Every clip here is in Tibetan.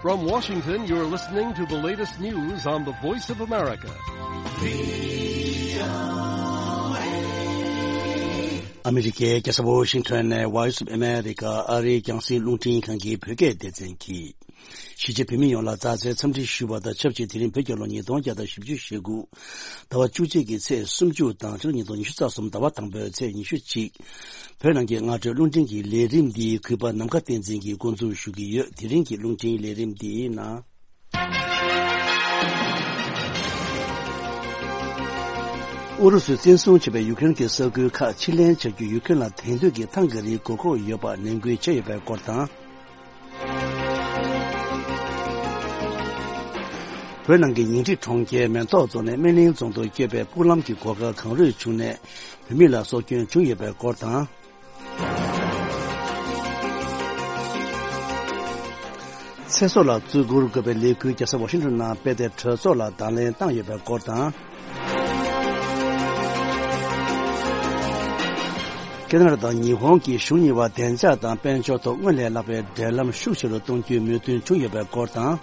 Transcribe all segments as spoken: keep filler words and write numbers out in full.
From Washington, you're listening to the latest news on the Voice of America. ཨ་མི་རི་ཀའི་རྒྱལ་ས་ཝོ་ཤིང་ཊོན་ནས་Voice of America ཨ་རིའི་རྒྱང་སྲིང་རླུང་འཕྲིན་ཁང་གི་བོད་སྐད་སྡེ་ཚན་གྱིས། གཞིས་བྱེས་བོད་མི་ཡོངས་ལ་མཛའ་བརྩེའི་འཚམས་འདྲི་ཞུ་བ་དང་ཆབས་ཅིག་དེ་རིང་བོད་རྒྱལ་ལོ་ཉིས་སྟོང་བརྒྱ་དང་བཞི་བཅུ་ཞེ་དགུ། ཟླ་བ་བཅུ་གཅིག་གི་ཚེས་སུམ་ཅུ་དང་ཕྱི་ལོ་ཉིས་སྟོང་ཉི་ཤུ་རྩ་གསུམ་ཟླ་བ་དང་པོའི་ཚེས་ཉི་ཤུ་གཅིག་བོད་ནང་གི་སྔ་དྲོའི་རླུང་འཕྲིན་གྱི་ལས་རིམ་འདི་གུས་པ་ནམ་མཁའ་བསྟན་འཛིན་གྱིས་འགོ་འཛུགས་ཞུ་གི་ཡོད། དེ་རིང་གི་རླུང་འཕྲིན་ལས་རིམ་འདིའི་ནང་། ཨུ་རུ་སུས་བཙན་བཟུང་བྱས་པའི་ཡུ་ཀེ་རེན་གྱི་ས་ཁུལ་ཁག་ཕྱིར་ལེན་བྱ་རྒྱུ་ཡུ་ཀེ་རེན་ལ་དེང་དུས་ཀྱི་ཐང་ག་རིགས་དགོས་མཁོ་ཡོད་པ་ནན་སྐུལ་བྱས་ཡོད་པའི་སྐོར་དང་། བོད་ནང་གི་ཉིང་ཁྲི་གྲོང་ཁྱེར་མེན་ཐོག་རྫོང་ནས་སྨན་གླིང་རྫོང་དུ་སྐྱོད་པའི་སྤུག་ལམ་གྱི་སྒོ་ཁར་གངས་རུད་བྱུང་ནས་བོད་མི་ལ་སྲོག་སྐྱོན་བྱུང་ཡོད་པའི་སྐོར་དང་། ཚེ་སྲོག་ལ་བརྩི་བཀུར་དགོས་པའི་ལས་འགུལ་རྒྱལ་ས་ཝ་ཤིང་ཊོན་ནང་སྤེལ་ཏེ་གྲོས་ཚོགས་ལ་དང་ལེན་བཏང་ཡོད་པའི་སྐོར་དང་། ཁེ་ན་ཌ་དང་ཉི་ཧོང་གི་གཞུང་གཉིས་བར་བདེ་འཇགས་དང་དཔལ་འབྱོར་ཐོག་སྔར་ལས་ལྷག་པའི་འབྲེལ་ལམ་ཤུགས་ཆེ་རུ་གཏོང་རྒྱུའི་མོས་མཐུན་བྱུང་ཡོད་པའི་སྐོར་དང་།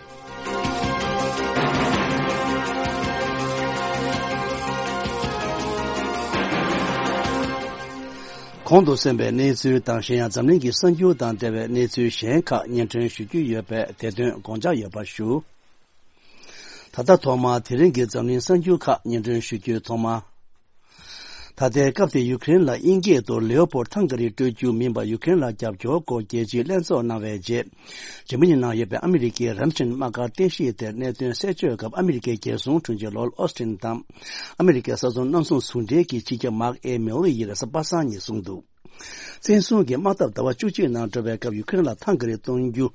གོང་དུ་གསན་པའི་གནས་ཚུལ་དང་གཞན་ཡང་འཛམ་གླིང་གི་གསར་འགྱུར་དང་འབྲེལ་བའི་གནས་ཚུལ་གཞན་ཁག་སྙན་སྒྲོན་ཞུ་རྒྱུ་ཡོད་པས་དེ་དོན་དགོངས་འཇགས་ཡོད་པ་ཞུ། ད་ལྟ་ཐོག་མར་དེ་རིང་གི་འཛམ་གླིང་གསར་འགྱུར་ཁག་སྙན་སྒྲོན་ཞུ་རྒྱུའི་ཐོག་མ། ད་ལྟའི་སྐབས་དེ་ཡུ་ཀེ་རེན་ལ་དབྱིན་སྐད་དུ་Leopard ཐང་ག་རིགས་སྤྲོད་རྒྱུ་མིན་པར་ཡུ་ཀེ་རེན་ལ་རྒྱབ་སྐྱོར་སྐོར་རྒྱལ་སྤྱིའི་ལྷན་ཚོགས་གནང་བའི་རྗེས། འཇར་མ་ནི་ནང་ཡོད་པའི་ཨ་མི་རི་ཀའི་རམ་ཤིན་དམག་སྒར་རྟེན་གཞི་དེར་གནད་དོན་གསལ་བརྗོད་སྐབས་ཨ་མི་རི་ཀའི་རྒྱལ་སྲུང་དྲུང་ཆེ་ལོར་ཨོ་སི་ཊིན་དང་། ཨ་མི་རི་ཀའི་ས་མཚམས་གནམ་སྲུང་ཟུང་འབྲེལ་གྱི་སྤྱི་ཁྱབ་མཱརྐ་ཨེ་མེ་ལི་ཡིས་རེས་གཟའ་པ་སངས་ཉིན་གསུངས་འདུག་བཙན་བཟུང་གི་དམག་འཐབ་ཟླ་བ་བཅུ་གཅིག་ནང་འགྲོ་བའི་སྐབས་ཡུ་ཀེ་རེན་ལ་ཐང་ག་རིགས་གཏོང་རྒྱུ་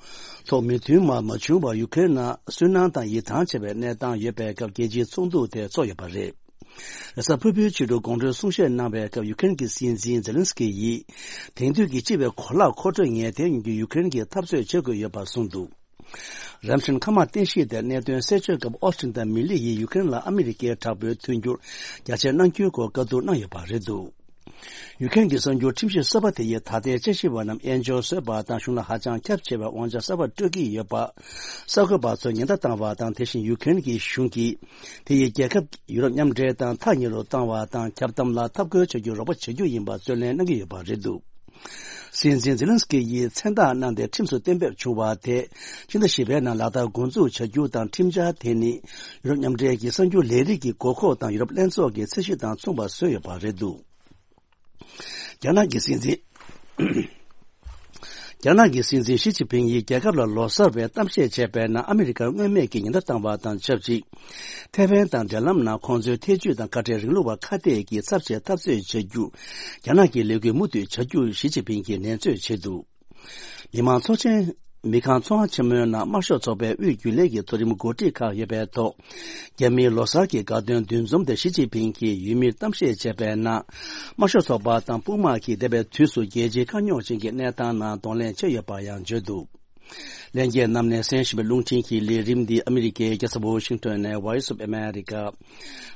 ཐོག་མོས་མཐུན་མ་མ་བྱུང་བར་ཡུ་ཀེ་རེན་ནང་སུན་སྣང་དང་ཡིད་ཐང་ཆད་པའི་གནས་སྟངས་ཡོད་པའི་སྐབས་རྒྱལ་སྤྱིའི་ཚོགས་འདུ་དེ་ཚོགས་ཡོད་པ་རེད། རེས་གཟའ་ཕུར་བུའི་ཕྱི་དྲོ་དགོང་དྲོའི་གསུང་བཤད་གནང་བའི་སྐབས་ཡུ་ཀེ་རེན་གྱི་སྲིད་འཛིན་ཛེ་ལན་སི་ཀི་ཡིས་དེང་དུས་ཀྱི་སྤྱི་པའི་གོ་ལག་མཁོ་སྤྲོད་ངེས་གཏན་ཡོང་རྒྱུ་ཡུ་ཀེ་རེན་གྱིས་འཐབ་རྩོད་བྱེད་དགོས་ཡོད་པ་གསུངས་འདུག་རམ་ཤིན་མཁའ་དམག་རྟེན་གཞི་དེར་གནད་དོན་གསལ་བརྗོད་སྐབས་ཨོ་སི་ཊིན་དང་མི་ལི་ཡིས་ཡུ་ཀེ་རེན་ལ་ཨ་མི་རི་ཀའི་དྲག་པོའི་མཐུན་འགྱུར་རྒྱ་ཆེར་གནང་རྒྱུའི་སྐོར་བཀའ་བསྡུར་གནང་ཡོད་པ་རེད་འདུག་ཡུ་ཀེ་རེན་གྱི་གསར་འགྱུར་ཁྲིམས་ཞིབ་གསར་པ་དེ་ཡིས་ད་ལྟའི་དཔྱད་ཞིབ་པ་རྣམས་དབྱེན་སྦྱོར་བཟོས་པ་དང་གཞུང་ལ་ཧ་ཅང་ཁྱབ་ཆེ་བའི་དབང་ཆ་གསར་པ་སྤྲོད་ཀྱི་ཡོད་པ། གསར་འགོད་པ་ཚོར་ཉེན་བརྡ་བཏང་བ་དང་། དེ་བཞིན་ཡུ་ཀེ་རེན་གྱི་གཞུང་གིས་དེ་ཡི་རྒྱལ་ཁབ་ཡུ་རོབ་མཉམ་འབྲེལ་དང་ཐག་ཉེ་རུ་བཏང་བ་དང་། ཁྱབ་གདམ་ལ་འཐབ་རྒོལ་བྱ་རྒྱུར་རོགས་པ་བྱ་རྒྱུ་ཡིན་པ་རྩོད་ལེན་གནང་གི་ཡོད་པ་རེད་འདུག་སྲིད་འཛིན་ཛེ་ལན་སི་ཀི་ཡིས་མཚན་རྟགས་གནང་སྟེ་ཁྲིམས་སུ་གཏན་འབེབས་བྱུང་བ་དེ་ཕྱི་ཟླ་བཞི་པའི་ནང་ལག་བསྟར་འགོ་འཛུགས་བྱ་རྒྱུ་དང་། ཁྲིམས་འཆར་དེ་ནི་ཡུ་རོབ་མཉམ་འབྲེལ་གྱི་གསར་འགྱུར་ལས་རིགས་ཀྱི་དགོས་མཁོ་དང་ཡུ་རོབ་ལྷན་ཚོགས་ཀྱི་ཚད་གཞི་དང་མཚུངས་པ་བཟོས་ཡོད་པ་རེད་འདུག་རྒྱ་ནག་གི་སྲིད་འཛིན། རྒྱ་ནག་གི་སྲིད་འཛིན་ཞི་ཅིན་ཕིང་ཡིས་རྒྱལ་ཁབ་ལ་ལོ་གསར་བའི་གཏམ་བཤད་བྱས་པའི་ནང་ཨ་མི་རི་ཀར་མངོན་མེད་ཀྱི་ཉེན་བརྡ་བཏང་བ་དང་ཆབས་ཅིག་ཐེ་ཝན་དང་འབྲེལ་ལམ་ནང་ཁོང་ཚོའི་ཐེ་ཇུས་དང་ཁ་བྲལ་རིང་ལུགས་པ་ཁ་གཏད་ཀྱིས་ཚབས་ཆེའི་འཐབ་རྩོད་བྱ་རྒྱུ། རྒྱ་ནག་གི་ལས་འགུལ་མུ་མཐུད་བྱ་རྒྱུ་ཞི་ཅིན་ཕིང་གིས་ནན་བརྗོད་བྱས་འདུག་མི་མང་ཚོགས་ཆེན། མི་ཁང་ཚོང་ཁང་ཆེན་མོའི་ནང་དམར་ཤོག་ཚོགས་པའི་དབུས་རྒྱུན་ལས་ཀྱི་མཐོ་རིམ་འགོ་ཁྲིད་ཁག་ཡོད་པའི་ཐོག་རྒྱ་མིའི་ལོ་གསར་གྱི་དགའ་སྟོན་འདུ་འཛོམས་དེར་ཞི་ཅིན་ཕིང་གིས་ཡུལ་མིར་གཏམ་བཤད་བྱས་པའི་ནང་། དམར་ཤོག་ཚོགས་པ་དང་དཔུང་དམག་གིས་འདས་པའི་དུས་སུ་རྒྱལ་སྤྱིའི་དཀའ་རྙོག་ཅན་གྱི་གནས་སྟངས་ནང་གདོང་ལེན་བྱས་ཡོད་པ་ཡང་བརྗོད་འདུག་ལྷན་རྒྱས་རྣམས་ནས་གསན་བཞིན་པའི་རླུང་འཕྲིན་གྱི་ལས་རིམ་འདི་ཨ་མི་རི་ཀའི་རྒྱལ་ས་ཝོ་ཤིང་ཊོན་ནས་Voice of America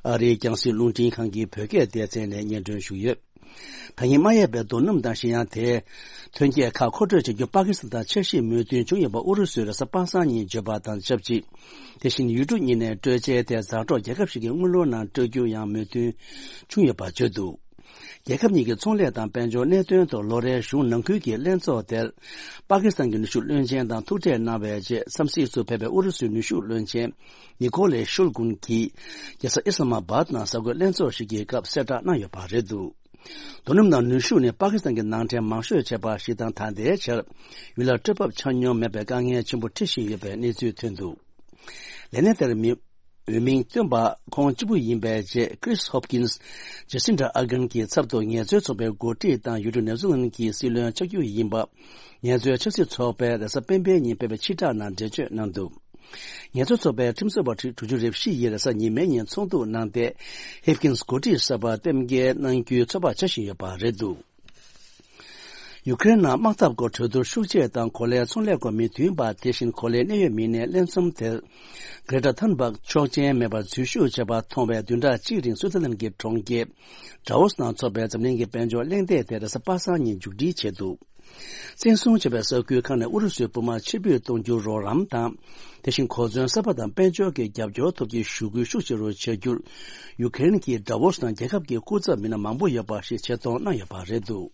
ཨ་རིའི་རྒྱང་སྲིང་རླུང་འཕྲིན་ཁང་གི་བོད་སྐད་སྡེ་ཚན་ནས་སྙན་སྒྲོན་ཞུས་ཡོད། ད་ཡིན་མ་ཡས་པའི་རྡོ་སྣུམ་དང་ཤི་ཡང་དེའི་ཐོན་སྐྱེད་ཁག་མཁོ་སྤྲོད་བྱ་རྒྱུ་པ་ཀི་སི་ཐན་དང་འཆར་གཞི་མོས་མཐུན་བྱུང་ཡོད་པ་ཨུ་རུ་སུས་རེས་གཟའ་པ་སངས་ཉིན་བརྗོད་པ་དང་ཆབས་ཅིག་དེ་བཞིན་ཡུལ་གྲུ་གཉིས་ནས་སྤྲོད་ཆས་དེ་ཛ་དྲག་རྒྱལ་ཁབ་ཞིག་གི་དངུལ་ལོར་ནང་སྤྲོད་རྒྱུ་ཡང་མོས་མཐུན་བྱུང་ཡོད་པ་བརྗོད་འདུག་རྒྱལ་ཁབ་གཉིས་ཀྱི་ཚོང་ལས་དང་དཔལ་འབྱོར་གནད་དོན་ཐོག་ལོ་རེའི་གཞུང་ནང་ཁུལ་གྱི་ལྷན་ཚོགས་དེར། པ་ཀི་སི་ཐན་གྱི་ནུས་ཤུགས་བློན་ཆེན་དང་ཐུག་འཕྲད་གནང་བའི་རྗེས་འཚམས་གཟིགས་སུ་ཕེབས་པའི་ཨུ་རུ་སུའི་ནུས་ཤུགས་བློན་ཆེན་ནི་ཀོ་ལེ་ཤུལ་ཀུན་གྱིས་རྒྱལ་ས་ཨི་སི་ལ་མ་བཱད་ནང་གསར་འགོད་ལྷན་ཚོགས་ཤིག་གི་སྐབས་གསལ་བསྒྲགས་གནང་ཡོད་པ་རེད་འདུག་རྡོ་སྣུམ་དང་ནུས་ཤུགས་ནི་པ་ཀི་སི་ཐན་གྱི་ནང་འདྲེན་མང་ཤོས་བྱས་པ་ཞིག་དང་། ད་ལྟའི་ཆར་ཡུལ་ལ་སྤྲོད་འབབ་ཆ་སྙོམས་མེད་པའི་དཀའ་ངལ་ཆེན་པོ་འཕྲད་བཞིན་ཡོད་པའི་གནས་ཚུལ་ཐོན་འདུག་ལས་གནས་དེར་མི་འོས་མིང་བཏོན་པ་ཁོང་གཅིག་པུ་ཡིན་པའི་རྗེས། Chris Hopkins Jacinda Ardern གྱི་ཚབ་ཏུ་ངལ་རྩོལ་ཚོགས་པའི་འགོ་ཁྲིད་དང་ཡུལ་གྲུ་ནེ་ཛར་ལན་གྱི་སྲིད་བློན་ཆགས་རྒྱུ་ཡིན་པ། ངལ་རྩོལ་ཆབ་སྲིད་ཚོགས་པས་རེས་གཟའ་སྤེན་པའི་ཉིན་སྤེལ་བའི་ཕྱིར་བསྒྲགས་ནང་འགྲེལ་བརྗོད་གནང་འདུག་ངལ་རྩོལ་ཚོགས་པའི་ཁྲིམས་བཟོ་བ་དྲུག་ཅུ་རེ་བཞི་ཡིས་རེས་གཟའ་ཉི་མའི་ཉིན་ཚོགས་འདུ་གནང་སྟེ། Hopkins འགོ་ཁྲིད་གསར་པར་གཏན་འཁེལ་གནང་རྒྱུའི་ཚོད་དཔག་བྱ་བཞིན་ཡོད་པ་རེད་འདུག་ཡུ་ཀེ་རེན་ནང་དམག་འཐབ་སྐོར་གྲོས་བསྡུར་ཤུགས་ཆེ་དང་གོ་ལའི་ཚོང་ལས་སྐོར་མི་མཐུན་པ། དེ་བཞིན་གོ་ལའི་གནད་ཡོད་མི་སྣའི་ལྷན་འཛོམས་དེར། Greta Thunberg ཆོག་མཆན་མེད་པར་འཛུལ་ཞུགས་བྱས་པ་མཐོང་བའི་བདུན་ཕྲག་གཅིག་རིང་སུའུ་ཙེར་ལན་གྱི་གྲོང་ཁྱེར་Davos ནང་འཚོགས་པའི་འཛམ་གླིང་གི་དཔལ་འབྱོར་གླེང་སྟེགས་དེ་རེས་གཟའ་པ་སངས་ཉིན་མཇུག་སྒྲིལ་བྱས་འདུག་བཙན་བཟུང་བྱས་པའི་ས་ཁུལ་ཁག་ནས་ཨུ་རུ་སུའི་དཔུང་དམག་ཕྱིར་འབུད་གཏོང་རྒྱུར་རོགས་རམ་དང་། དེ་བཞིན་གོ་མཚོན་གསར་པ་དང་དཔལ་འབྱོར་གྱི་རྒྱབ་སྐྱོར་ཐོབ་རྒྱུའི་ཞུ་སྐུལ་ཤུགས་ཆེ་རུ་བྱ་རྒྱུར། ཡུ་ཀེ་རེན་གྱི་ཌ་ཝོ་སི་ནང་རྒྱལ་ཁབ་ཀྱི་སྐུ་ཚབ་མི་སྣ་མང་པོ་ཡོད་པ་ཞིག་ཆེད་གཏོང་གནང་ཡོད་པ་རེད་འདུག་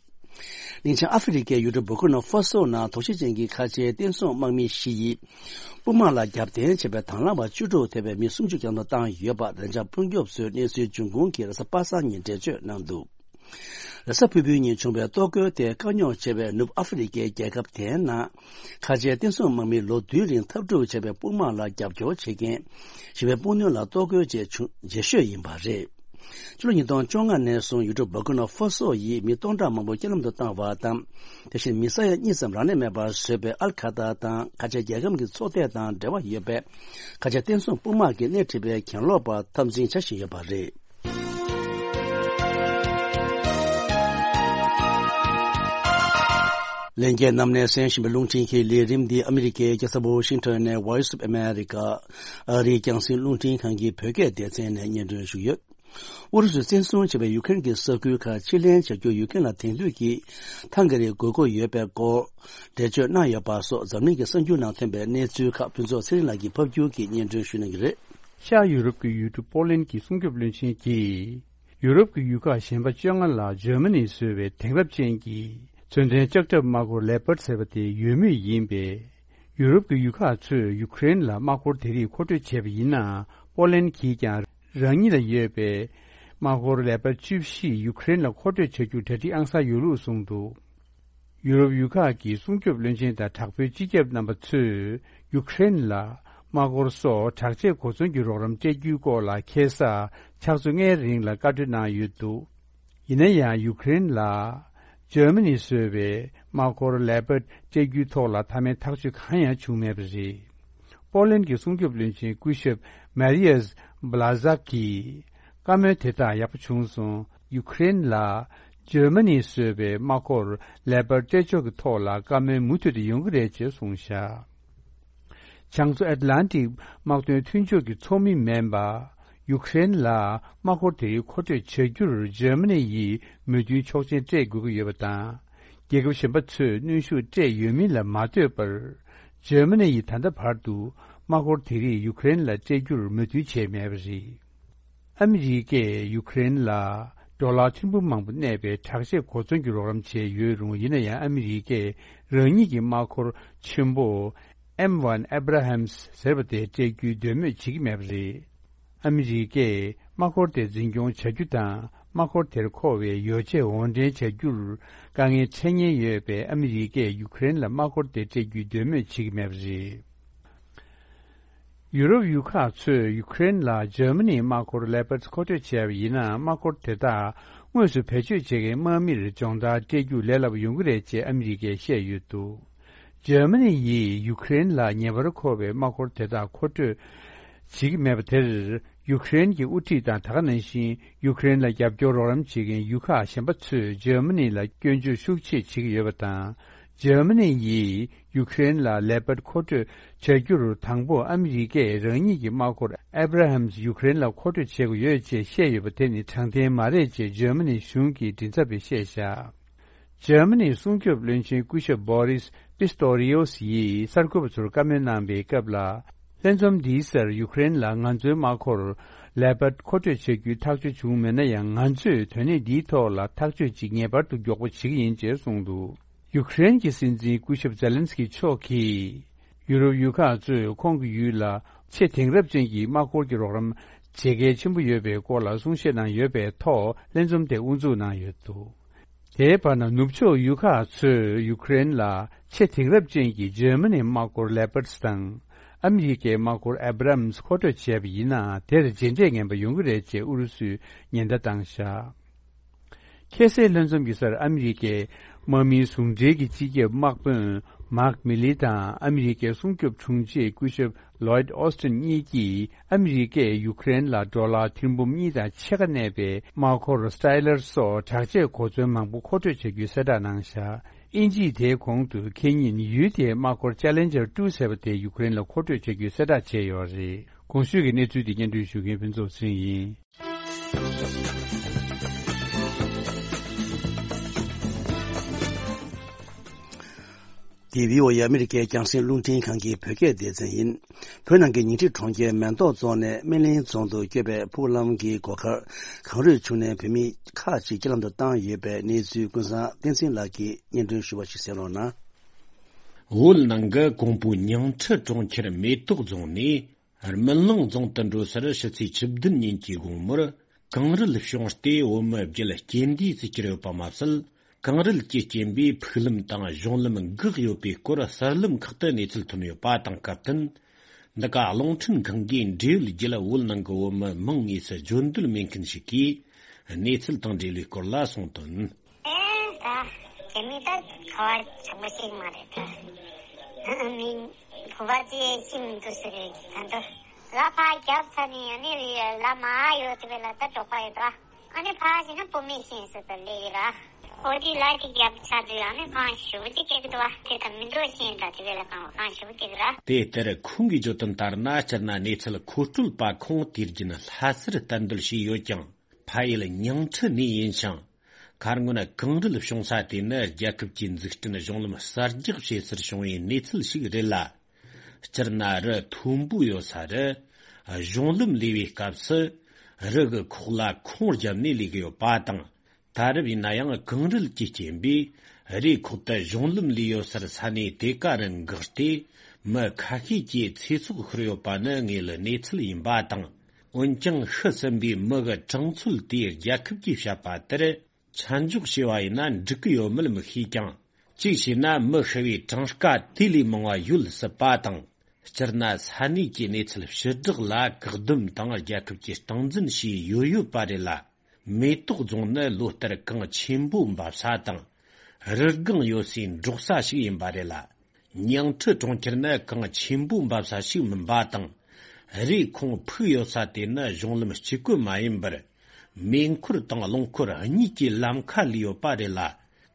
གླིང་ཆེན་ཨ་ཧྥེ་རི་ཁའི་ཡུལ་གྲུ་བུར་ཀི་ནོ་ཧྥ་སོ་ནང་དོགས་གཞི་ཅན་གྱི་ཁ་ཆེའི་བསྟན་སྲུང་དམག་མི་བཞི་ཡིས། དཔུང་དམག་ལ་རྒྱབ་རྟེན་བྱས་པའི་དང་བླངས་པ་བཅུ་དྲུག་ཐེ་བའི་མི་སུམ་ཅུ་བརྒྱ་ཐམ་པ་བཏང་ཡོད་པ་བདེ་འཇགས་སྲུང་སྐྱོབ་ཚོས་གནས་ཚུལ་འབྱུང་ཁུངས་ཀྱིས་རེས་གཟའ་པ་སངས་ཉིན་འགྲེལ་བརྗོད་གནང་འདུག་རེས་གཟའ་ཕུར་བུའི་ཉིན་བྱུང་བའི་གཏོར་རྒོལ་དེ་དཀའ་རྙོག་ཆེ་བའི་ནུབ་ཨ་ཧྥེ་རི་ཁའི་རྒྱལ་ཁབ་དེའི་ནང་། ཁ་ཆེའི་བསྟན་སྲུང་དམག་མིས་ལོ་བདུན་རིང་འཐབ་འཁྲུག་བྱས་པའི་དཔུང་དམག་ལ་རྒྱབ་སྐྱོར་བྱེད་མཁན། ཞི་བའི་དཔུང་སྣོན་ལ་གཏོར་རྒོལ་བྱས་བྱུང་རྗེས་ཤོས་ཡིན་པ་རེད། ཕྱི་ལོ་ཉིས་སྟོང་བཅོ་ལྔ་ནས་བཟུང་ཡུལ་གྲུ་བུར་ཀི་ནོ་ཧྥ་སོ་ཡིས་མི་སྟོང་ཕྲག་མང་པོ་རྐྱེན་ལམ་དུ་བཏང་བ་དང་། དེ་བཞིན་མི་ས་ཡ་གཉིས་ཙམ་རང་ལས་མེད་པར་བཟོས་པའི་ཨལ་ཁ་ཏར་དང་ཁ་ཆེ་རྒྱལ་ཁམས་ཀྱི་ཚོགས་སྡེ་དང་འབྲེལ་བ་ཡོད་པའི་ཁ་ཆེ་བསྟན་སྲུང་དཔུང་དམག་གིས་སྣེ་ཁྲིད་པའི་གྱེན་ལོག་པ་འཐབ་འཛིང་བྱ་བཞིན་ཡོད་པ་རེད། ལྷན་རྒྱས་རྣམས་ནས་གསན་བཞིན་པའི་རླུང་འཕྲིན་གྱི་ལས་རིམ་འདི་ཨ་མི་རི་ཀའི་རྒྱལ་ས་ཝོ་ཤིང་ཊོན་ནས་Voice of America ཨ་རིའི་རྒྱང་སྲིང་རླུང་འཕྲིན་ཁང་གི་བོད་སྐད་སྡེ་ཚན་ནས་སྙན་སྒྲོན་ཞུས་ཡོད། ཨུ་རུ་སུས་བཙན་བཟུང་བྱས་པའི་ཡུ་ཀེ་རེན་གྱི་ས་ཁུལ་ཁག་ཕྱིར་ལེན་བྱ་རྒྱུར་ཡུ་ཀེ་རེན་ལ་དེང་དུས་ཀྱི་ཐང་ག་རིགས་དགོས་མཁོ་ཡོད་པའི་སྐོར་འགྲེལ་བརྗོད་གནང་ཡོད་པ་སོགས་འཛམ་གླིང་གི་གསར་འགྱུར་ནང་ཐོན་པའི་གནས་ཚུལ་ཁག་ཕུན་ཚོགས་ཚེ་རིང་ལགས་ཀྱིས་ཕབ་སྒྱུར་གྱིས་སྙན་སྒྲོན་ཞུ་གནང་གི་རེད། ཤར་ཡུ་རོབ་ཀྱི་ཡུལ་གྲུ་པོ་ལན་གྱི་སྲུང་སྐྱོབ་བློན་ཆེན་གྱིས། ཡུ་རོབ་ཀྱི་ཡུལ་ཁག་གཞན་པ་བཅོ་ལྔ་ལ་འཇར་མ་ནི་བཟོས་པའི་དེང་རབས་ཅན་གྱི་མཚོན་ལྡན་ལྕགས་ཁྲབ་དམག་འཁོར་ལེ་པར་ཟེར་བ་དེ་ཡོད་མུས་ཡིན་པས། ཡུ་རོབ་ཀྱི་ཡུལ་ཁག་ཚོས་ཡུ་ཀེ་རེན་ལ་དམག་འཁོར་དེ་རིགས་མཁོ་སྤྲོད་བྱས་པ་ཡིན་ན། པོ་ལན་གྱིས་ཀྱང་རང་ཉིད་ལ་ཡོད་པའི་དམག་འཁོར་ལེ་པར་བཅུ་བཞི་ཡུ་ཀེ་རེན་ལ་མཁོ་སྤྲོད་བྱ་རྒྱུར་གྲ་སྒྲིག་ཨང་གསར་ཡོད་ལུགས་གསུངས་འདུག་ཡུ་རོབ་ཡུལ་ཁག་གི་སྲུང་སྐྱོབ་བློན་ཆེན་དང་དྲག་པོའི་སྤྱི་ཁྱབ་རྣམ་པ་ཚོས་ཡུ་ཀེ་རེན་ལ་དམག་འཁོར་སོགས་དྲག་ཆས་གོ་མཚོན་གྱི་རོགས་རམ་སྤྲད་རྒྱུའི་སྐོར་ལ་ཁ་སང་ཕྱག་ཚོད་ལྔའི་རིང་ལ་བཀའ་འཁྲོལ་གནང་ཡོད་འདུག་ཡིན་ན་ཡང་ཡུ་ཀེ་རེན་ལ་འཇར་མ་ནི་བཟོས་པའི་དམག་འཁོར་ལེ་པར་སྤྲད་རྒྱུའི་ཐོག་ལ་མཐའ་མའི་ཐག་གཅོད་གང་ཡང་བྱུང་མེད་པ་རེད། པོ་ལན་གྱི་སྲུང་སྐྱོབ་བློན་ཆེན་སྐུ་ཞབས་མ་རི་ཡས་བྷ་ལ་ཛག་གིས་བཀའ་མོལ་དེ་དག་ཡག་པོ་བྱུང་སོང་། ཡུ་ཀེ་རེན་ལ་འཇར་མ་ནིས་བཟོས་པའི་དམག་འཁོར་ལེ་པར་སྤྲད་ཕྱོགས་ཀྱི་ཐོག་ལ་བཀའ་མོལ་མུ་མཐུད་དུ་ཡོང་གི་རེད་ཅེས་གསུངས་བཞག་བྱང་མཚོ་ཨེཊ་ལན་ཊིག་དམག་དོན་མཐུན་ཕྱོགས་ཀྱི་ཚོགས་མི་མིན་པ། ཡུ་ཀེ་རེན་ལ་དམག་འཁོར་དེ་རིགས་མཁོ་སྤྲོད་བྱ་རྒྱུར་འཇར་མ་ནི་ཡིས་མོས་མཐུན་ཆོག་མཆན་སྤྲད་དགོས་ཀྱི་ཡོད་པ་དང་། རྒྱལ་ཁབ་གཞན་པ་ཚོས་གནོན་ཤུགས་སྤྲད་ཡོད་མིན་ལ་མ་ལྟོས་པར། འཇར་མ་ནི་ཡིས་ད་ལྟ་བར་དུ་དམག་འཁོར་དེ་རིགས་ཡུ་ཀེ་རེན་ལ་སྤྲད་རྒྱུར་མོས་མཐུན་བྱས་མེད་པ་རེད། ཨ་མི་རི་ཀས་ཡུ་ཀེ་རེན་ལ་ཌོ་ལར་ཐེར་འབུམ་མང་པོ་གནས་པའི་དྲག་ཆས་གོ་མཚོན་གྱི་རོགས་རམ་བྱས་ཡོད་རུང་། ཡིན་ན་ཡང་ཨ་མི་རི་ཀས་རང་ཉིད་ཀྱི་དམག་འཁོར་ཆེན་པོ་ཨེམ་ཝན་ཨེབ་ར་ཧམ་སི་ཟེར་བ་དེ་སྤྲད་རྒྱུའི་འདོད་མོས་བྱེད་ཀྱི་མེད་པ་རེད། ཨ་མི་རི་ཀས་དམག་འཁོར་དེ་འཛིན་སྐྱོང་བྱ་རྒྱུ་དང་། དམག་འཁོར་དེར་མཁོ་བའི་ཡོ་བྱད་དབོར་འདྲེན་བྱ་རྒྱུར་དཀའ་ངལ་འཕྲད་ཉེན་ཡོད་པས། ཨ་མི་རི་ཀས་ཡུ་ཀེ་རེན་ལ་དམག་འཁོར་དེ་སྤྲད་རྒྱུའི་འདོད་མོས་བྱེད་ཀྱི་མེད་པ་རེད། ཡུ་རོབ་ཡུལ་ཁག་ཚོས་ཡུ་ཀེ་རེན་ལ་འཇར་མ་ནིའི་དམག་འཁོར་ལེ་པར་མཁོ་སྤྲོད་བྱས་པ་ཡིན་ན། དམག་འཁོར་དེ་དག་དངོས་སུ་བེད་སྤྱོད་བྱེད་མཁན་དམག་མིར་སྦྱོང་བརྡར་སྤྲད་རྒྱུ་ལས་སླ་པོ་ཡོང་གི་རེད་ཅེས་ཨ་མི་རི་ཀས་བཤད་ཡོད་འདུག་འཇར་མ་ནི་ཡིས་ཡུ་ཀེ་རེན་ལ་ངེས་པར་མཁོ་བའི་དམག་འཁོར་དེ་དག་མཁོ་སྤྲོད་བྱེད་ཀྱི་མེད་པ་དེར། ཡུ་ཀེ་རེན་གྱི་དབུ་ཁྲིད་དང་། ད་ག་ནང་བཞིན་ཡུ་ཀེ་རེན་ལ་རྒྱབ་སྐྱོར་རོགས་རམ་བྱེད་མཁན་ཡུལ་ཁག་གཞན་པ་ཚོས་འཇར་མ་ནི་ལ་སྐྱོན་བརྗོད་ཤུགས་ཆེ་བྱེད་ཀྱི་ཡོད་པ་དང་། འཇར་མ་ནི་ཡིས་ཡུ་ཀེ་རེན་ལ་ལེ་པར་མཁོ་སྤྲོད་བྱ་རྒྱུར། དང་པོ་ཨ་མི་རི་ཀས་རང་ཉིད་ཀྱི་དམག་འཁོར་ཨེབ་ར་ཧམ་སི་ཡུ་ཀེ་རེན་ལ་མཁོ་སྤྲོད་བྱེད་དགོས་ཡོད་ཅེས་བཤད་ཡོད་པ་དེ་ནི་དྲང་བདེན་མ་རེད་ཅེས་འཇར་མ་ནི་གཞུང་གི་མགྲིན་ཚབ་པས་བཤད་བཞག་འཇར་མ་ནིའི་སྲུང་སྐྱོབ་བློན་ཆེན་སྐུ་ཞབས་བྷོ་རིས་པི་སྟོ་རི་ཡོ་སི་ཡིས་གསར་འགོད་པ་ཚོར་བཀའ་མོལ་གནང་པའི་སྐབས་ལ། ལྷན་འཛོམས་འདིའི་སར་ཡུ་ཀེ་རེན་ལ་ང་ཚོའི་དམག་འཁོར་ལེ་པར་མཁོ་སྤྲོད་བྱ་རྒྱུའི་ཐག་གཅོད་བྱུང་མེད་ན་ཡང་། ང་ཚོས་དོན་གནད་འདིའི་ཐོག་ལ་ཐག་གཅོད་ཅིག་ངེས་པར་དུ་མགྱོགས་པོ་བྱེད་ཀྱི་ཡིན་ཅེས་གསུངས་འདུག་ཡུ་ཀེ་རེན་གྱི་སྲིད་འཛིན་སྐུ་ཞབས་ཛེ་ལན་སི་ཀི་མཆོག་གིས། ཡུ་རོབ་ཡུལ་ཁག་ཚོས་ཁོང་གི་ཡུལ་ལ་ཆེས་དེང་རབས་ཅན་གྱི་དམག་འཁོར་གྱི་རོགས་རམ་བྱེད་གལ་ཆེན་པོ་ཡོད་པའི་སྐོར་ལ་གསུང་བཤད་གནང་ཡོད་པའི་ཐོག་ལྷན་འཛོམས་དེ་དབུ་འཛུགས་གནང་ཡོད་འདུག་དེའི་བར་ན། ནུབ་ཕྱོགས་ཡུལ་ཁག་ཚོས་ཡུ་ཀེ་རེན་ལ་ཆེས་དེང་རབས་ཅན་གྱི་འཇར་མ་ནིའི་དམག་འཁོར་ལེ་པར་སི་དང་། ཨ་མི་རི་ཀའི་དམག་འཁོར་ཨེབ་རམ་སི་མཁོ་སྤྲོད་བྱས་པ་ཡིན་ན། དེར་རྗེས་འབྲས་ངན་པ་ཡོང་གི་རེད་ཅེས་ཨུ་རུ་སུས་ཉེན་བརྡ་བཏང་བཞག་ཁ་སང་ལྷན་འཛོམས་ཀྱི་སར་ཨ་མི་རི་ཀའི་དམག་མིའི་ཟུང་འབྲེལ་གྱི་སྤྱི་ཁྱབ་དམག་དཔོན་མཱག་མི་ལི་དང་། ཨ་མི་རི་ཀའི་སྲུང་སྐྱོབ་དྲུང་ཆེ་སྐུ་ཞབས་ལོའིད་ཨོ་སྟིན་གཉིས་ཀྱིས། ཨ་མི་རི་ཀས་ཡུ་ཀེ་རེན་ལ་ཌོ་ལར་ཐེར་འབུམ་གཉིས་དང་ཕྱེད་ཀ་གནས་པའི་དམག་འཁོར་སི་ཊའི་ལར་སོགས་དྲག་ཆས་གོ་མཚོན་མང་པོ་མཁོ་སྤྲོད་བྱ་རྒྱུའི་གསལ་བསྒྲགས་གནང་བཞག་དབྱིན་ཇིས་དེའི་གོང་དུ་ཁེ་ཉིན་ཡུལ་དེའི་དམག་འཁོར་ཅ་ལེན་ཇར་ཊུ་ཟེར་བ་དེ་ཡུ་ཀེ་རེན་ལ་མཁོ་སྤྲོད་བྱ་རྒྱུའི་གསལ་བསྒྲགས་བྱས་ཡོད་རེད། གོང་ཞུས་ཀྱི་གནས་ཚུལ་དེ་སྙན་སྒྲོན་ཞུ་མཁན་ཕུན་ཚོགས་ཚེ་རིང་ཡིན། འདི་བྷི་ཨོ་ཨེ་ཨ་མི་རི་ཀའི་རྒྱང་སྲིང་རླུང་འཕྲིན་ཁང་གི་བོད་སྐད་སྡེ་ཚན་ཡིན། བོད་ནང་གི་ཉིང་ཁྲི་གྲོང་ཁྱེར་མེ་ཏོག་རྫོང་ནས་སྨན་གླིང་རྫོང་དུ་སྐྱོད་པའི་ཕུག་ལམ་གྱི་སྒོ་ཁར་གངས་རིའི་ཕྱུགས་ནས་བོད་མི་ཁག་ཅིག་རྐྱེན་ལམ་དུ་བཏང་ཡོད་པའི་གནས་ཚུལ་ཀུན་བཟང་བསྟན་འཛིན་ལགས་ཀྱིས་སྙན་སྒྲོན་ཞུ་བ་ཞིག་གསན་རོགས་གནང་། བོད་ནང་གི་ཀོང་པོ་ཉིང་ཁྲི་གྲོང་ཁྱེར་མེ་ཏོག་རྫོང་ནས་རྨི་ལང་རྫོང་དུ་འགྲོ་སར་ཕྱི་ཚེས་བཅུ་བདུན་ཉིན་གྱི་དགོང་མོར་གངས་རུད་བྱུང་སྟེ་བོད་མི་བརྒྱད་རྐྱེན་འདས་སུ་གྱུར་ཡོད་པ་མ་ཟད། གངས་རུད་ཀྱི་རྐྱེན་པས་ཕུག་ལམ་དང་གཞུང་ལམ་འགག་ཡོད་པའི་སྐོར་གསར་ལམ་ཁག་ཏུ་གནས་ཚུལ་ཐོན་ཡོད་པ་དང་སྐབས་བསྟུན། འདི་ག་རླུང་འཕྲིན་ཁང་གིས་འབྲེལ་ཡོད་བརྒྱུད་བོད་ནང་གི་བོད་མི་མང་དངོས་སུ་བརྗོད་འདོད་མེད་མཁན་ཞིག་གིས་གནས་ཚུལ་དང་འབྲེལ་བའི་སྐོར་ལ་གསུངས་དོན། ཨེ་ད། དེ་མི་ད་ཁ་བ་ཆགས་པོ་ཞིག་མ་རེད་ད། མི་བུ་བ་ཅི་ཤིམ་དུ་ཟེར་བའི་ད་འདོ། ལ་ཕ་རྒྱབ་ཚ་ནི་ཡ་ནི་ལ་མ་ཡོད་དེ་བས་ལ་ད་གྲོགས་པ་ཡོད་ད། ཨ་ནི་ཕ་ཞིག་ན་བུ་མི་ཤེས་སུ་ད་ལེ་ཡི་ར། ཁོ་དི་ལ་ཅིག་རྒྱབ་ཚ་དུ་ཡ་ནི་ཕ་ཞུ་ཅིག་ཀེག་དུ་བ་དེ་ད་མི་འདོད་ཤེས་ད་དེ་བས་ལ་གང་བ་གང་ཞུ་ཅིག་ར། དེ་ལྟར་ཁོང་གིས་བརྗོད་དོན་ལྟར་ན་སྤྱིར་ན་གནས་ཚུལ་མཁོ་སྤྲོད་པ་ཁོང་དུས་རྒྱུན་ལྷ་སར་གཏན་སྡོད་བྱས་ཡོད་ཀྱང་། ཕ་ཡུལ་ཉིང་ཁྲི་ནས་ཡིན་ཞིང་། མཁར་སྔོན་གངས་རུད་བྱུང་ས་དེ་ནི་རྒྱལ་ཁབ་ཀྱི་འཛུགས་སྐྲུན་གཞུང་ལམ་གསར་རྒྱག་བྱེད་སར་བྱུང་བའི་གནས་ཚུལ་ཞིག་རེད་ལ། སྤྱིར་ན་རི་མཐོན་པོ་ཡོད་ས་རུ་གཞུང་ལམ་ལས་པའི་སྐབས་སུ་རི་གི་ཁོག་ལ་ཁུང་བརྒྱབ་ནས་ལས་ཀྱི་ཡོད་པ་དང་། ད་རེབ་ཡིན་ན་ཡང་གངས་རུད་ཀྱི་རྐྱེན་པས་རིའི་ཁོག་ཏུ་གཞུང་ལམ་ལས་ཡོད་སར་ས་གནས་དེ་ག་རུ་འགག་སྟེ་མི་ཁ་ཤས་ཀྱི་ཚེ་སྲོག་ཤོར་ཡོད་པ་ནི་དངོས་ལ་གནས་ཚུལ་ཡིན་པ་དང་། འོན་ཀྱང་ཤི་ཟིན་པའི་མི་གི་གྲངས་ཚོད་དེ་རྒྱལ་ཁབ་ཀྱིས་བཤད་པ་ལྟར་ཆ་འཇོག་བྱས་པ་ཡིན་ན་འགྲིག་གི་ཡོད་མེད་མི་ཤེས་ཀྱང་། གཅིག་བྱས་ན་མི་ཤི་བའི་གྲངས་ཀ་དེ་ལས་མང་བ་ཡོད་སྲིད་པ་དང་། སྤྱིར་ན་ས་གནས་ཀྱི་གནས་ཚུལ་ཕྱི་བསྒྲགས་ལ་བཀག་སྡོམ་དང་རྒྱལ་ཁབ་ཀྱིས་སྟངས་འཛིན་བྱས་ཡོད་ཡོད་པ་རེད་ལ། མེ་ཏོག་རྫོང་ནི་ལོ་ལྟར་གངས་ཆེན་པོ་འབབ་ས་དང་། རི་སྒང་ཡོད་སའི་འབྲོག་ས་ཞིག་ཡིན་པ་རེད་ལ། ཉིང་ཁྲི་གྲོང་ཁྱེར་ནི་གངས་ཆེན་པོ་འབབ་ས་ཞིག་མིན་པ་དང་། རིའི་ཁོངས་ཕུག་ཡོད་ས་དེ་ནི་གཞུང་ལམ་གཅིག་པུ་མ་ཡིན་པར། མེ་འཁོར་དང་རླངས་འཁོར་གཉིས་ཀྱི་ལམ་ཁ་ལས་ཡོད་པ་རེད་ལ།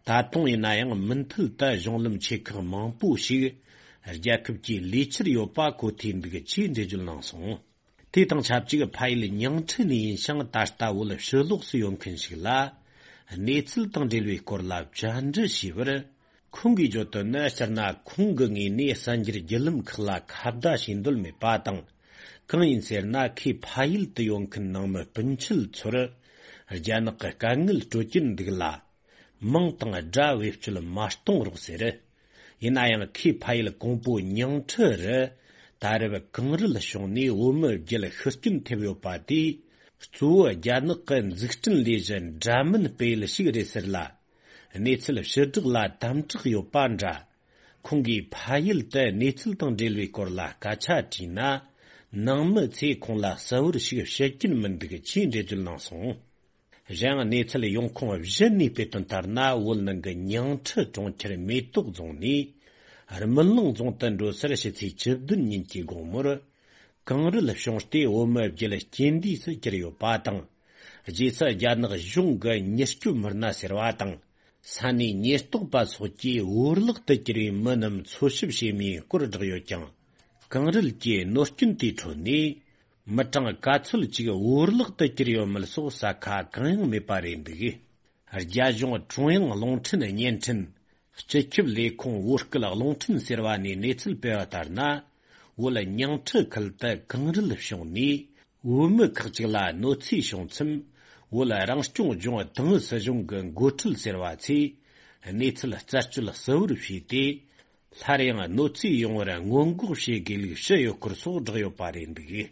ད་དུང་ཡིན་ན་ཡང་མུ་མཐུད་དུ་གཞུང་ལམ་ཆེ་ཁག་མང་པོ་ཞིག་རྒྱལ་ཁབ་ཀྱིས་ལས་འཆར་ཡོད་པ་གོ་ཐོས་འདུག་ཅེས་འགྲེལ་བརྗོད་གནང་སོང་། དེ་དང་ཆབས་ཅིག་ཕ་ཡུལ་ཉིང་ཁྲི་ནས་ཡིན་ཞིང་ད་ལྟ་བོད་ཕྱི་ལོགས་སུ་ཡོད་མཁན་ཞིག་ལ། གནས་ཚུལ་དང་འབྲེལ་བའི་སྐོར་ལ་བཅར་འདྲི་བྱས་པར། ཁོང་གིས་བརྗོད་དོན་ནི་སྤྱིར་ན་ཁོང་གི་ངོས་ནས་གསར་འགྱུར་བརྒྱུད་ལམ་ཁག་ལ་ཁ་བརྡ་བྱེད་འདོད་མེད་པ་དང་། གང་ཡིན་ཟེར་ན་ཁོས་ཕ་ཡུལ་དུ་ཡོད་མཁན་ནང་མི་སྤུན་མཆེད་ཚོར་རྒྱ་ནག་གི་དཀའ་ངལ་སྤྲོད་ཀྱིན་འདུག་ལ། མིང་དང་དགྲ་བེད་སྤྱོད་མ་གཏོང་རོགས་ཟེར། ཡིན་ན་ཡང་ཁོས་ཕ་ཡུལ་ཀོང་པོ་ཉིང་ཁྲི་རུ་ད་རེབ་གངས་རུད་བྱུང་ནས་བོད་མི་བརྒྱད་ཤི་རྐྱེན་ཐེབས་ཡོད་པ་དེས་གཙོ་བོ་རྒྱ་ནག་གི་འཛུགས་སྐྲུན་ལས་གཞི་འདྲ་མིན་སྤེལ་ཞིག་རེད་ཟེར་ལ། གནས་ཚུལ་ཕྱི་བསྒྲགས་ལ་དམ་དྲག་ཡོད་པ་འདྲ། ཁོང་གིས་ཕ་ཡུལ་དུ་གནས་ཚུལ་དང་འབྲེལ་བའི་སྐོར་ལ་སྐད་ཆ་དྲིས་ན། ནང་མི་ཚོས་ཁོང་ལ་གསལ་བོར་ཞིག་བཤད་ཀྱིན་མི་འདུག་ཅེས་འགྲེལ་བརྗོད་གནང་སོང་། གཞན་གནས་ཚུལ་ཡོང་ཁུངས་གཞན་ནས་སྤེལ་དོན་ལྟར་ན། བོད་ནང་གི་ཉིང་ཁྲི་གྲོང་ཁྱེར་མེ་ཏོག་རྫོང་ནས་རྨི་ལང་རྫོང་དུ་འགྲོ་སར་ཕྱི་ཚེས་བཅུ་བདུན་ཉིན་གྱི་དགོང་མོར་གངས་རུད་བྱུང་སྟེ་བོད་མི་བརྒྱད་རྐྱེན་འདས་སུ་གྱུར་ཡོད་པ་དང་། རྗེས་སུ་རྒྱ་ནག་གཞུང་གི་མྱུར་སྐྱོབ་མི་སྣ་ཟེར་བ་དང་། ས་གནས་ཉེན་རྟོག་པ་སོགས་ཀྱིས་འོར་བརླག་ཏུ་གྱུར་བའི་མི་རྣམས་འཚོལ་ཞིབ་བྱེད་མུས་སྐོར་བསྒྲགས་ཡོད་ཀྱང་། གངས་རུད་ཀྱི་གནོད་སྐྱོན་དེའི་ཁྲོད་ནས་མི་གྲངས་ག་ཚོད་ཅིག་འོར་བརླག་ཏུ་གྱུར་ཡོད་མེད་སོགས་གསལ་ཁ་གང་ཡང་མེད་པ་རེད་འདུག། རྒྱ་གཞུང་ཀྲུང་དབྱང་རླུང་འཕྲིན་བརྙན་འཕྲིན་སྤྱི་ཁྱབ་ལས་ཁུངས་བོད་སྐད་རླུང་འཕྲིན་ཟེར་བ་ནས་གནས་ཚུལ་སྤེལ་བ་ལྟར་ན། བོད་ཉིང་ཁྲི་ཁུལ་དུ་གངས་རུད་བྱུང་ནས། བོད་མི་ཁག་ཅིག་ལ་གནོད་འཚེ་བྱུང་མཚམས། བོད་རང་སྐྱོང་ལྗོངས་ཏང་ཨུད་སྲིད་གཞུང་གི་འགོ་ཁྲིད་ཟེར་བ་ཚོས་གནས་ཚུལ་རྩད་གཅོད་གསལ་བོར་བྱས་ཏེ། སླར་ཡང་གནོད་འཚེ་ཡོང་བར་སྔོན་འགོག་བྱེད་དགོས་ལུགས་ཞུས་ཡོད་སྐོར་སོགས་བསྒྲགས་ཡོད་པ་རེད་འདུག།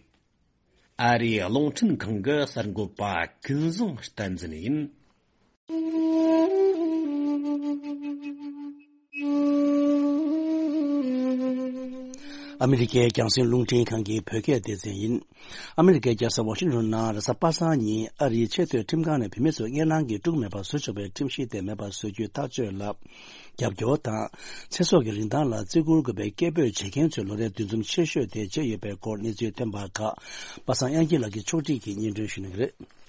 ཨ་རིའི་རླུང་འཕྲིན་ཁང་གི་གསར་འགོད་པ་ཀུན་བཟང་བསྟན་འཛིན་ཡིན། ཨ་མི་རི་ཀའི་རྒྱང་སྲིང་རླུང་འཕྲིན་ཁང་གི་བོད་སྐད་སྡེ་ཚན་ཡིན། ཨ་མི་རི་ཀའི་རྒྱལ་ས་ཝ་ཤིང་ཊོན་ནང་རེས་གཟའ་པ་སངས་ཉིན་ཨ་རིའི་ཆེས་མཐོའི་ཁྲིམས་ཁང་ནས་བུད་མེད་ཚོར་སྔན་ལངས་ཀྱིས་དཀྲུག་མེད་པར་བཟོ་ཆོག་པའི་ཁྲིམས་གཞི་དེ་མེད་པར་བཟོ་རྒྱུའི་ཐག་གཅོད་ལ་རྒྱབ་སྐྱོར་དང་། ཚེ་སྲོག་གི་རིན་ཐང་ལ་བརྩི་བཀུར་དགོས་པའི་སྐད་འབོད་བྱེད་མཁན་ཚོའི་ལོ་རེའི་འདུ་འཛོམས་ཆེ་ཤོས་དེ་བྱས་ཡོད་པའི་སྐོར་གནས་ཚུལ་ཐོན་པ་ཁག་པ་སངས་དབྱངས་སྐྱིད་ལགས་ཀྱིས་ཕྱོགས་སྒྲིག་གིས་སྙན་སྒྲོན་ཞུ་གནང་གི་རེད།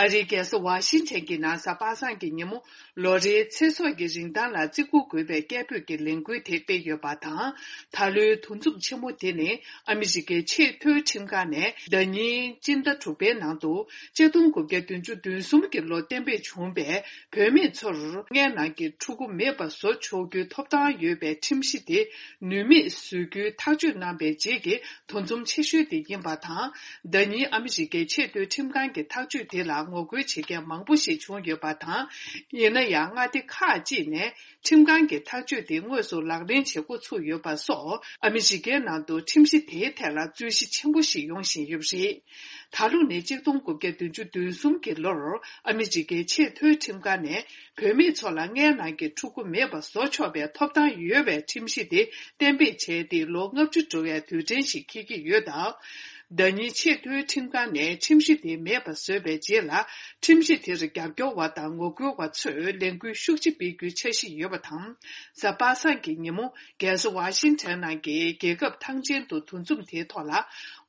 ཨ་རིའི་རྒྱལ་ས་ཝ་ཤིང་ཊོན་གྱི་ནང་གཟའ་པ་སངས་ཀྱི་ཉིན་མོ། ལོ་རེའི་ཚེ་སྲོག་གི་རིན་ཐང་ལ་བརྩི་བཀུར་དགོས་པའི་སྐད་འབོད་ཀྱི་ལས་འགུལ་དེ་སྤེལ་ཡོད་པ་དང་། ད་ལོའི་འདུ་འཛོམས་ཆེན་མོ་དེ་ནི་ཨ་མི་རི་ཀའི་ཆེས་མཐོའི་ཁྲིམས་ཁང་ནས་ཟླ་ཉིན་སྤྱི་ཟླ་དྲུག་པའི་ནང་དུ་གཅིག་སྟོང་དགུ་བརྒྱ་བདུན་ཅུ་དོན་གསུམ་གྱི་ལོ་གཏན་འབེབས་བྱུང་བའི་བུད་མེད་ཚོར་མངལ་ནང་གི་ཕྲུ་གུ་མེད་པ་བཟོ་ཆོག་རྒྱུའི་ཐོབ་ཐང་ཡོད་པའི་ཁྲིམས་གཞི་དེ་ནུས་མེད་བཟོ་རྒྱུའི་ཐག་གཅོད་གནང་བའི་རྗེས་ཀྱི་འདུ་འཛོམས་ཆེ་ཤོས་དེ་ཡིན་པ་དང་། ཟླ་ཉིན་ཨ་མི་རི་ཀའི་ཆེས་མཐོའི་ཁྲིམས་ཁང་གི་ཐག་གཅོད་དེ་ལ་ངོ་རྒོལ་བྱེད་མཁན་མང་པོ་ཞིག་བྱུང་ཡོད་པ་དང་། ཡིན་ན་ཡང་མངའ་སྡེ་ཁག་ཅིག་ནས་ཁྲིམས་ཁང་གི་ཐག་གཅོད་དེ་དངོས་སུ་ལག་ལེན་བྱེད་འགོ་ཚུགས་ཡོད་པ་སོགས། ཨ་མི་རི་ཀའི་ནང་དུ་ཁྲིམས་གཞི་དེའི་ཐད་ལ་རྩོད་གཞི་ཆེན་པོ་ཞིག་ཡོང་བཞིན་ཡོད་པ་རེད། ད་ལོ་ནི་གཅིག་སྟོང་དགུ་བརྒྱ་བདུན་ཅུ་དོན་གསུམ་གྱི་ལོར་ཨ་མི་རི་ཀའི་ཆེས་མཐོའི་ཁྲིམས་ཁང་ནས་བུད་མེད་ཚོ་ལ་མངལ་ནང་གི་ཕྲུ་གུ་མེད་པ་བཟོ་ཆོག་པའི་ཐོབ་ཐང་ཡོད་པའི་ཁྲིམས་གཞི་དེ་གཏན་འབེབས་བྱས་ཏེ་ལོ་ལྔ་བཅུ་འགྲོ་བའི་དུས་དྲན་ཞིག་འཁེལ་གྱི་ཡོད་སྟབས། ཟླ་ཉིན་ཆེས་མཐོའི་ཁྲིམས་ཁང་ནས་ཁྲིམས་གཞི་དེ་མེད་པ་བཟོས་པའི་རྗེས་ལ། ཁྲིམས་གཞི་དེར་རྒྱབ་སྐྱོར་བ་དང་ངོ་རྒོལ་བ་ཚོས་ལས་འགུལ་ཤུགས་ཆེ་སྤེལ་རྒྱུའི་འཆར་གཞི་ཡོད་པ་དང་། གཟའ་པ་སངས་ཀྱི་ཉིན་མོ། རྒྱལ་ས་ཝ་ཤིང་ཊོན་ནང་གི་རྒྱལ་ཁབ་ཐང་ཆེན་དུ་འདུ་འཛོམས་དེའི་ཐོག་ལ།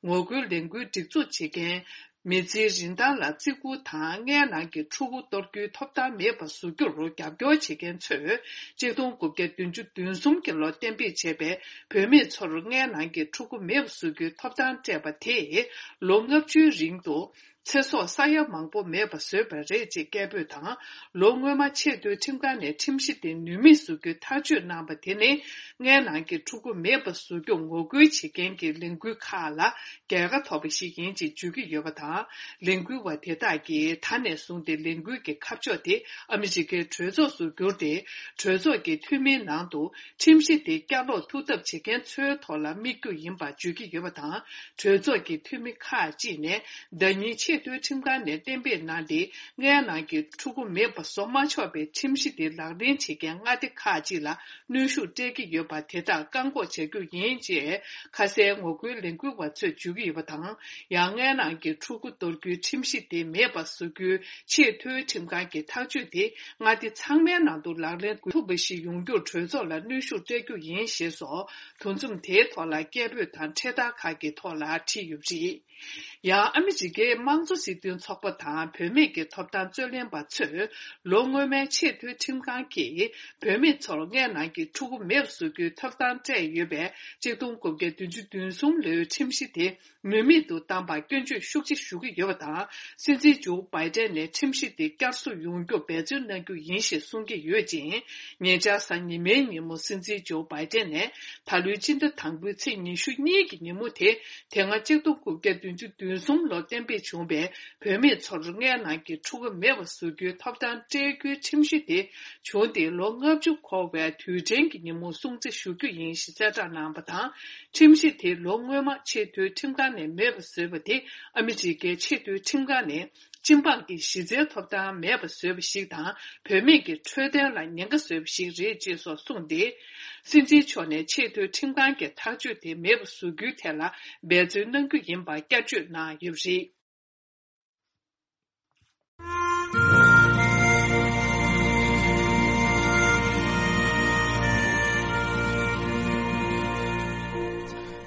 ངོ་རྒོལ་ལས་འགུལ་སྒྲིག་འཛུགས་བྱེད་མཁན། མི་ཚེའི་རིན་ཐང་ལ་བརྩི་བཀུར་དང་། མངལ་ནང་གི་ཕྲུ་གུ་གཏོར་རྒྱུའི་ཐོབ་ཐང་མེད་པ་བཟོ་རྒྱུར་རྒྱབ་སྐྱོར་བྱེད་མཁན་ཚོས། གཅིག་སྟོང་དགུ་བརྒྱ་བདུན་ཅུ་དོན་གསུམ་གྱི་ལོ་གཏན་འབེབས་བྱས་པའི་བུད་མེད་ཚོར་མངལ་ནང་གི་ཕྲུ་གུ་མེད་པ་བཟོ་རྒྱུའི་ཐོབ་ཐང་སྤྲད་པ་དེས། ལོ་ལྔ་བཅུའི་རིང་དུ། ཚེ་སྲོག་ས་ཡ་མང་པོ་མེད་པ་བཟོས་པ་རེད་ཅེས་སྐད་འབོད་དང་། ལོ་སྔོན་མ་ཆེས་མཐོའི་ཁྲིམས་ཁང་ནས་ཁྲིམས་གཞི་དེ་ནུས་མེད་བཟོ་རྒྱུའི་ཐག་གཅོད་གནང་པ་དེ་ནི། མངལ་ནང་གི་ཕྲུ་གུ་མེད་པ་བཟོ་རྒྱུར་ངོ་རྒོལ་བྱེད་མཁན་གྱི་ལས་འགུལ་ཁག་ལ་རྒྱལ་ཁ་ཐོབ་པ་ཞིག་ཡིན་ཅེས་བརྗོད་ཀྱི་ཡོད་པ་དང་། ལས་འགུལ་བ་དེ་དག་གིས་ད་ནས་བཟུང་སྟེ་ལས་འགུལ་གྱི་ཁ་ཕྱོགས་དེ་ཨ་མི་རི་ཀའི་གྲོས་ཚོགས་སུ་བསྒྱུར་ཏེ། གྲོས་ཚོགས་ཀྱི་འཐུས་མིའི་ནང་དུ་ཁྲིམས་གཞི་དེ་བསྐྱར་ལོག་ཐུབ་ཐབས་བྱེད་མཁན་ཚོའི་ཐོག་ལ་དམིགས་རྒྱུ་ཡིན་པ་བརྗོད་ཀྱི་ཡོད་པ་དང་། གྲོས་ཚོགས་ཀྱི་འཐུས་མི་ཁག་ཅིག་ནས་ཟླ་ཉིན་ཆེས་མཐོའི་ཁྲིམས་ཁང་ནས་གཏན་འབེབས་གནང་སྟེ། མངལ་ནང་གི་ཕྲུ་གུ་མེད་པ་བཟོ་མ་ཆོག་པའི་ཁྲིམས་གཞི་དེ་ལག་ལེན་བྱེད་མཁན་མངའ་སྡེ་ཁག་ཅིག་ལ་གནོན་ཤུགས་སྤྲད་ཀྱི་ཡོད་པ་དེ་དག་བཀག་འགོག་བྱ་རྒྱུ་ཡིན་ཅེས། ཁ་གསལ་ངོ་རྒོལ་ལས་འགུལ་བ་ཚོས་བརྗོད་ཀྱི་ཡོད་པ་དང་། ཡང་མངལ་ནང་གི་ཕྲུ་གུ་གཏོར་རྒྱུའི་ཁྲིམས་གཞི་དེ་མེད་པ་བཟོ་རྒྱུའི་ཆེས་མཐོའི་ཁྲིམས་ཁང་གི་ཐག་གཅོད་དེ། མངའ་སྡེ་ཚང་མའི་ནང་དུ་ལག་ལེན་དགོས་ཐུབ་པ་ཞིག་ཡོང་རྒྱུར་གྲོས་ཚོགས་ལ་གནོན་ཤུགས་སྤྲད་རྒྱུ་ཡིན་ཞེས་སོགས། འདུ་འཛོམས་དེའི་ཐོག་ལ་སྐད་འབོད་དང་འཕྲེད་དར་ཁག་གི་ཐོག་ལ་བྲིས་ཡོད་པ་རེད། ཡང་ཨ་མི་རི་ཀའི་དམངས་གཙོ་སྲིད་དོན་ཚོགས་པ་དང་བུད་མེད་ཀྱི་ཐོབ་ཐང་རྩོད་ལེན་པ་ཚོས། ལོ་སྔོན་མའི་ཆེས་མཐོའི་ཁྲིམས་ཁང་གིས་བུད་མེད་ཚོར་མངལ་ནང་གི་ཕྲུ་གུ་མེད་པ་བཟོ་རྒྱུའི་ཐོབ་ཐང་སྤྲད་ཡོད་པའི་གཅིག་སྟོང་དགུ་བརྒྱ་བདུན་ཅུ་དོན་གསུམ་ལོའི་ཁྲིམས་གཞི་དེ། ནུས་མེད་དུ་བཏང་བར་སྐྱོན་བརྗོད་ཤུགས་ཆེ་ཞུ་གི་ཡོད་པ་དང་། སྲིད་འཛིན་ཇོ་བྷའི་ཏན་ནས་ཁྲིམས་གཞི་དེ་བསྐྱར་གསོ་ཡོང་རྒྱུར་འབད་བརྩོན་གནང་རྒྱུ་ཡིན་ཞེས་གསུང་གི་ཡོད་ཅིང་། ཉེ་ཆར་གཟའ་ཉི་མའི་ཉིན་མོ་སྲིད་འཛིན་ཇོ་བྷའི་ཏན་ནས། ད་ལོའི་སྤྱི་ཟླ་དང་པོའི་ཚེས་ཉི་ཤུ་གཉིས་ཀྱི་ཉིན་མོ་དེ། དེ་སྔ་གཅིག་སྟོང་དགུ་བརྒྱ་བདུན་ཅུ་དོན་གསུམ་ལོར་གཏན་འབེབས་བྱུང་བའི་བུད་མེད་ཚོར་མངལ་ནང་གི་ཕྲུ་གུ་མེད་པ་བཟོ་རྒྱུའི་ཐོབ་ཐང་སྤྲད་རྒྱུའི་ཁྲིམས་གཞི་དེ། བྱུང་སྟེ་ལོ་ལྔ་བཅུ་འཁོར་བའི་དུས་དྲན་གྱི་ཉིན་མོར་སྲུང་བརྩི་ཞུ་རྒྱུ་ཡིན་ཞེས་གསལ་བསྒྲགས་གནང་བ་དང་། ཁྲིམས་གཞི་དེ་ལོ་སྔོན་མ་ཆེས་མཐོའི་ཁྲིམས་ཁང་ནས་མེད་པ་བཟོས་པ་དེ་ཨ་མི་རི་ཀའི་ཆེས་མཐོའི་ཁྲིམས་ཁང་ནས་སྤྱི་འབངས་ཀྱི་གཞི་རྩའི་ཐོབ་ཐང་མེད་པ་བཟོས་པ་ཞིག་དང་། བུད་མེད་ཀྱི་འཕྲོད་བསྟེན་ལ་ཉེན་ཁ་བཟོས་པ་ཞིག་རེད་ཅེས་སོགས་གསུངས་ཏེ། སྲིད་འཛིན་མཆོག་ནས་ཆེས་མཐོའི་ཁྲིམས་ཁང་གི་ཐག་གཅོད་དེ་མེད་པ་བཟོ་རྒྱུའི་ཐད་ལ་འབད་བརྩོན་གནང་རྒྱུ་ཡིན་པ་བསྐྱར་བརྗོད་གནང་ཡོད་པ་རེད།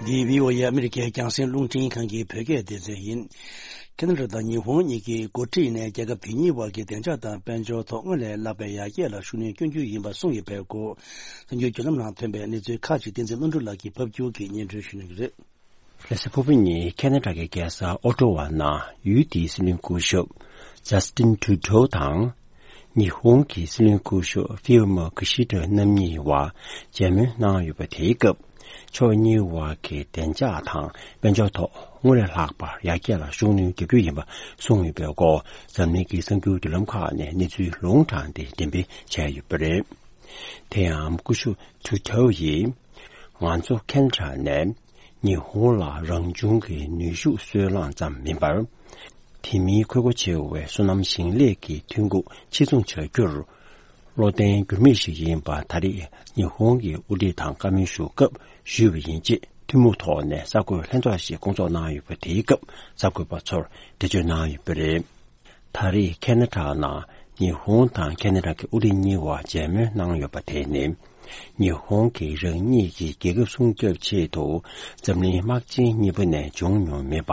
འདི་བྷི་ཨོ་ཨེ་ཨ་མི་རི་ཀའི་རྒྱང་སྲིང་རླུང་འཕྲིན་ཁང་གི་བོད་སྐད་སྡེ་ཚན་ཡིན། ཁེ་ན་ཌ་དང་ཉི་ཧོང་གཉིས་ཀྱིས་འགོ་ཁྲིད་ནས་རྒྱལ་ཁབ་དེ་གཉིས་བར་གྱི་བདེ་འཇགས་དང་དཔལ་འབྱོར་ཐོག་སྔར་ལས་ལྷག་པའི་ཡར་རྒྱས་ལ་ཤུགས་སྣོན་སྐྱོན་རྒྱུ་ཡིན་པ་གསུངས་ཡོད་པའི་སྐོར། གསར་འགྱུར་བརྒྱུད་ལམ་ནང་ཐོན་པའི་གནས་ཚུལ་ཁག་ཅིག་བསྟན་འཛིན་བློ་གྲོས་ལགས་ཀྱིས་ཕབ་སྒྱུར་གྱིས་སྙན་སྒྲོན་ཞུ་གནང་གི་རེད། ལྷ་ས་ཕུར་བུ་ཉིན་ཁེ་ན་ཌ་གི་རྒྱལ་ས་ཨོ་ཊོ་ཝ་ནང་ཡུལ་དེའི་སྲིད་བློན་སྐུ་ཞབས་ཇཱ་སི་ཏིན་ཊུ་ཌོ་དང་། ཉི་ཧོང་གི་སྲིད་བློན་སྐུ་ཞབས་ཧྥིའུ་མོ་ཀི་ཤི་ད་རྣམ་གཉིས་བར་མཇལ་མོལ་གནང་ཡོད་པ། དེའི་སྐབས་ཕྱོགས་གཉིས་བར་གྱི་བདེ་འཇགས་དང་དཔལ་འབྱོར་ཐོག་སྔར་ལས་ལྷག་པར་ཡར་རྒྱས་ལ་ཤུགས་སྣོན་རྒྱག་རྒྱུ་ཡིན་པ་གསུངས་ཡོད་པའི་སྐོར། འཛམ་གླིང་གི་གསར་འགྱུར་བརྒྱུད་ལམ་ཁག་ནས་གནས་ཚུལ་ལུང་དྲངས་ཏེ་འགྲེམས་སྤེལ་བྱས་ཡོད་པ་རེད། དེ་ཡང་སྐུ་ཞབས་ཊུ་ཌོ་ཡིས། ང་ཚོ་ཁེ་ན་ཌ་ནས་ཉི་ཧོང་ལ་རང་བྱུང་གི་ནུས་ཤུགས་སོལ་རླངས་ཙམ་མིན་པར། དེ་མིན་ཁོལ་པོ་ཆེ་བའི་སོ་ནམ་ཞིང་ལས་ཀྱི་ཐོན་ཁུངས་ཕྱིར་ཚོང་བྱ་རྒྱུར། བློ་བརྟན་འགྱུར་མེད་ཞིག་ཡིན་པ་ད་རེས་ཉི་ཧོང་གི་དབུ་ཁྲིད་དང་བཀའ་མོལ་ཞུ་སྐབས་ཞུས་པ་ཡིན། ཅེས་ཐུན་མོང་ཐོག་ནས་གསར་འགོད་ལྷན་ཚོགས་ཤིག་བསྐོང་ཚོགས་གནང་ཡོད་པ། དེའི་སྐབས་གསར་འགོད་པ་ཚོར་འགྲེལ་བརྗོད་གནང་ཡོད་པ་རེད། ད་རེས་ཁེ་ན་ཌ་ནང་ཉི་ཧོང་དང་ཁེ་ན་ཌ་གི་དབུ་ཁྲིད་གཉིས་བར་མཇལ་མོལ་གནང་ཡོད་པ་དེ་ནི། ཉི་ཧོང་གིས་རང་ཉིད་ཀྱི་རྒྱལ་ཁབ་སྲུང་སྐྱོབ་ཆེད་དུ་འཛམ་གླིང་དམག་ཆེན་གཉིས་པ་ནས་བྱུང་མྱོང་མེད་པ།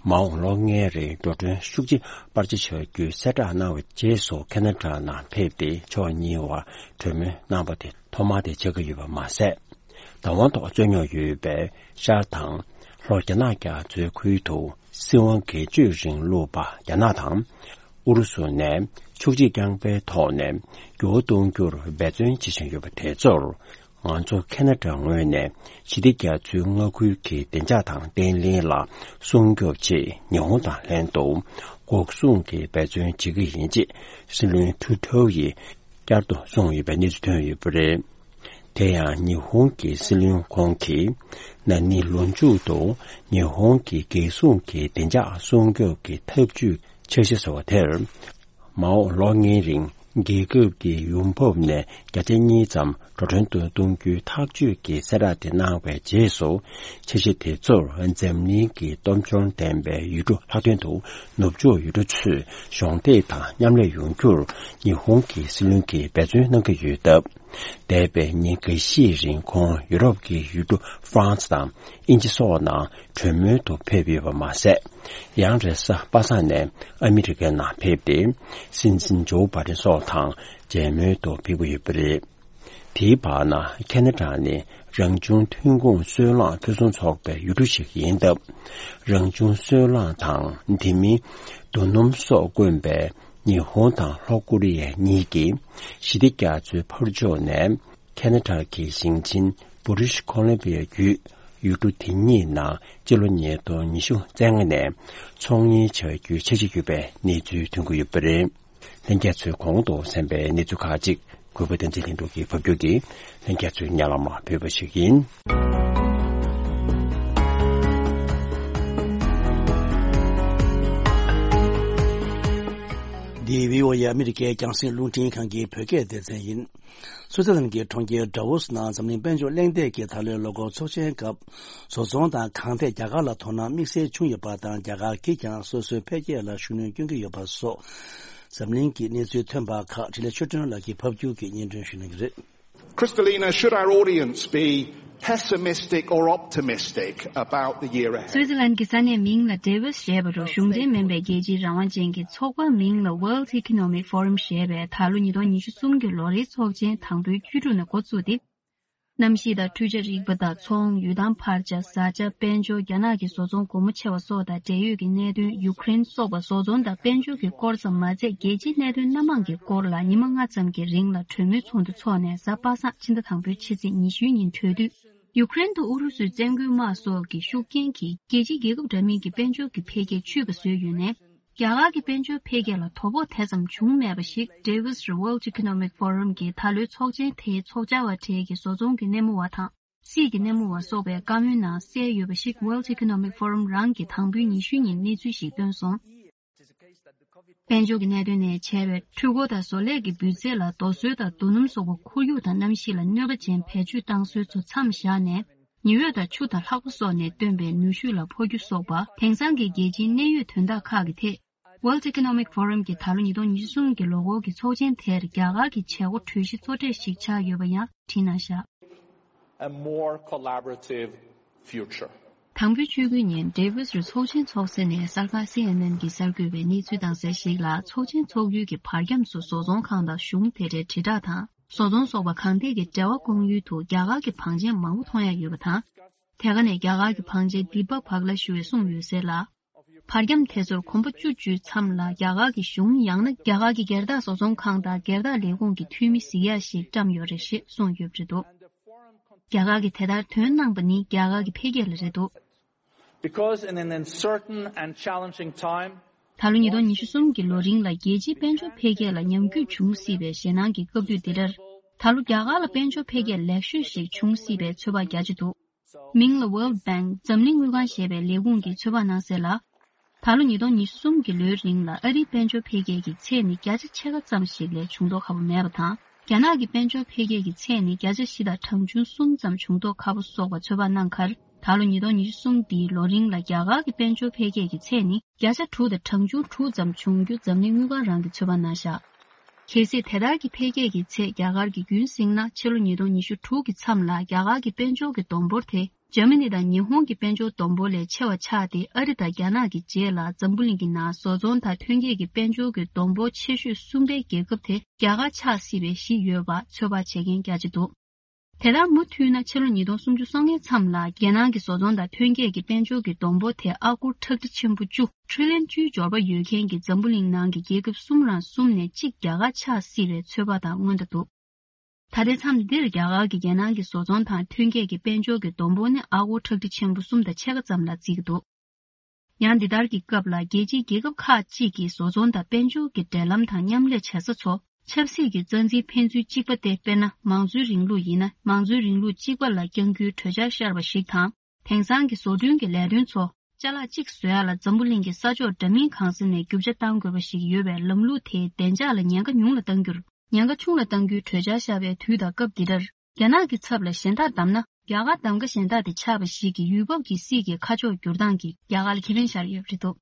མ་འོངས་ལོ་ལྔའི་རིང་འགྲོ་གྲོན་ཤུགས་ཆེ་སྤར་ཆ་བྱ་རྒྱུའི་གསལ་བསྒྲགས་གནང་བའི་རྗེས་སུ་ཁེ་ན་ཌ་ནང་ཕེབས་ཏེ་ཕྱོགས་གཉིས་བར་གྲོས་མོལ་གནང་པ་དེ་ཐོག་མ་དེ་ཆགས་ཀྱི་ཡོད་པ་མ་ཟད། བདག་དབང་ཐོག་རྩོད་རྙོག་ཡོད་པའི་ཤར་དང་ལྷོ་རྒྱ་ནག་རྒྱ་མཚོའི་ཁུལ་དུ་སྲིད་དབང་སྒེར་གཅོད་རིང་ལུགས་པ་རྒྱ་ནག་དང་། ཨུ་རུ་སུ་ནས་ཕྱོགས་གཅིག་རྐྱང་པའི་ཐོག་ནས་འགྱུར་བ་གཏོང་རྒྱུར་འབད་བརྩོན་བྱེད་བཞིན་ཡོད་པ་དེ་ཚོར། ང་ཚོ་ཁེ་ན་ཌ་ངོས་ནས་ཞི་བདེ་རྒྱ་མཚོའི་མངའ་ཁུལ་གྱི་བདེ་འཇགས་དང་བརྟན་ལྷིང་ལ་སྲུང་སྐྱོབ་ཆེད་ཉི་ཧོང་དང་ལྷན་དུ་འགོག་སྲུང་གི་འབད་བརྩོན་བྱེད་ཀྱི་ཡིན་ཅེས་སྲིད་བློན་ཁྲུ་ཐོའུ་ཡིས་བསྐྱར་དུ་གསུངས་ཡོད་པའི་གནས་ཚུལ་ཐོན་ཡོད་པ་རེད། དེ་ཡང་ཉི་ཧོང་གི་སྲིད་བློན་ཁོང་གིས་ན་ནིང་ལོ་མཇུག་ཏུ་ཉི་ཧོང་གི་རྒྱལ་སྲུང་གི་བདེ་འཇགས་སྲུང་སྐྱོབ་ཀྱི་ཐབས་ཇུས་འཆར་གཞི་བཟོ་བ་དེར། མ་འོངས་ལོ་ལྔའི་རིང་རྒྱལ་ཁབ་ཀྱི་ཡོང་འབབ་ནས་བརྒྱ་ཆ་གཉིས་ཙམ་འགྲོ་གྲོན་དུ་གཏོང་རྒྱུའི་ཐག་གཅོད་ཀྱི་གསལ་བསྒྲགས་དེ་གནང་བའི་རྗེས་སུ། འཆར་གཞི་དེ་ཚོར་འཛམ་གླིང་གི་སྟོབས་འབྱོར་ལྡན་པའི་ཡུལ་གྲུ་ལྷག་དོན་དུ་ནུབ་ཕྱོགས་ཡུལ་གྲུ་ཚོས་གཞོགས་འདེགས་དང་མཉམ་ལས་ཡོང་རྒྱུར་ཉི་ཧོང་གི་སྲིད་བློན་གྱིས་འབད་བརྩོན་གནང་གི་ཡོད་སྟབས། འདས་པའི་ཉིན་འགའ་ཤས་རིང་ཁོང་ཡུ་རོབ་ཀྱི་ཡུལ་གྲུ་ཧྥ་རན་སི་དང་དབྱིན་ཇི་སོགས་ནང་གྲོས་མོལ་དུ་ཕེབས་ཡོད་པ་མ་ཟད། ཡང་རེས་གཟའ་པ་སངས་ནས་ཨ་མི་རི་ཀའི་ནང་ཕེབས་ཏེ། སྲིད་འཛིན་ཇོ་བྷ་ཌེན་སོགས་དང་མཇལ་མོལ་དུ་ཕེབས་ཀྱི་ཡོད་པ་རེད། དེའི་བར་ན་ཁེ་ན་ཌ་ནི་རང་བྱུང་ཐོན་ཁུངས་སོལ་རླངས་ཕུན་སུམ་ཚོགས་པའི་ཡུལ་གྲུ་ཞིག་ཡིན་སྟབས། རང་བྱུང་སོལ་རླངས་དང་དེ་མིན་རྡོ་སྣུམ་སོགས་དཀོན་པའི་ཉི་ཧོང་དང་ལྷོ་ཀོ་རི་ཡ་གཉིས་ཀྱིས་ཞི་བདེ་རྒྱ་མཚོའི་ཕར་ཕྱོགས་ནས་ཁེ་ན་ཌ་གི་ཞིང་ཆེན་བྷི་རི་ཊིཤ་ཁོ་ལམ་བྷི་ཡ་བརྒྱུད་ཡུལ་གྲུ་དེ་གཉིས་ནང་སྤྱི་ལོ་ཉིས་སྟོང་ཉི་ཤུ་རྩ་ལྔ་ནས་ཚོང་གཉེར་བྱ་རྒྱུའི་འཆར་གཞི་ཡོད་པའི་གནས་ཚུལ་ཐོན་གྱི་ཡོད་པ་རེད། ལྷན་རྒྱས་ཚོས་གོང་དུ་གསན་པའི་གནས་ཚུལ་ཁག་ཅིག་གུས་པ་བསྟན་འཛིན་ལྷུན་གྲུབ་ཀྱིས་ཕབ་སྒྱུར་གྱིས་ལྷན་རྒྱས་ཚོའི་སྙན་ལམ་ལ་ཕུལ་བ་ཞིག་ཡིན། འདི་བྷི་ཨོ་ཨེ་ཨ་མི་རི་ཀའི་རྒྱང་སྲིང་རླུང་འཕྲིན་ཁང་གི་བོད་སྐད་སྡེ་ཚན་ཡིན། སུའུ་ཙེར་ལན་གྱི་གྲོང་ཁྱེར་ཌ་ཝོ་སི་ནང་འཛམ་གླིང་དཔལ་འབྱོར་གླེང་སྟེགས་ཀྱི་ད་ལོའི་ལོ་འཁོར་ཚོགས་ཆེན་སྐབས། བཟོ་ཚོང་དང་གང་ཐད་རྒྱ་གར་ལ་དོ་སྣང་དམིགས་བསལ་བྱུང་ཡོད་པ་དང་། རྒྱ་གར་གྱིས་ཀྱང་སོ་སོའི་འཕེལ་རྒྱས་ལ་ཤུགས་སྣོན་སྐྱོན་གྱི་ཡོད་པ་སོགས། འཛམ་གླིང་གི་གནས་ཚུལ་ཐོན་པ་ཁག་འཕྲིན་ལས་ཆོས་སྒྲོན་ལགས་ཀྱིས་ཕབ་སྒྱུར་གྱིས་སྙན་སྒྲོན་ཞུ་གནང་གི་རེད། Kristalina, should our audience be pessimistic or optimistic about the year ahead? སུའི་ཙི་ལན་གྱི་ས་གནས་མིང་ལ་ཌེ་ཝིས་ཞེས་པ་རུ་གཞུང་འབྲེལ་མིན་པའི་རྒྱལ་སྤྱིའི་རང་དབང་ཅན་གྱི་ཚོགས་པ་མིང་ལ་World Economic Forum ཞེས་པའི་ད་ལོ་ཉིས་སྟོང་ཉི་ཤུ་གསུམ་གྱི་ལོ་རེའི་ཚོགས་ཆེན་དང་པོའི་བཅུ་དྲུག་ནས་འགོ་བཙུགས་ཏེ། གནམ་གཤིས་དང་འཕྲུལ་ཆས་རིག་པ་དང་ཚོང་། ཡུལ་ཐང་འཕར་ཆ། བཟའ་བཅའ། དཔལ་འབྱོར། རྒྱ་ནག་གི་བཟོ་ཚོང་སྒོ་མོ་ཕྱེ་བ་སོགས་དང་འབྲེལ་ཡོད་ཀྱི་གནད་དོན། ཡུཀ་རེན་སོགས་པ་བཟོ་ཚོང་དང་དཔལ་འབྱོར་གྱི་སྐོར་ཙམ་མ་ཚད། རྒྱལ་སྤྱིའི་གནད་དོན་སྣ་མང་གི་སྐོར་ལ་ཉི་མ་ལྔ་ཙམ་གྱི་རིང་ལ་གྲོས་མོལ་ཚོགས་འདུ་འཚོགས་ནས་གཟའ་པ་སངས་ཕྱི་ཟླ་དང་པོའི་ཕྱི་ཚེས་ཉི་ཤུའི་ཉིན་གྲོལ་དུས། ཡུཀ་རེན་དུ་ཨུ་རུ་སུའི་བཙན་རྒོལ་དམག་སོགས་ཀྱི་ཤུགས་རྐྱེན་གྱིས་རྒྱལ་སྤྱིའི་རྒྱལ་ཁབ་འདྲ་མིན་གྱི་དཔལ་འབྱོར་གྱི་འཕེལ་རྒྱས་ཆུད་པ་བཟོས་ཡོད་ནས། རྒྱ་གར་གྱི་དཔལ་འབྱོར་འཕེལ་རྒྱས་ལ་དོ་ཕོག་དེ་ཙམ་བྱུང་མེད་པ་ཞིག་Davos རུ་World Economic Forum གྱི་ད་ལོའི་ཚོགས་ཆེན་དེའི་ཚོགས་བཅར་བ་གྲས་ཀྱི་བཟོ་ཚོང་གི་སྣེ་མོ་བ་དང་སྲིད་ཀྱི་སྣེ་མོ་བ་སོགས་པའི་བཀའ་མོལ་ནང་གསལ་ཡོད་པ་ཞིག World Economic Forum རང་གིས་དང་པོའི་ཉི་ཤུའི་ཉིན་གནས་ཚུལ་ཞིག་བཏོན་སོང་། དཔལ་འབྱོར་གྱི་གནད་དོན་ནས་བྱས་པའི་འཕྲུལ་འཁོར་དང་བཟོ་ལས་ཀྱི་སྤུས་ཚད་ལ་རྡོ་སོལ་དང་རྡོ་སྣུམ་སོགས་པ་ཁོར་ཡུག་དང་གནམ་གཤིས་ལ་གནོད་པ་ཅན་བེད་སྤྱོད་བཏང་སྲོལ་ཚོ་མཚམས་བཞག་ནས། ཉི་འོད་དང་ཆུ་དང་ལྷགས་པ་སོགས་ནས་བཏོན་པའི་ནུས་ཤུགས་ལ་འཕོ་འགྱུར་སོགས་པ། དེང་སང་གི་རྒྱལ་སྤྱིའི་གནད་ཡོད་དོན་དག་ཁག་གི་ཐད། World Economic Forum གྱི་ད་ལོ་ཉིས་སྟོང་ཉི་ཤུ་གསུམ་གྱི་ལོ་འཁོར་གྱི་ཚོགས་ཆེན་དེར་རྒྱ་གར་གྱི་བྱེད་སྒོ་གྲོས་གཞི་གཙོ་གྲས་ཤིག་ཆགས་ཡོད་པ་ཡང་བྲིས་གནང་བཞག A more collaborative future. དང་པོའི་ཆོས་ཀུན་ཉིན་Davos རུ་ཚོགས་ཆེན་འཚོགས་ཟིན་ནས་གསར་ཁང་C N N གྱིས་གསར་འགོད་པའི་གནས་ཚུལ་དང་གསལ་ཞིག་ལ། ཚོགས་ཆེན་འཚོགས་ཡུལ་གྱི་བར་ཁྱམས་སུ་བཟོ་ཚོང་ཁང་དང་གཞུང་དེ་འབྲེལ་དྲིལ་བསྒྲགས་དང་བཟོ་ཚོང་སོགས་པ་གང་ཐད་ཀྱི་འབྲེལ་བ་སྐོང་ཡུལ་དུ་རྒྱ་གར་གྱི་བང་ཆེན་མང་པོ་མཐོང་ཡ་ཡོད་པ་དང་། དེ་ག་ནས་རྒྱ་གར་གྱི་བང་ཆེན་དི་པ་བྷག་ལ་ཞུ་བས་གསུངས་ཡོད་ཟེར་ལ། བར་ཁྱམས་དེ་ཚོར་གོམ་པ་བཅུ་བཅུའི་མཚམས་ལ་རྒྱ་གར་གྱི་གཞུང་ཡང་ན་རྒྱ་གར་གྱི་སྒེར་བདག་བཟོ་ཚོང་ཁང་དང་སྒེར་བདག་ལས་ཁུངས་ཀྱི་འཐུས་མི་གཟིགས་ཡག་ཞིག་བཀྲམ་ཡོད་རེད་ཞེས་གསུངས་ཡོད་པ་རེད་འདུག་རྒྱ་གར་གྱིས་དེ་ལྟར་དོན་གནང་པ་ནི་རྒྱ་གར་གྱི་འཕེལ་རྒྱས་ལ་རེད་འདུག Because in an uncertain and challenging time, ད་ལོ་ཉིས་སྟོང་ཉི་ཤུ་གསུམ་གྱི་ལོ་རིང་ལ་རྒྱལ་སྤྱིའི་དཔལ་འབྱོར་འཕེལ་རྒྱས་ལ་ཉམས་རྒུད་འབྱུང་སྲིད་པའི་ཞེད་སྣང་གི་སྐབས་དུས་འདི་འདྲར། ད་ལོ་རྒྱ་གར་ལ་དཔལ་འབྱོར་འཕེལ་རྒྱས་ལེགས་ཤོས་ཤིག་འབྱུང་སྲིད་པའི་ཚོད་དཔག་རྒྱ་ཆེ་འདུག་མིང་ལ་World Bank འཛམ་གླིང་དངུལ་ཁང་ཞེས་པའི་ལས་ཁུངས་ཀྱིས་ཚོད་དཔག་གནང་གསལ་ལ། ད་ལོ་ཉིས་སྟོང་ཉི་ཤུ་གསུམ་གྱི་ལོའི་རིང་ལ་ཨ་རིའི་དཔལ་འབྱོར་འཕེལ་རྒྱས་ཀྱི་ཚད་ནི་བརྒྱ་ཆ་ཕྱེད་ཀ་ཙམ་ཞིག་ལས་བྱུང་མདོག་ཁ་པོ་མེད་པ་དང་། རྒྱ་ནག་གི་དཔལ་འབྱོར་འཕེལ་རྒྱས་ཀྱི་ཚད་ནི་བརྒྱ་ཆ་བཞི་དང་གྲངས་ཆུང་གསུམ་ཙམ་བྱུང་མདོག་ཁ་པོ་སོགས་པ་ཚོད་དཔག་གནང་ཁར། ད་ལོ་ཉིས་སྟོང་ཉི་ཤུ་གསུམ་འདིའི་ལོ་རིང་ལ་རྒྱ་གར་གྱི་དཔལ་འབྱོར་འཕེལ་རྒྱས་ཀྱི་ཚད་ནི་བརྒྱ་ཆ་དྲུག་དང་གྲངས་ཆུང་དྲུག་ཙམ་བྱུང་རྒྱུ་འཛམ་གླིང་དངུལ་ཁང་རང་གིས་ཚོད་དཔག་གནང་བཞག་གལ་སྲིད་དེ་ལྟར་གྱི་འཕེལ་རྒྱས་ཀྱི་ཚད་རྒྱ་གར་གྱིས་རྒྱུན་བསྲིངས་ན། ཕྱི་ལོ་ཉིས་སྟོང་ཉི་ཤུ་དྲུག་གི་མཚམས་ལ་རྒྱ་གར་གྱི་དཔལ་འབྱོར་གྱི་བསྡོམས་འབོར་དེ་འཇར་མ་ནི་དང་ཉི་ཧོང་གི་དཔལ་འབྱོར་བསྡོམས་འབོར་ལས་ཆེ་བ་ཆགས་ཏེ། ཨ་རི་དང་རྒྱ་ནག་གི་རྗེས་ལ་འཛམ་བུ་གླིང་གི་ནང་བཟོ་ཚོང་དང་ཐོན་སྐྱེད་ཀྱི་དཔལ་འབྱོར་གྱི་བསྡོམས་འབོར་ཆེ་ཤོས་གསུམ་པའི་རྒྱལ་ཁབ་དེ་རྒྱ་གར་ཆགས་སྲིད་པའི་གཞི་ཡོད་པ་ཚོད་དཔག་བྱེད་མཁན་རྒྱ་ཆེ་འདུག་དེ་ལྟར་མུ་མཐུད་ན། ཕྱི་ལོ་ཉིས་སྟོང་སུམ་ཅུ་སོ་ལྔའི་མཚམས་ལ་རྒྱལ་ནང་གི་བཟོ་ཚོང་དང་ཐོན་སྐྱེད་ཀྱི་དཔལ་འབྱོར་གྱི་བསྡོམས་འབོར་དེ་ཨ་སྒོར་ཁྲག་ཁྲིག་ཆེན་པོ་བཅུ། ཊི་རི་ལི་ཡོན་བཅུའི་འབྱོར་པ་ཡོད་མཁན་གྱི་འཛམ་བུ་གླིང་ནང་གི་རྒྱལ་ཁབ་གསུམ་རང་གསུམ་ནས་གཅིག་རྒྱ་གར་ཆགས་སྲིད་པའི་ཚོད་དཔག་དང་མངོན་བསྡད་འདུག་ད་ལྟའི་མཚམས་འདིར་རྒྱ་གར་གྱི་རྒྱལ་ནང་གི་བཟོ་ཚོང་དང་ཐོན་སྐྱེད་ཀྱི་དཔལ་འབྱོར་གྱི་བསྡོམས་འབོར་ནི་ཨ་སྒོར་ཁྲག་ཁྲིག་ཆེན་པོ་གསུམ་དང་ཕྱེད་ཀ་ཙམ་ལ་བརྩིས་ཀྱི་འདུག་ཡང་འདི་ལྟར་གྱི་སྐབས་ལ། རྒྱལ་སྤྱིའི་རྒྱལ་ཁབ་ཁག་ཅིག་གིས་བཟོ་ཚོང་དང་དཔལ་འབྱོར་གྱི་འབྲེལ་ལམ་དང་མཉམ་ལས་བྱེད་ས་ཚོ་ཆབ་སྲིད་ཀྱི་རྩ་འཛིན་ཕན་ཚུན་གཅིག་པ་སྟེ། དཔེར་ན། མང་གཙོའི་རིང་ལུགས་ཡིན་ན། མང་གཙོའི་རིང་ལུགས་གཅིག་པ་ལ་བསྐྱང་རྒྱུའི་གྲོས་འཆར་ཤར་བ་ཞིག་དང་། དེང་སང་གི་བཟོ་སྐྲུན་གྱི་ལས་དོན་ཚོ་ཅ་ལག་གཅིག་བཟོ་ཡ་ལ་འཛམ་བུ་གླིང་གི་ས་ཕྱོགས་འདྲ་མིན་གང་ས་ནས་རྒྱུ་ཆ་གཏང་དགོས་པ་ཞིག་ཡོད་པའི་ལམ་ལུགས་དེའི་བདེ་འཇགས་ལ་ཉེན་ཁ་ཉུང་ལ་གཏང་རྒྱུར། ཉེན་ཁ་ཆུང་ལ་གཏང་རྒྱུའི་གྲོས་འཆར་ཤར་བའི་དུས་དང་སྐབས་འདི་འདྲར། རྒྱ་ནག་གི་ཚབ་ལ་གཞན་དག་བདམས་ན། རྒྱ་གར་གདམ་ག་གཞན་དག་དེ་ཆགས་པ་ཞིག་གིས་ཡུལ་བབ་ཀྱི་སྲིད་ཀྱི་ཁ་ཕྱོགས་བསྒྱུར་སྟངས་ཀྱིས་རྒྱ་གར་ལ་ཁེ་ཕན་ཤར་ཡོད་པ་རེད་འདུག་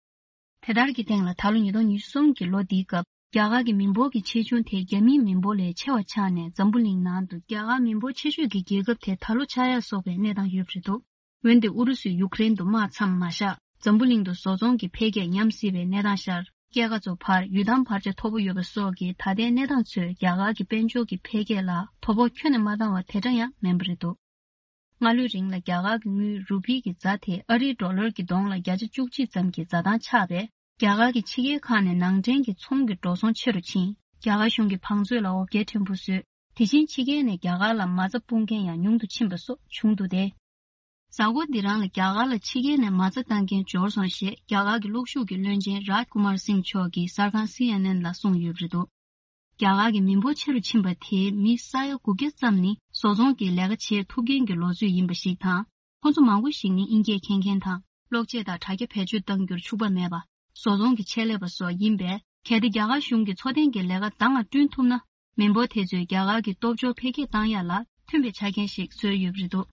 དེ་ལྟར་གྱི་སྟེང་ལ། ད་ལོ་ཉིས་སྟོང་ཉི་ཤུ་གསུམ་གྱི་ལོ་འདིའི་སྐབས། རྒྱ་གར་གྱི་མི་འབོར་གྱི་ཆེ་ཆུང་དེ་རྒྱ་མིའི་མི་འབོར་ལས་ཆེ་བ་ཆགས་ནས། འཛམ་བུ་གླིང་ནང་དུ་རྒྱ་གར་མི་འབོར་ཆེ་ཤོས་ཀྱི་རྒྱལ་ཁབ་དེ་ད་ལོ་ཆགས་ཡ་སོགས་པའི་གནས་སྟངས་ཡོད་པ་རེད་འདུག་འོན་ཏེ། ཨུ་རུ་སུས་ཡུཀ་རེན་དུ་དམག་མཚམས་མ་བཞག་འཛམ་བུ་གླིང་དུ་བཟོ་ཚོང་གི་འཕེལ་རྒྱས་ཉམས་སྲིད་པའི་གནས་སྟངས་ཤར། སྐྱེད་ཀ་ཚོ་འཕར། ཡུལ་ཐང་བར་ཆད་མཐོ་པོ་ཡོད་པ་སོགས་ཀྱི་ད་ལྟའི་གནས་སྟངས་ཚོས་རྒྱ་གར་གྱི་དཔལ་འབྱོར་གྱི་འཕེལ་རྒྱས་ལ་དོ་ཕོག་ཁྱོན་ནས་མ་བཏང་བ་དེ་འདྲ་ཡང་མིན་པ་རེད་འདུག་སྔ་ལོའི་རིང་ལ་རྒྱ་གར་གྱི་དངུལ་རུ་པི་གི་རྫ་དེ་ཨ་རིའི་ཌོ་ལར་གྱི་གདོང་ལ་བརྒྱ་ཆ་བཅུ་གཅིག་ཙམ་གྱི་འཛའ་ཐང་ཆགས་པས། རྒྱ་གར་གྱི་ཕྱི་རྒྱལ་ཁག་ནས་ནང་འདྲེན་གྱི་ཚོང་གི་འགྲོ་སོང་ཆེ་རུ་ཕྱིན། རྒྱ་གར་གཞུང་གི་བང་མཛོད་ལ་འོ་བརྒྱལ་ཕྲན་བུ་བཟོས། དེ་བཞིན་ཕྱི་རྒྱལ་ནས་རྒྱ་གར་ལ་མ་རྩ་སྤུངས་མཁན་ཡང་ཉུང་དུ་ཕྱིན་པ་སོགས་བྱུང་འདུག་སྟེ། གཟའ་འཁོར་འདི་རང་ལ་རྒྱ་གར་ལ་ཕྱི་རྒྱལ་ནས་མ་རྩ་བཏང་མཁན་འབྱོར་སོང་ཞེས་རྒྱ་གར་གྱི་གློག་ཤུགས་ཀྱི་བློན་ཆེན་རཱཇ་ཀུ་མར་སིང་མཆོག་གིས་གསར་ཁང་སི་ཨེན་ཨེན་ལ་གསུངས་ཡོད་པ་རེད་འདུག་རྒྱ་གར་གྱི་མི་འབོར་ཆེ་རུ་ཕྱིན་པ་དེའི་མི་ས་ཡ་དགུ་བརྒྱ་ཙམ་ནི་བཟོ་ཚོང་གི་ལས་ཀ་བྱེད་ཐུབ་མཁན་གྱི་ལོ་ཚོད་ཡིན་པ་ཞིག་དང་། ཁོ་ཚོ་མང་པོ་ཞིག་ནི་དབྱིན་སྐད་མཁྱེན་མཁན་དང་། གློག་ཆས་དང་དྲ་རྒྱ་བེད་སྤྱོད་གཏང་རྒྱུར་ཕྱུག་པ་མེད་པ། བཟོ་ཚོང་གི་ཆེད་ལས་པ་སོགས་ཡིན་པས། གལ་ཏེ་རྒྱ་གར་གཞུང་གིས་འཚོ་རྟེན་གྱི་ལས་ཀ་འདང་ང་བསྐྲུན་ཐུབ་ན། མི་འབོར་དེ་ཚོས་རྒྱ་གར་གྱི་སྟོབས་འབྱོར་འཕེལ་རྒྱས་བཏང་ཡ་ལ་མཐུན་པའི་ཆ་རྐྱེན་ཞིག་བཟོས་ཡོད་པ་རེད་འདུག་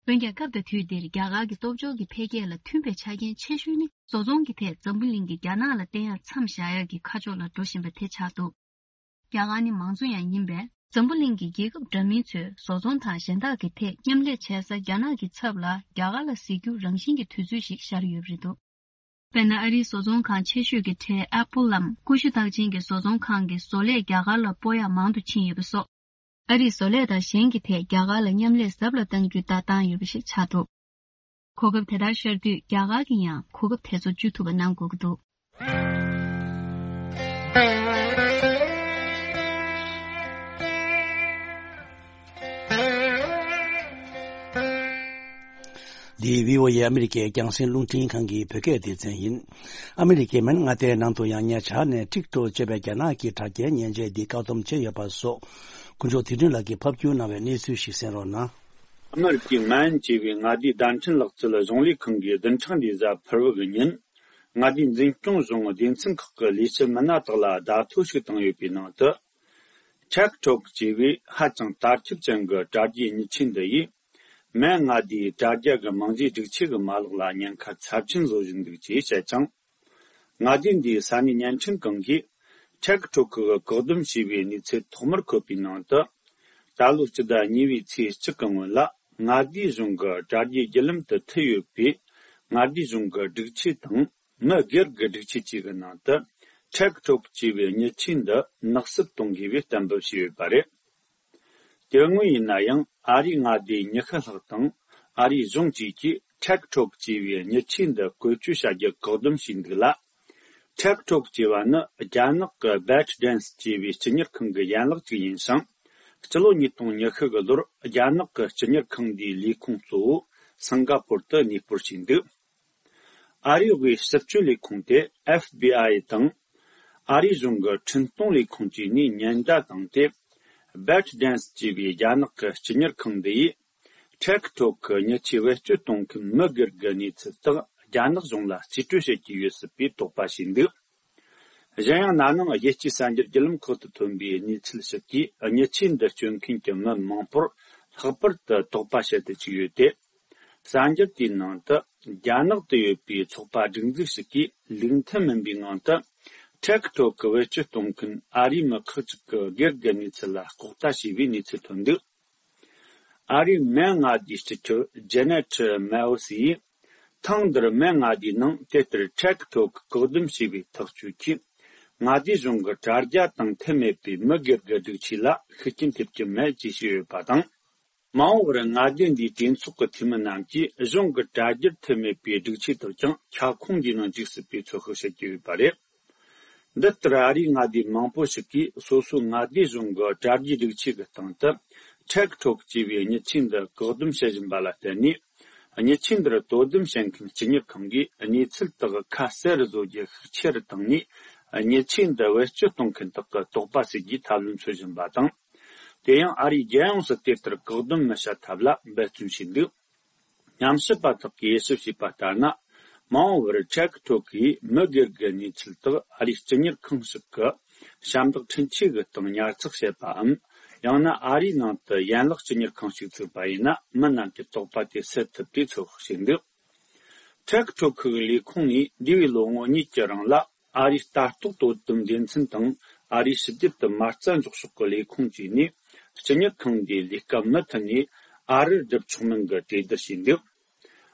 འོན་ཀྱང་། སྐབས་དང་དུས་འདིར་རྒྱ་གར་གྱི་སྟོབས་འབྱོར་གྱི་འཕེལ་རྒྱས་ལ་མཐུན་པའི་ཆ་རྐྱེན་ཆེ་ཤོས་ནི། བཟོ་ཚོང་གི་ཐད་འཛམ་བུ་གླིང་གིས་རྒྱ་ནག་ལ་བརྟེན་ཡ་མཚམས་བཞག་ཡ་གི་ཁ་ཕྱོགས་ལ་འགྲོ་བཞིན་པ་དེ་ཆགས་འདུག་རྒྱ་གར་ནི་མང་གཙོ་ཡང་ཡིན་པས། འཛམ་བུ་གླིང་གི་རྒྱལ་ཁབ་འདྲ་མིན་ཚོས་བཟོ་ཚོང་དང་གཞན་དག་གི་ཐད་མཉམ་ལས་བྱེད་ས་རྒྱ་ནག་གི་ཚབ་ལ་རྒྱ་གར་ལ་གཟིགས་རྒྱུ་རང་བཞིན་གྱི་དུས་ཚོད་ཞིག་ཤར་ཡོད་པ་རེད་འདུག་དཔེར་ན། ཨ་རིའི་བཟོ་ཚོང་ཁང་ཆེ་ཤོས་ཀྱི་གྲས་ཨེ་པོལ་ལམ། ཀུ་ཤུ་རྟགས་ཅན་གྱི་བཟོ་ཚོང་ཁང་གི་བཟོ་ལས་རྒྱ་གར་ལ་སྤོ་ཡག་མང་དུ་ཕྱིན་ཡོད་པ་སོགས། ཨ་རིས་བཟོ་ལས་དང་གཞན་གྱི་ཐད་རྒྱ་གར་ལ་མཉམ་ལས་ཟབ་ལ་གཏང་རྒྱུའི་ལྟ་སྟངས་ཡོད་པ་ཞིག་ཆགས་འདུག་གོ་སྐབས་དེ་ལྟར་ཤར་དུས། རྒྱ་གར་གྱིས་ཡང་གོ་སྐབས་དེ་ཚོ་བཅུ་ཐུབ་པ་གནང་དགོས་ཀྱི་འདུག་འདི་བྷི་ཨོ་ཨེ་ཨ་མི་རི་ཀའི་རྒྱང་སྲིང་རླུང་འཕྲིན་ཁང་གི་བོད་སྐད་སྡེ་ཚན་ཡིན། ཨ་མི་རི་ཀའི་མི་མངའ་སྡེའི་ནང་དུ་ཡང་ཉེ་ཆར་ནས་ཊིག་ཊོག་ཅེས་པའི་རྒྱ་ནག་གི་དྲ་རྒྱའི་མཉེན་ཆས་འདི་བཀག་སྡོམ་བྱས་ཡོད་པ་སོགས། དཀོན་མཆོག་དོན་གྲུབ་ལགས་ཀྱིས་ཕབ་སྒྱུར་གནང་བའི་གནས་ཚུལ་ཞིག་གསན་རོགས་གནང་། ཨ་མི་རི་ཀའི་མན་ཅེས་པའི་མངའ་སྡེའི་བརྡ་འཕྲིན་ལག་རྩལ་གཞུང་ལས་ཁང་གི་བདུན་ཕྲག་འདིའི་གཟའ་ཕུར་བུ་གི་ཉིན། མངའ་སྡེའི་འཛིན་སྐྱོང་གཞུང་སྡེ་ཚན་ཁག་གི་ལས་བྱེད་མི་སྣ་དག་ལ་བརྡ་ཐོ་ཞིག་བཏང་ཡོད་པའི་ནང་དུ། ཊིག་ཊོག་ཅེས་པའི་ཧ་ཅང་དར་ཁྱབ་ཅན་གྱི་དྲ་རྒྱའི་མྱི་ཆས་འདི་ཡིས། མན་མངའ་སྡེའི་དྲ་རྒྱ་གི་རྨང་གཞིའི་སྒྲིག་ཆས་ཀྱི་མ་ལག་ལ་ཉེན་ཁ་ཚབས་ཆེན་བཟོ་བཞིན་འདུག་ཅེས་བཤད་ཅིང་། མངའ་སྡེ་འདིའི་ས་གནས་བརྙན་འཕྲིན་ཁང་གིས། ཊིག་ཊོག་གིས་བཀག་སྡོམ་བྱས་པའི་གནས་ཚུལ་ཐོག་མར་འཁོད་པའི་ནང་དུ། ད་ལོའི་སྤྱི་ཟླ་གཉིས་པའི་ཚེས་གཅིག་གི་སྔོན་ལ། མངའ་སྡེའི་གཞུང་གི་དྲ་རྒྱའི་བརྒྱུད་ལམ་དུ་མཐུད་ཡོད་པའི། མངའ་སྡེའི་གཞུང་གི་སྒྲིག་ཆས་དང་། མི་སྒེར་གྱི་སྒྲིག་ཆས་བཅས་ཀྱི་ནང་དུ། ཊིག་ཊོག་ཅེས་པའི་མྱི་ཆས་འདི་ནག་སུབ་གཏོང་དགོས་པའི་གཏན་འབེབས་བྱས་ཡོད་པ་རེད། དེ་སྔོན་ཡིན་ན་ཡང་། ཨ་རིའི་མངའ་སྡེའི་ཉི་ཤུ་ལྷག་དང་། ཨ་རིའི་གཞུང་བཅས་ཀྱིས་ཊིག་ཊོག་ཅེས་པའི་མྱི་ཆས་འདི་བཀོལ་སྤྱོད་བྱ་རྒྱུ་བཀག་སྡོམ་བྱས་འདུག་ལ། ཊིག་ཊོག་ཅེས་པ་ནི་རྒྱ་ནག་གི་བེཊ་ཌན་སི་ཅེས་པའི་སྤྱི་གཉེར་ཁང་གི་ཡན་ལག་ཅིག་ཡིན་ཞིང་། སྤྱི་ལོ་ཉིས་སྟོང་ཉི་ཤུ་གི་ལོར་རྒྱ་ནག་གི་སྤྱི་གཉེར་ཁང་འདིའི་ལས་ཁུངས་གཙོ་བོ་སིང་ག་པོར་དུ་གནས་སྤོར་བྱས་འདུག་ཨ་རིའི་དབུས་ཞིབ་དཔྱོད་ལས་ཁུངས་ཏེ་ཨེཕ་བི་ཨའི་དང་། ཨ་རིའི་གཞུང་གི་འཕྲིན་གཏོང་ལས་ཁུངས་བཅས་ནས་ཉེན་བརྡ་བཏང་སྟེ། བེཊ་ཌན་སི་ཅེས་པའི་རྒྱ་ནག་གི་སྤྱི་གཉེར་ཁང་འདི་ཡིས། ཊིག་ཊོག་གི་མྱི་ཆས་བེད་སྤྱོད་གཏོང་མཁན་མི་སྒེར་གྱི་གནས་ཚུལ་དག་རྒྱ་ནག་གཞུང་ལ་རྩིས་སྤྲོད་བྱེད་ཀྱི་ཡོད་སྲིད་པའི་དོགས་པ་བྱས་འདུག་གཞན་ཡང་། ན་ནིང་རྒྱལ་སྤྱིའི་གསར་འགྱུར་བརྒྱུད་ལམ་ཁག་ཏུ་ཐོན་པའི་གནས་ཚུལ་ཞིག་གིས། མྱི་ཆས་འདི་སྤྱོད་མཁན་གྱི་མི་མང་པོར་ལྷག་པར་དུ་དོགས་པ་བྱེད་དུ་བཅུག་ཡོད་དེ། གསར་འགྱུར་དེའི་ནང་དུ། རྒྱ་ནག་ཏུ་ཡོད་པའི་ཚོགས་པ་སྒྲིག་འཛུགས་ཤིག་གིས་ལུགས་མཐུན་མིན་པའི་ངང་དུ། ཊིག་ཊོག་གི་བེད་སྤྱོད་གཏོང་མཁན་ཨ་རིའི་མི་ཁག་ཅིག་གི་སྒེར་གྱི་གནས་ཚུལ་ལ་ལྐོག་ལྟ་བྱས་པའི་གནས་ཚུལ་ཐོན་འདུག་ཨ་རིའི་མིན་མངའ་སྡེའི་སྤྱི་ཁྱབ་ཇེ་ནེ་ཊི་མེ་ཨོ་སི་ཡིས། ཐེངས་འདིར་མིན་མངའ་སྡེའི་ནང་དེ་ལྟར་ཊིག་ཊོག་གིས་བཀག་སྡོམ་བྱས་པའི་ཐག་གཅོད་ཀྱིས། མངའ་སྡེ་གཞུང་གི་དྲ་རྒྱ་དང་མཐུན་མེད་པའི་མི་སྒེར་གྱི་སྒྲིག་ཆས་ལ་ཤུགས་རྐྱེན་ཐེབས་ཀྱི་མེད་ཅེས་བཤད་ཡོད་པ་དང་། མ་འོངས་པར་མངའ་སྡེ་འདིའི་གྲོས་ཚོགས་ཀྱི་འཐུས་མི་རྣམས་ཀྱིས་གཞུང་གི་དྲ་རྒྱར་མཐུན་མེད་པའི་སྒྲིག་ཆས་དག་ཀྱང་ཁྱབ་ཁོངས་འདིའི་ནང་འཇུག་སྲིད་པའི་ཚོད་དཔག་བྱེད་ཀྱི་ཡོད་པ་རེད། འདི་ལྟར་ཨ་རིའི་མངའ་སྡེ་མང་པོ་ཞིག་གིས་སོ་སོའི་མངའ་སྡེ་གཞུང་གི་དྲ་རྒྱའི་སྒྲིག་ཆས་ཀྱི་སྟེང་དུ་ཊིག་ཊོག་ཅེས་པའི་མྱི་ཆས་འདི་བཀག་སྡོམ་བྱེད་བཞིན་པ་ལ་བརྟེན་ནས། མྱི་ཆས་འདིར་དོ་དམ་བྱེད་མཁན་སྤྱི་གཉེར་ཁང་གིས་གནས་ཚུལ་དག་ཁ་གསལ་རུ་བཟོ་རྒྱུ་ཤུགས་ཆེ་རུ་བཏང་ནས། མྱི་ཆས་འདི་བེད་སྤྱོད་གཏོང་མཁན་དག་གི་དོགས་པ་སེལ་རྒྱུའི་ཐབས་ལམ་འཚོལ་བཞིན་པ་དང་། དེ་ཡང་ཨ་རིས་རྒྱལ་ཡོངས་སུ་དེ་ལྟར་བཀག་སྡོམ་མི་བྱ་ཐབས་ལ་འབད་བརྩོན་བྱས་འདུག་ཉམས་ཞིབ་པ་དག་གིས་དབྱེ་ཞིབ་བྱས་པ་ལྟར་ན། མ་འོངས་པར་ཊིག་ཊོག་གིས་མི་སྒེར་གྱི་གནས་ཚུལ་དག་ཨ་རིའི་སྤྱི་གཉེར་ཁང་ཞིག་གི་ཞབས་འདེགས་འཕྲིན་ཆས་ཀྱི་སྟེང་ཉར་ཚགས་བྱེད་པའམ། ཡང་ན་ཨ་རིའི་ནང་དུ་ཡན་ལག་སྤྱི་གཉེར་ཁང་ཞིག་བཙུགས་པ་ཡིན་ན། མི་རྣམས་ཀྱི་དོགས་པ་དེ་སེལ་ཐུབ་པའི་ཚོད་དཔག་བྱས་འདུག་ཊིག་ཊོག་གི་ལས་ཁུངས་ནས་འདས་པའི་ལོ་ངོ་གཉིས་ཀྱི་རིང་ལ། ཨ་རིའི་ལྟ་རྟོག་དོ་དམ་སྡེ་ཚན་དང་། ཨ་རིའི་ཕྱི་རྒྱལ་དུ་མ་རྩ་འཇོག་ཕྱོགས་ཀྱི་ལས་ཁུངས་བཅས་ནས། སྤྱི་གཉེར་ཁང་འདིའི་ལས་ཀ་མུ་མཐུད་ནས་ཨ་རིར་སྒྲུབ་ཆོག་མིན་གྱི་གྲོས་བསྡུར་བྱས་འདུག་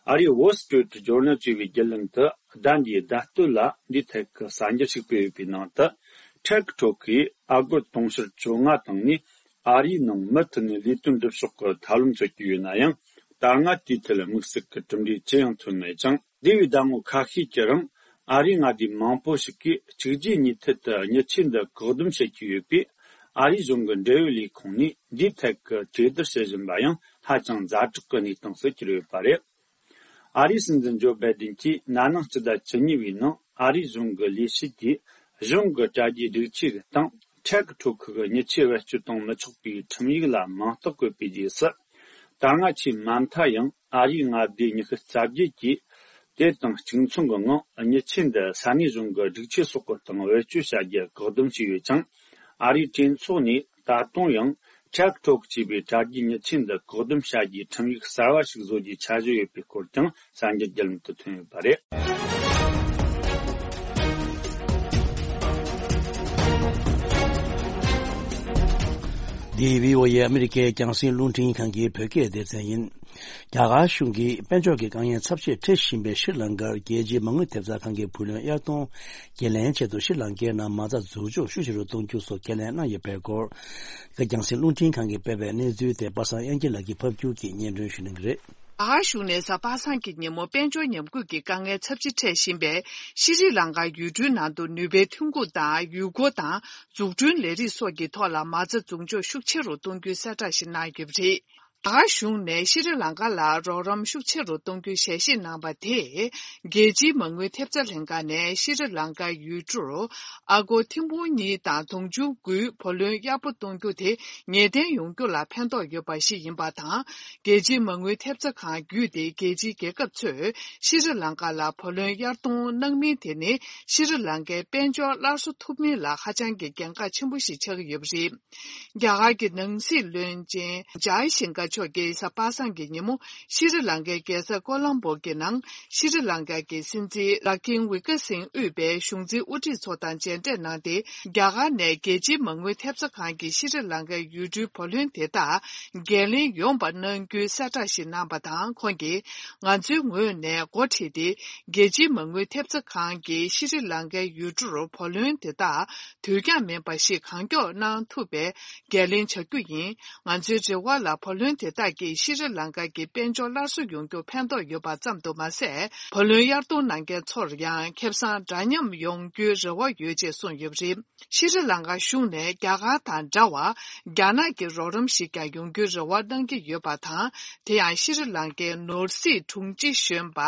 ཨ་རིའི་Wall Street Journal་ཅེས་པའི་བརྒྱུད་ལམ་དུ་ཟླ་འདིའི་ཟླ་སྟོད་ལ་འདིའི་ཐད་ཀྱི་གསར་འགྱུར་ཞིག་སྤེལ་ཡོད་པའི་ནང་དུ། ཊིག་ཊོག་གིས་ཨ་སྒོར་དུང་ཕྱུར་བཅོ་ལྔ་བཏང་ནས། ཨ་རིའི་ནང་མུ་མཐུད་ནས་ལས་དོན་སྒྲུབ་ཕྱོགས་ཀྱི་ཐབས་ལམ་འཚོལ་གྱི་ཡོད་ན་ཡང་། ད་སྔ་དེའི་ཐད་དམིགས་བསལ་གྱི་གྲུབ་འབྲས་ཅི་ཡང་ཐོན་མེད་ཅིང་། འདས་པའི་ཟླ་ངོ་ཁ་ཤས་ཀྱི་རིང་། ཨ་རིའི་མངའ་སྡེ་མང་པོ་ཞིག་གིས་གཅིག་རྗེས་གཉིས་མཐུད་དུ་མྱི་ཆས་འདི་བཀག་སྡོམ་བྱེད་ཀྱི་ཡོད་པས། ཨ་རིའི་གཞུང་གི་འབྲེལ་ཡོད་ལས་ཁུངས་ནས་འདིའི་ཐད་ཀྱི་གྲོས་བསྡུར་བྱེད་བཞིན་པ་ཡང་ཧ་ཅང་ཛ་དྲག་གི་གནས་སྟངས་སུ་གྱུར་ཡོད་པ་རེད། ཨ་རིའི་སྲིད་འཛིན་ཇོ་བྷའི་ཌེན་གྱིས་ན་ནིང་སྤྱི་ཟླ་བཅུ་གཉིས་པའི་ནང་ཨ་རིའི་གཞུང་གི་ལས་བྱེད་ཀྱིས་གཞུང་གི་དྲ་རྒྱའི་སྒྲིག་ཆས་ཀྱི་སྟེང་། ཊིག་ཊོག་གི་མྱི་ཆས་བེད་སྤྱོད་གཏོང་མི་ཆོག་པའི་ཁྲིམས་ཡིག་ལ་མིང་རྟགས་བཀོད་པའི་རྗེས་སུ། ད་སྔ་ཆེས་མ་མཐའ་ཡང་ཨ་རིའི་མངའ་སྡེ་ཉི་ཤུ་རྩ་བརྒྱད་ཀྱིས། དེ་དང་གཅིག་མཚུངས་ཀྱི་ངང་མྱི་ཆས་འདི་ས་གནས་གཞུང་གི་སྒྲིག་ཆས་སོགས་ཀྱི་སྟེང་བེད་སྤྱོད་བྱ་རྒྱུ་བཀག་སྡོམ་བྱས་ཡོད་ཅིང་། ཨ་རིའི་གྲོས་ཚོགས་ནས་ད་དུང་ཡང་ཊིག་ཊོག་ཅེས་པའི་དྲ་རྒྱའི་མྱི་ཆས་འདི་བཀག་སྡོམ་བྱ་རྒྱུའི་ཁྲིམས་ཡིག་གསར་བ་ཞིག་བཟོ་རྒྱུའི་འཆར་གཞི་ཡོད་པའི་སྐོར་ཀྱང་གསར་འགྱུར་བརྒྱུད་ལམ་དུ་ཐོན་ཡོད་པ་རེད། འདི་བྷི་ཨོ་ཨེ་ཨ་མི་རི་ཀའི་རྒྱང་སྲིང་རླུང་འཕྲིན་ཁང་གི་བོད་སྐད་སྡེ་ཚན་ཡིན། རྒྱ་གར་གཞུང་གིས་དཔལ་འབྱོར་གྱི་དཀའ་ངལ་ཚབས་ཆེར་འཕྲད་བཞིན་པའི་ཤྲི་ལང་ཀར་རྒྱལ་སྤྱིའི་མ་དངུལ་ཐེབས་རྩ་ཁང་གི་བུ་ལོན་གཡར་གཏོང་འགན་ལེན་ཆེད་དུ་ཤྲི་ལང་ཀའི་ནང་མ་རྩ་འཛུགས་འཇོག་ཤུགས་ཆེ་རུ་གཏོང་རྒྱུ་སོགས་ཁས་ལེན་གནང་ཡོད་པའི་སྐོར། རྒྱང་སྲིང་རླུང་འཕྲིན་ཁང་གིས་སྤེལ་བའི་གནས་ཚུལ་དེ་པ་སངས་དབྱངས་སྐྱིད་ལགས་ཀྱིས་ཕབ་སྒྱུར་གྱིས་སྙན་སྒྲོན་ཞུ་གནང་གི་རེད། རྒྱ་གར་གཞུང་ནས་གཟའ་པ་སངས་ཀྱི་ཉིན་མོ་དཔལ་འབྱོར་ཉམས་རྒུད་ཀྱི་དཀའ་ངལ་ཚབས་ཆེ་འཕྲད་བཞིན་པའི་ཤྲི་ལང་ཀ་ཡུལ་གྲུའི་ནང་དུ་ནུས་པའི་ཐོན་ཁུངས་དང་ཡུལ་སྐོར་དང་འཛུགས་སྐྲུན་ལས་རིགས་སོགས་ཀྱི་ཐོག་ལ་མ་རྩ་འཛུགས་འཇོག་ཤུགས་ཆེ་རུ་གཏོང་རྒྱུའི་གསལ་བསྒྲགས་ཤིག་གནང་ཡོད་པ་རེད། རྒྱ་གར་གཞུང་ནས་ཤྲི་ལང་ཀ་ལ་རོགས་རམ་ཤུགས་ཆེ་རུ་གཏོང་རྒྱུའི་ཞལ་བཞེས་གནང་བ་དེས། རྒྱལ་སྤྱིའི་མ་དངུལ་ཐེབས་རྩ་ལྷན་ཁང་ནས་ཤྲི་ལང་ཀ་ཡུལ་གྲུར་ཨ་སྒོར་ཐེར་འབུམ་གཉིས་དང་དུང་ཕྱུར་དགུའི་བུ་ལོན་གཡར་པོ་གཏོང་རྒྱུ་དེ་ངེས་གཏན་ཡོང་རྒྱུ་ལ་ཕན་ཐོགས་ཡོད་པ་ཞིག་ཡིན་པ་དང་། རྒྱལ་སྤྱིའི་མ་དངུལ་ཐེབས་རྩ་ཁང་བརྒྱུད་དེ་རྒྱལ་སྤྱིའི་རྒྱལ་ཁབ་ཚོས་ཤྲི་ལང་ཀ་ལ་བུ་ལོན་གཡར་གཏོང་གནང་མིན་དེ་ནི་ཤྲི་ལང་ཀའི་དཔལ་འབྱོར་སླར་གསོ་ཐུབ་མིན་ལ་ཧ་ཅང་གི་གལ་འགངས་ཆེན་པོ་ཞིག་ཆགས་ཀྱི་ཡོད་པ་རེད། རྒྱ་གར་གྱི་ནང་སྲིད་བློན་ཆེན་ཇའི་ཤང་ཀར་མཆོག་གིས་གཟའ་པ་སངས་ཀྱི་ཉིན་མོ་ཤྲི་ལང་ཀའི་རྒྱལ་ས་ཀོ་ལམ་པོ་གི་ནང་ཤྲི་ལང་ཀ་གི་སྲིད་འཛིན་ར་ནིལ་ཝི་ཀར་སིང་དབུས་པའི་གཞུང་འཛིན་དབུ་ཁྲིད་ཚོ་དང་མཇལ་འཕྲད་གནང་སྟེ། རྒྱ་གར་ནས་རྒྱལ་སྤྱིའི་མ་དངུལ་ཐེབས་རྩ་ཁང་གིས་ཤྲི་ལང་ཀའི་ཡུལ་གྲུའི་བུ་ལོན་དེ་དག་འགན་ལེན་ཡོང་བ་གནང་རྒྱུའི་གསལ་བསྒྲགས་ཤིག་གནང་བ་དང་། ཁོང་གིས་ང་ཚོའི་ངོས་ནས་འགོ་ཁྲིད་དེ། རྒྱལ་སྤྱིའི་མ་དངུལ་ཐེབས་རྩ་ཁང་གིས་ཤྲི་ལང་ཀའི་ཡུལ་གྲུར་བུ་ལོན་དེ་དག་དུས་འགྱངས་མེད་པ་ཞིག་གང་མགྱོགས་གནང་ཐུབ་པའི་འགན་ལེན་བྱ་རྒྱུ་ཡིན། ང་ཚོའི་རེ་བ་ལ་བུ་ལོན་དེ་དག་གིས་ཤྲི་ལང་ཀ་གི་དཔལ་འབྱོར་སླར་གསོ་ཡོང་རྒྱུར་ཕན་ཐོགས་ཡོད་པ་ཙམ་དུ་མ་ཟད། བུ་ལོན་གཡར་གཏོང་གནང་མཁན་ཚོར་ཡང་ཁེ་བཟང་འདྲ་མཉམ་ཡོང་རྒྱུའི་རེ་བ་ཡོད་ཅེས་གསུངས་ཡོད་པ་རེད། ཤྲི་ལང་ཀ་གཞུང་ནས་རྒྱ་གར་དང་འདྲ་བར་རྒྱ་ནག་གི་རོགས་རམ་ཞིག་ཀྱང་ཡོང་རྒྱུའི་རེ་བ་གནང་གི་ཡོད་པ་དང་། དེ་ཡང་ཤྲི་ལང་ཀའི་ནོར་སྲིད་དྲུང་ཆེ་གཞོན་པ་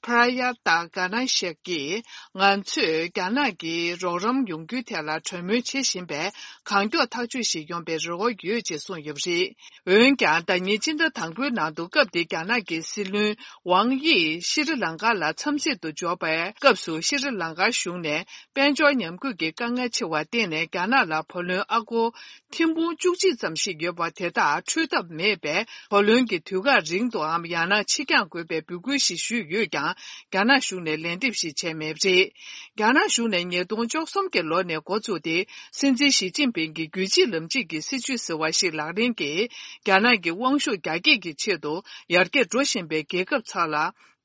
པྲ་ཡ་ཏཱ་ག་ན་ཤེག་གིས། ང་ཚོས་རྒྱ་ནག་གི་རོགས་རམ་ཡོང་རྒྱུའི་ཐད་ལ་གྲོས་མོལ་བྱེད་བཞིན་པས། གང་མགྱོགས་ཐག་གཅོད་ཞིག་ཡོང་པའི་རེ་བ་ཡོད་ཅེས་གསུངས་ཡོད་པ་རེད། འོན་ཀྱང་། ད་ ཉིན་ཕྱི་ཟླ་དང་པོའི་ནང་དུ་སྐབས་དེའི་རྒྱ་ནག་གི་སྲིད་བློན་ཝང་དབྱི་ཤྲི་ལང་ཀ་ལ་འཚམས་གཟིགས་དུ་འབྱོར་བའི་སྐབས་སུ། ཤྲི་ལང་ཀ་གཞུང་ནས་དཔལ་འབྱོར་ཉམས་རྒུད་ཀྱི་དཀའ་ངལ་ཆེ་བར་བརྟེན་ནས། རྒྱ་ནག་ལ་བུ་ལོན་ཨ་སྒོར་ཐེར་འབུམ་བཅུ་གཅིག་ཙམ་ཞིག་ཡོད་པ་དེ་དག་འཕྲོད་ཐབས་མེད་པས། བུ་ལོན་གྱི་དུས་བཀག་རིང་དུའམ་ཡང་ན་ཕྱིར་འགྱངས་དགོས་པའི་འབོད་སྐུལ་ཞིག་ཞུས་ཡོད་ཀྱང་། རྒྱ་ནག་གཞུང་ནས་ལན་འདེབས་ཤིག་བྱས་མེད་པ་རེད། རྒྱ་ནག་གཞུང་ནས་ཉིས་སྟོང་བཅུ་གསུམ་གྱི་ལོ་ནས་འགོ་བཙུགས་ཏེ། སྲིད་འཛིན་ཞི་ཅིན་ཕིང་གི་རྒྱུད་གཅིག་ལམ་གཅིག་གི་སྲིད་བྱུས་ཟེར་བ་ཞིག་ལག་ལེན་གྱིས། རྒྱ་ནག་གི་དབང་ཤུགས་རྒྱ་སྐྱེད་ཀྱི་ཆེད་དུ་ཡར་རྒྱས་འགྲོ་བཞིན་པའི་རྒྱལ་ཁབ་ཚོ་ལ།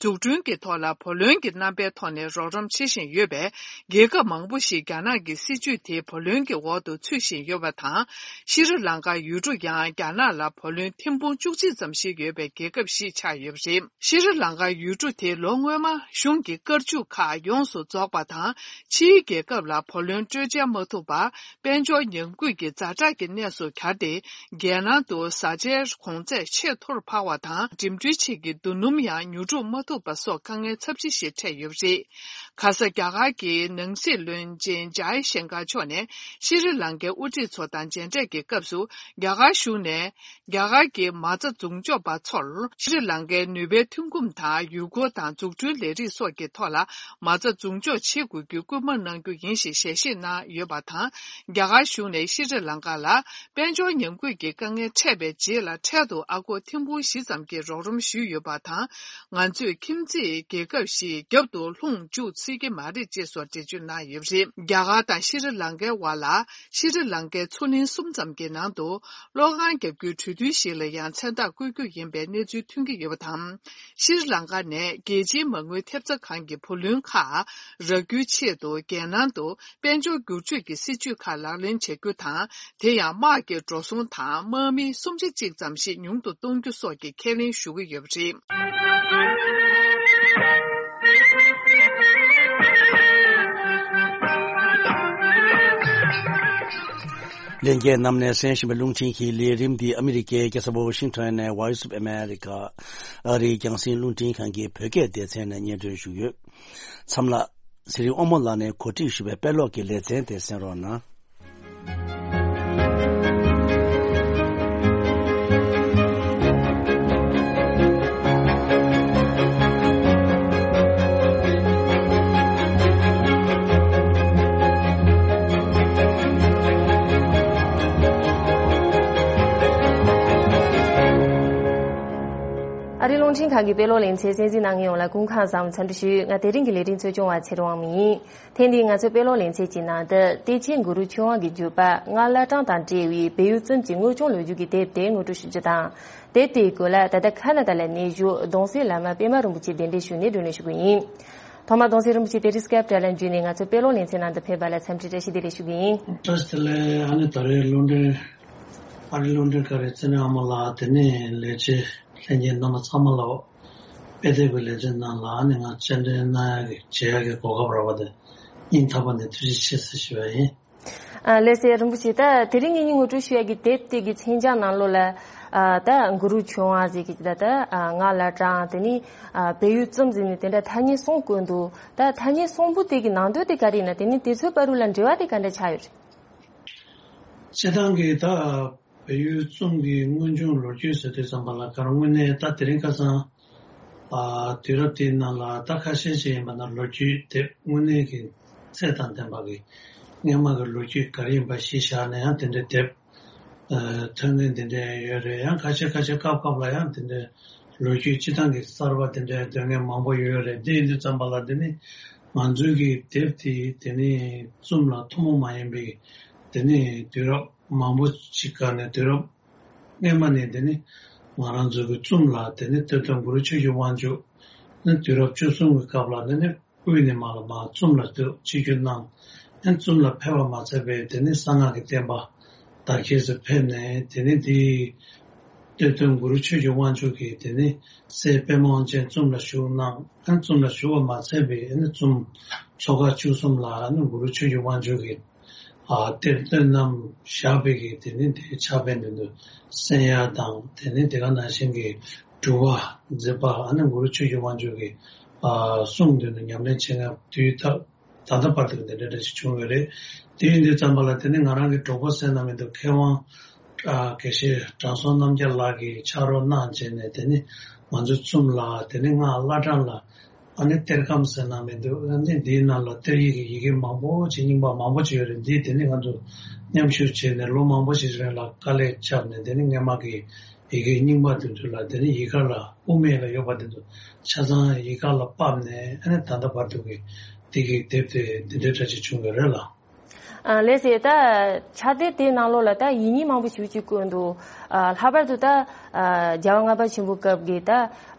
འཛུགས་སྐྲུན་གྱི་ཐོག་ལ་བུ་ལོན་གྱི་རྣམ་པའི་ཐོག་ནས་རོགས་རམ་བྱེད་བཞིན་ཡོད་པས། རྒྱལ་ཁབ་མང་པོ་ཞིག་རྒྱ་ནག་གི་སྲིད་བྱུས་དེའི་བུ་ལོན་གྱི་འོག་ཏུ་ཚུད་བཞིན་ཡོད་པ་དང་། ཤྲི་ལང་ཀ་ཡུལ་གྲུ་ཡང་རྒྱ་ནག་ལ་བུ་ལོན་ཐེར་འབུམ་བཅུ་གཅིག་ཙམ་ཞིག་ཡོད་པའི་རྒྱལ་ཁབ་ཞིག་ཆགས་ཡོད་པ་རེད། ཤྲི་ལང་ཀ་ཡུལ་གྲུ་དེ་ལོ་སྔོན་མ་གཞུང་གི་བཀའ་བཅུ་ཁག་ཡོངས་སུ་རྫོགས་པ་དང་། ཕྱིའི་རྒྱལ་ཁབ་ལ་བུ་ལོན་སྤྲོད་འཇལ་མ་ཐུབ་པར། དཔལ་འབྱོར་ཉམས་རྒུད་ཀྱི་ཛ་དྲག་གི་གནས་སུ་གྱར་ཏེ། རྒྱལ་ནང་དུ་བཟའ་བཅའི་གོང་ཚད་ཆེས་མཐོར་འཕར་བ་དང་། འགྲིམ་འགྲུལ་ཆེད་ཀྱི་རྡོ་སྣུམ་ཡང་ཉོ་སྒྲུབ་མ་ཐུབ་པ་སོགས་དཀའ་ངལ་ཚབས་ཆེ་ཞིག་འཕྲད་ཡོད་པ་རེད། ཁ་ས་རྒྱ་གར་གྱི་ནང་སྲིད་བློན་ཆེན་ཇའི་ཤང་ཀར་མཆོག་ནས་ཤྲི་ལང་ཀའི་དབུ་ཁྲིད་ཚོ་དང་མཇལ་འཕྲད་ཀྱི་སྐབས་སུ། རྒྱ་གར་གཞུང་ནས་རྒྱ་གར་གྱི་མ་རྩ་འཛུགས་འཇོག་པ་ཚོར་ཤྲི་ལང་ཀའི་ནུས་པའི་ཐོན་ཁུངས་དང་། ཡུལ་སྐོར་དང་འཛུགས་སྐྲུན་ལས་རིགས་སོགས་ཀྱི་ཐོག་ལ་མ་རྩ་འཛུགས་འཇོག་བྱེད་དགོས་རྒྱུའི་སྐུལ་མ་གནང་རྒྱུ་ཡིན་ཞེས་ཞལ་བཞེས་གནང་ཡོད་པ་དང་། རྒྱ་གར་གཞུང་ནས་ཤྲི་ལང་ཀ་ལ་དཔལ་འབྱོར་ཉམས་རྒུད་ཀྱི་དཀའ་ངལ་འཕྲད་པའི་རྗེས་ལ། འཕྲལ་དུ་ཨ་སྒོར་ཐེར་འབུམ་བཞི་ཙམ་གྱི་རོགས་རམ་ཞུས་ཡོད་པ་དང་། ང་ཚོས་ཁྱིམ་མཚེས་རྒྱལ་ཁབ་ཞིག་རྒྱབ་ཏུ་ལྷུང་འཇུག་སྲིད་ཀྱི་མ་རེད་ཅེས་སོགས་འགྲེལ་བརྗོད་གནང་ཡོད་པ་རེད། རྒྱ་གར་དང་ཤྲི་ལང་ཀའི་བར་ལ། ཤྲི་ལང་ཀའི་མཚོ་གླིང་གསུམ་ཙམ་གྱི་ནང་དུ་གློག་ཁང་བརྒྱབ་རྒྱུའི་གྲོས་མཐུན་ཞིག་ལ་ཡང་མཚན་རྟགས་བཀོད་རྒྱུ་ཡིན་པའི་གནས་ཚུལ་ཐོན་གྱི་ཡོད་པ་དང་། ཤྲི་ལང་ཀ་ནས་རྒྱལ་སྤྱིའི་མ་དངུལ་ཐེབས་རྩ་ཁང་གི་བུ་ལོན་ཁག་རག་རྒྱུའི་ཆེད་དུ། རྒྱལ་ནང་དུ་དཔལ་འབྱོར་བསྒྱུར་བཅོས་ཀྱི་སྲིད་ཇུས་ཁག་ལག་ལེན་བྱ་རྒྱུ་དང་། དེ་ཡང་དམག་གི་འགྲོ་སོང་དང་དམག་མི་སུམ་ཆ་གཅིག་ཙམ་ཞིག་ཉུང་དུ་གཏོང་རྒྱུ་སོགས་ཀྱི་ཁས་ལེན་ཞུ་གི་ཡོད་པ་རེད། ལྷན་རྒྱས་རྣམས་ནས་གསན་བཞིན་པའི་རླུང་འཕྲིན་གྱི་ལས་རིམ་འདི་ཨ་མི་རི་ཀའི་རྒྱལ་ས་ཝ་ཤིང་ཊོན་ནས་Voice of America ཨ་རིའི་རྒྱང་སྲིང་རླུང་འཕྲིན་ཁང་གི་བོད་སྐད་སྡེ་ཚན་ནས་སྙན་སྒྲོན་ཞུས་ཡོད། མཚམས་ལ། ཚེ་རིང་དབང་མོ་ལགས་ནས་གོ་སྒྲིག་ཞུས་པའི་དཔེ་ཀློག་གི་ལེ་ཚན་དེ་གསན་རོགས་གནང་། ཨ་རིའི་རླུང་འཕྲིན་ཁང་གི་དཔེ་ཀློག་ལེ་ཚན་གསན་གཟིགས་གནང་མཁན་ཡོངས་ལ་སྐུ་ཁམས་བཟང་འཚམས་འདྲི་ཞུ། ང་དེ་རིང་གི་ལས་རིམ་གཙོ་སྐྱོང་བ་ཚེ་རིང་དབང་མོ་ཡིན། ཐེངས་འདིའི་ང་ཚོའི་དཔེ་ཀློག་ལེ་ཚན་གྱི་ནང་དུ། བདེ་ཆེན་གུ་རུ་ཆོས་དབང་གི་བརྒྱུད་པ་སྔགས་བླ་བྲང་དང་འབྲེལ་བའི་བལ་ཡུལ་ཙུམ་གྱི་དངོས་བྱུང་ལོ་རྒྱུས་ཀྱི་དེབ་དེ་ངོ་སྤྲོད་ཞུ་རྒྱུ་དང་། དེབ་དེའི་སྐོར་ལ་ད་ལྟ་ཁ་ན་ཌ་ལ་གནས་བཞུགས་གདུང་སྲས་བླ་མ་པད་མ་རིན་པོ་ཆེ་གདན་འདྲེན་ཞུས་ནས་བགྲོ་གླེང་ཞུ་གི་ཡིན། ཐོག་མར་གདུང་སྲས་རིན་པོ་ཆེ་དེ་རིང་སྐེབ་དྲ་ལམ་བརྒྱུད་ནས་ང་ཚོའི་དཔེ་ཀློག་ལེ་ཚན་ནང་དུ་ཕེབས་པ་ལ་འཚམས་འདྲི་བཀྲ་ཤིས་བདེ་ལེགས་ཞུ་གི་ཡིན། བཀྲ་ཤིས་བདེ་ལེགས། ཨ་ནི་ད་རེས་རླུང་འཕྲིན། ཨ་རིའི་རླུང་འཕྲིན་ཁང་རེད། ཚེ་རིང་དབང་མོ་ལགས། དེ་ནས་ལས་བྱེད་ལྷན་རྒྱས་རྣམ་པ་ཚང་མ་ལ། དཔེ་དེབ་ཀྱི་ལེ་ཚན་ནང་ལ་ཨ་ནི་ང་སྤྱན་འདྲེན་གནང་ཡག་གི་བྱེད་ཡག་གི་གོ་སྐབས་རག་པ་དེ་སྙིང་ཐག་པ་ནས་ཐུགས་རྗེ་ཆེ་ཟེར་ཞུ་བ་ཡིན། ཨ་ལགས་སོ། རིན་པོ་ཆེ། ད་དེ་རིང་ངེད་གཉིས་ངོ་སྤྲོད་ཞུ་ཡག་གི་དེབ་དེ་གི་མཚན་བྱང་ནང་ལོགས་ལ། ཨ་ད་གུ་རུ་ཆོས་དབང་ཟེར་གི་ད་ད་ཨ་སྔགས་བླ་བྲང་། དེ་ནས་ཨ་བལ་ཡུལ་ཙུམ་ཟེར་ནས་དེ་འདྲ་ཐ་སྙད་གསུམ་བཀོད་འདུག་ད་ཐ་སྙད་གསུམ་པོ་དེ་གི་ནང་དོན་དེ་ག་རེ་ཡིན་ན། དེ་ནས་དེ་ཚོའི་བར་དུ་ལ་འབྲེལ་བ་དེ་ག་འདྲ་ཆགས་ཡོད་རེད། སྤྱིར་བཏང་གི་ད་བལ་ཡུལ་ཙུམ་གྱི་དངོས་བྱུང་ལོ་རྒྱུས་ཟེར་དུས་ཙམ་པ་ལ། ག་རེ་དངོས་གནས་ད་དེ་རིང་ཁ་སང་ཨ་དུས་རབས་དེའི་ནང་ལ་ད་ཁ་ཤས་ཤིག་ཡིན་པ་ན་ལོ་རྒྱུས་དེབ་དངོས་གནས་ཀྱི་ཚད་དང་ལྡན་པ་གི་སྔོན་མ་གི་ལོ་རྒྱུས་ག་རེ་ཡིན་པ་གཞི་བཞག་ནས་ཡང་དེ་འདྲའི་དེབ་ཨ་ཐོན་མཁན་དེ་འདྲ་ཡོད་རེད། ཡང་ཁ་ཤས་ཁ་ཤས་སྐབས་སྐབས་ལ་ཡང་དེ་འདྲའི་ལོ་རྒྱུས་སྤྱིར་བཏང་གི་གསར་པ་དེ་འདྲའི་འདོན་མཁན་མང་པོ་ཡོད་རེད། དེ་ཡིན་དུས་ཙམ་པ་ལ་དེ་ནི་ང་ཚོའི་གི་དེབ་དེ་དེ་ནི་ཙུམ་ལ་ཐུན་མོང་མ་ཡིན་པའི་དེ་ནི་དུས་རབས་མང་པོ་ཞིག་སྒང་ནས། དུས་རབས་སྔོན་མ་ནས་དེ་ནི་ང་རང་ཚོ་གི་ཙུམ་ལ་དེ་ནི་སྟོད་ཐུང་གུ་རུ་ཆོས་ཀྱི་དབང་ཕྱུག་ནི་དུས་རབས་བཅུ་གསུམ་གྱི་སྐབས་ལ་དེ་ནི་དབུས་ནས་མར་ལ་མར་ཙུམ་ལ་ཆིབས་བསྒྱུར་གནང་། ཨ་ནི་ཙུམ་ལ་ཕེབས་པ་མ་ཚད་པའི་དེ་ནི་གསང་སྔགས་ཀྱི་བསྟན་པ་དར་རྒྱས་སུ་ཕེབས་ནས། དེ་ནི་དེའི་སྟོད་ཐུང་གུ་རུ་ཆོས་ཀྱི་དབང་ཕྱུག་གིས་དེ་ནི་སྲས་པདྨ་དབང་ཆེན་ཙུམ་ལ་བཞུགས་གནང་། ཨ་ནི་ཙུམ་ལ་བཞུགས་པ་མ་ཚད་པའི་ཨ་ནི་ཙུམ་མཚོ་ཁ་བཅུ་གསུམ་ལ་ཨ་ནི་གུ་རུ་ཆོས་ཀྱི་དབང་ཕྱུག་གིས་ཨ་གཏེར་སྟོན་རྣམས་བཞག་པའི་གི་དེ་ནི་དེའི་ཕྱག་དཔེ་འདི་ཚོ་གསན་ཡག་དང་། དེ་ནི་དེ་ག་ནང་བཞིན་གྱི་སྒྲུབ་པ་མཛད་པ་ཨ་ནི་གུ་རུ་ཆོས་ཀྱི་དབང་ཕྱུག་གི་ཨ་གསུང་འདི་ཚོ་ཉམས་ལེན་བྱེད་མཁན་དུས་ད་ད་ལྟ་བར་དུ་འདི་འདྲ་འདྲ་ཞིག་བྱུང་ཡོད་རེད། དེ་ཡིན་དུས་ཙམ་པ་ལ་དེ་ནི་ང་རང་གི་གྲོགས་པོ་ཟེར་ན་མི་འདུག་མཁས་དབང་ ཨ་དགེ་བཤེས་དྲང་སྲོང་རྣམ་རྒྱལ་ལགས་ཀྱིས་ཕྱག་རོགས་གནང་བྱས་ནས། དེ་ནི་ང་ཚོ་ཙུམ་ལ། དེ་ནི་སྔགས་བླ་བྲང་ལ། ཨ་ནི་གཏེར་ཁང་ཟེར་ན་མི་འདུག་ཨ་ནི་འདིའི་ནང་ལ་གཏེར་ཡིག་གི་ཡི་གེ་མང་པོ་ཅིག་རྙིང་པ་མང་པོ་ཅིག་ཡོད་རེད། འདི་དེ་ནི་ང་ཚོ་མཉམ་ཞུགས་བྱས་ནས་ལོ་མང་པོ་ཞིག་རིང་ལ་དཀའ་ལས་བརྒྱབ་ནས། དེ་ནི་སྔས་མ་གི་ཡི་གེ་རྙིང་པ་དེ་ཚོ་ལ། དེ་ནི་ཡི་ག་ལ་དབུ་མེད་ལ་ཡོད་པ་དེ་ཚོ་ཆ་ཚང་ཡི་ག་ལ་ཕབ་ནས། ཨ་ནི་ད་ལྟ་བར་དུ་གི་འདི་གི་དེབ་དེ་འདི་འདྲའི་འདྲ་ཅིག་བྱུང་ཡོད་རེད་ལགས། ཨ་ལགས་སེ། ད་ཕྱག་དེབ་དེའི་ནང་ལོགས་ལ་ད་ཡིག་རྙིང་མང་པོ་ཞིག་ཅིག་བཀོད་འདུག་ཨ་ལྷག་པར་དུ་ད་ཨ་རྒྱལ་བ་ལྔ་པ་ཆེན་པོའི་སྐབས་ཀྱི་ད་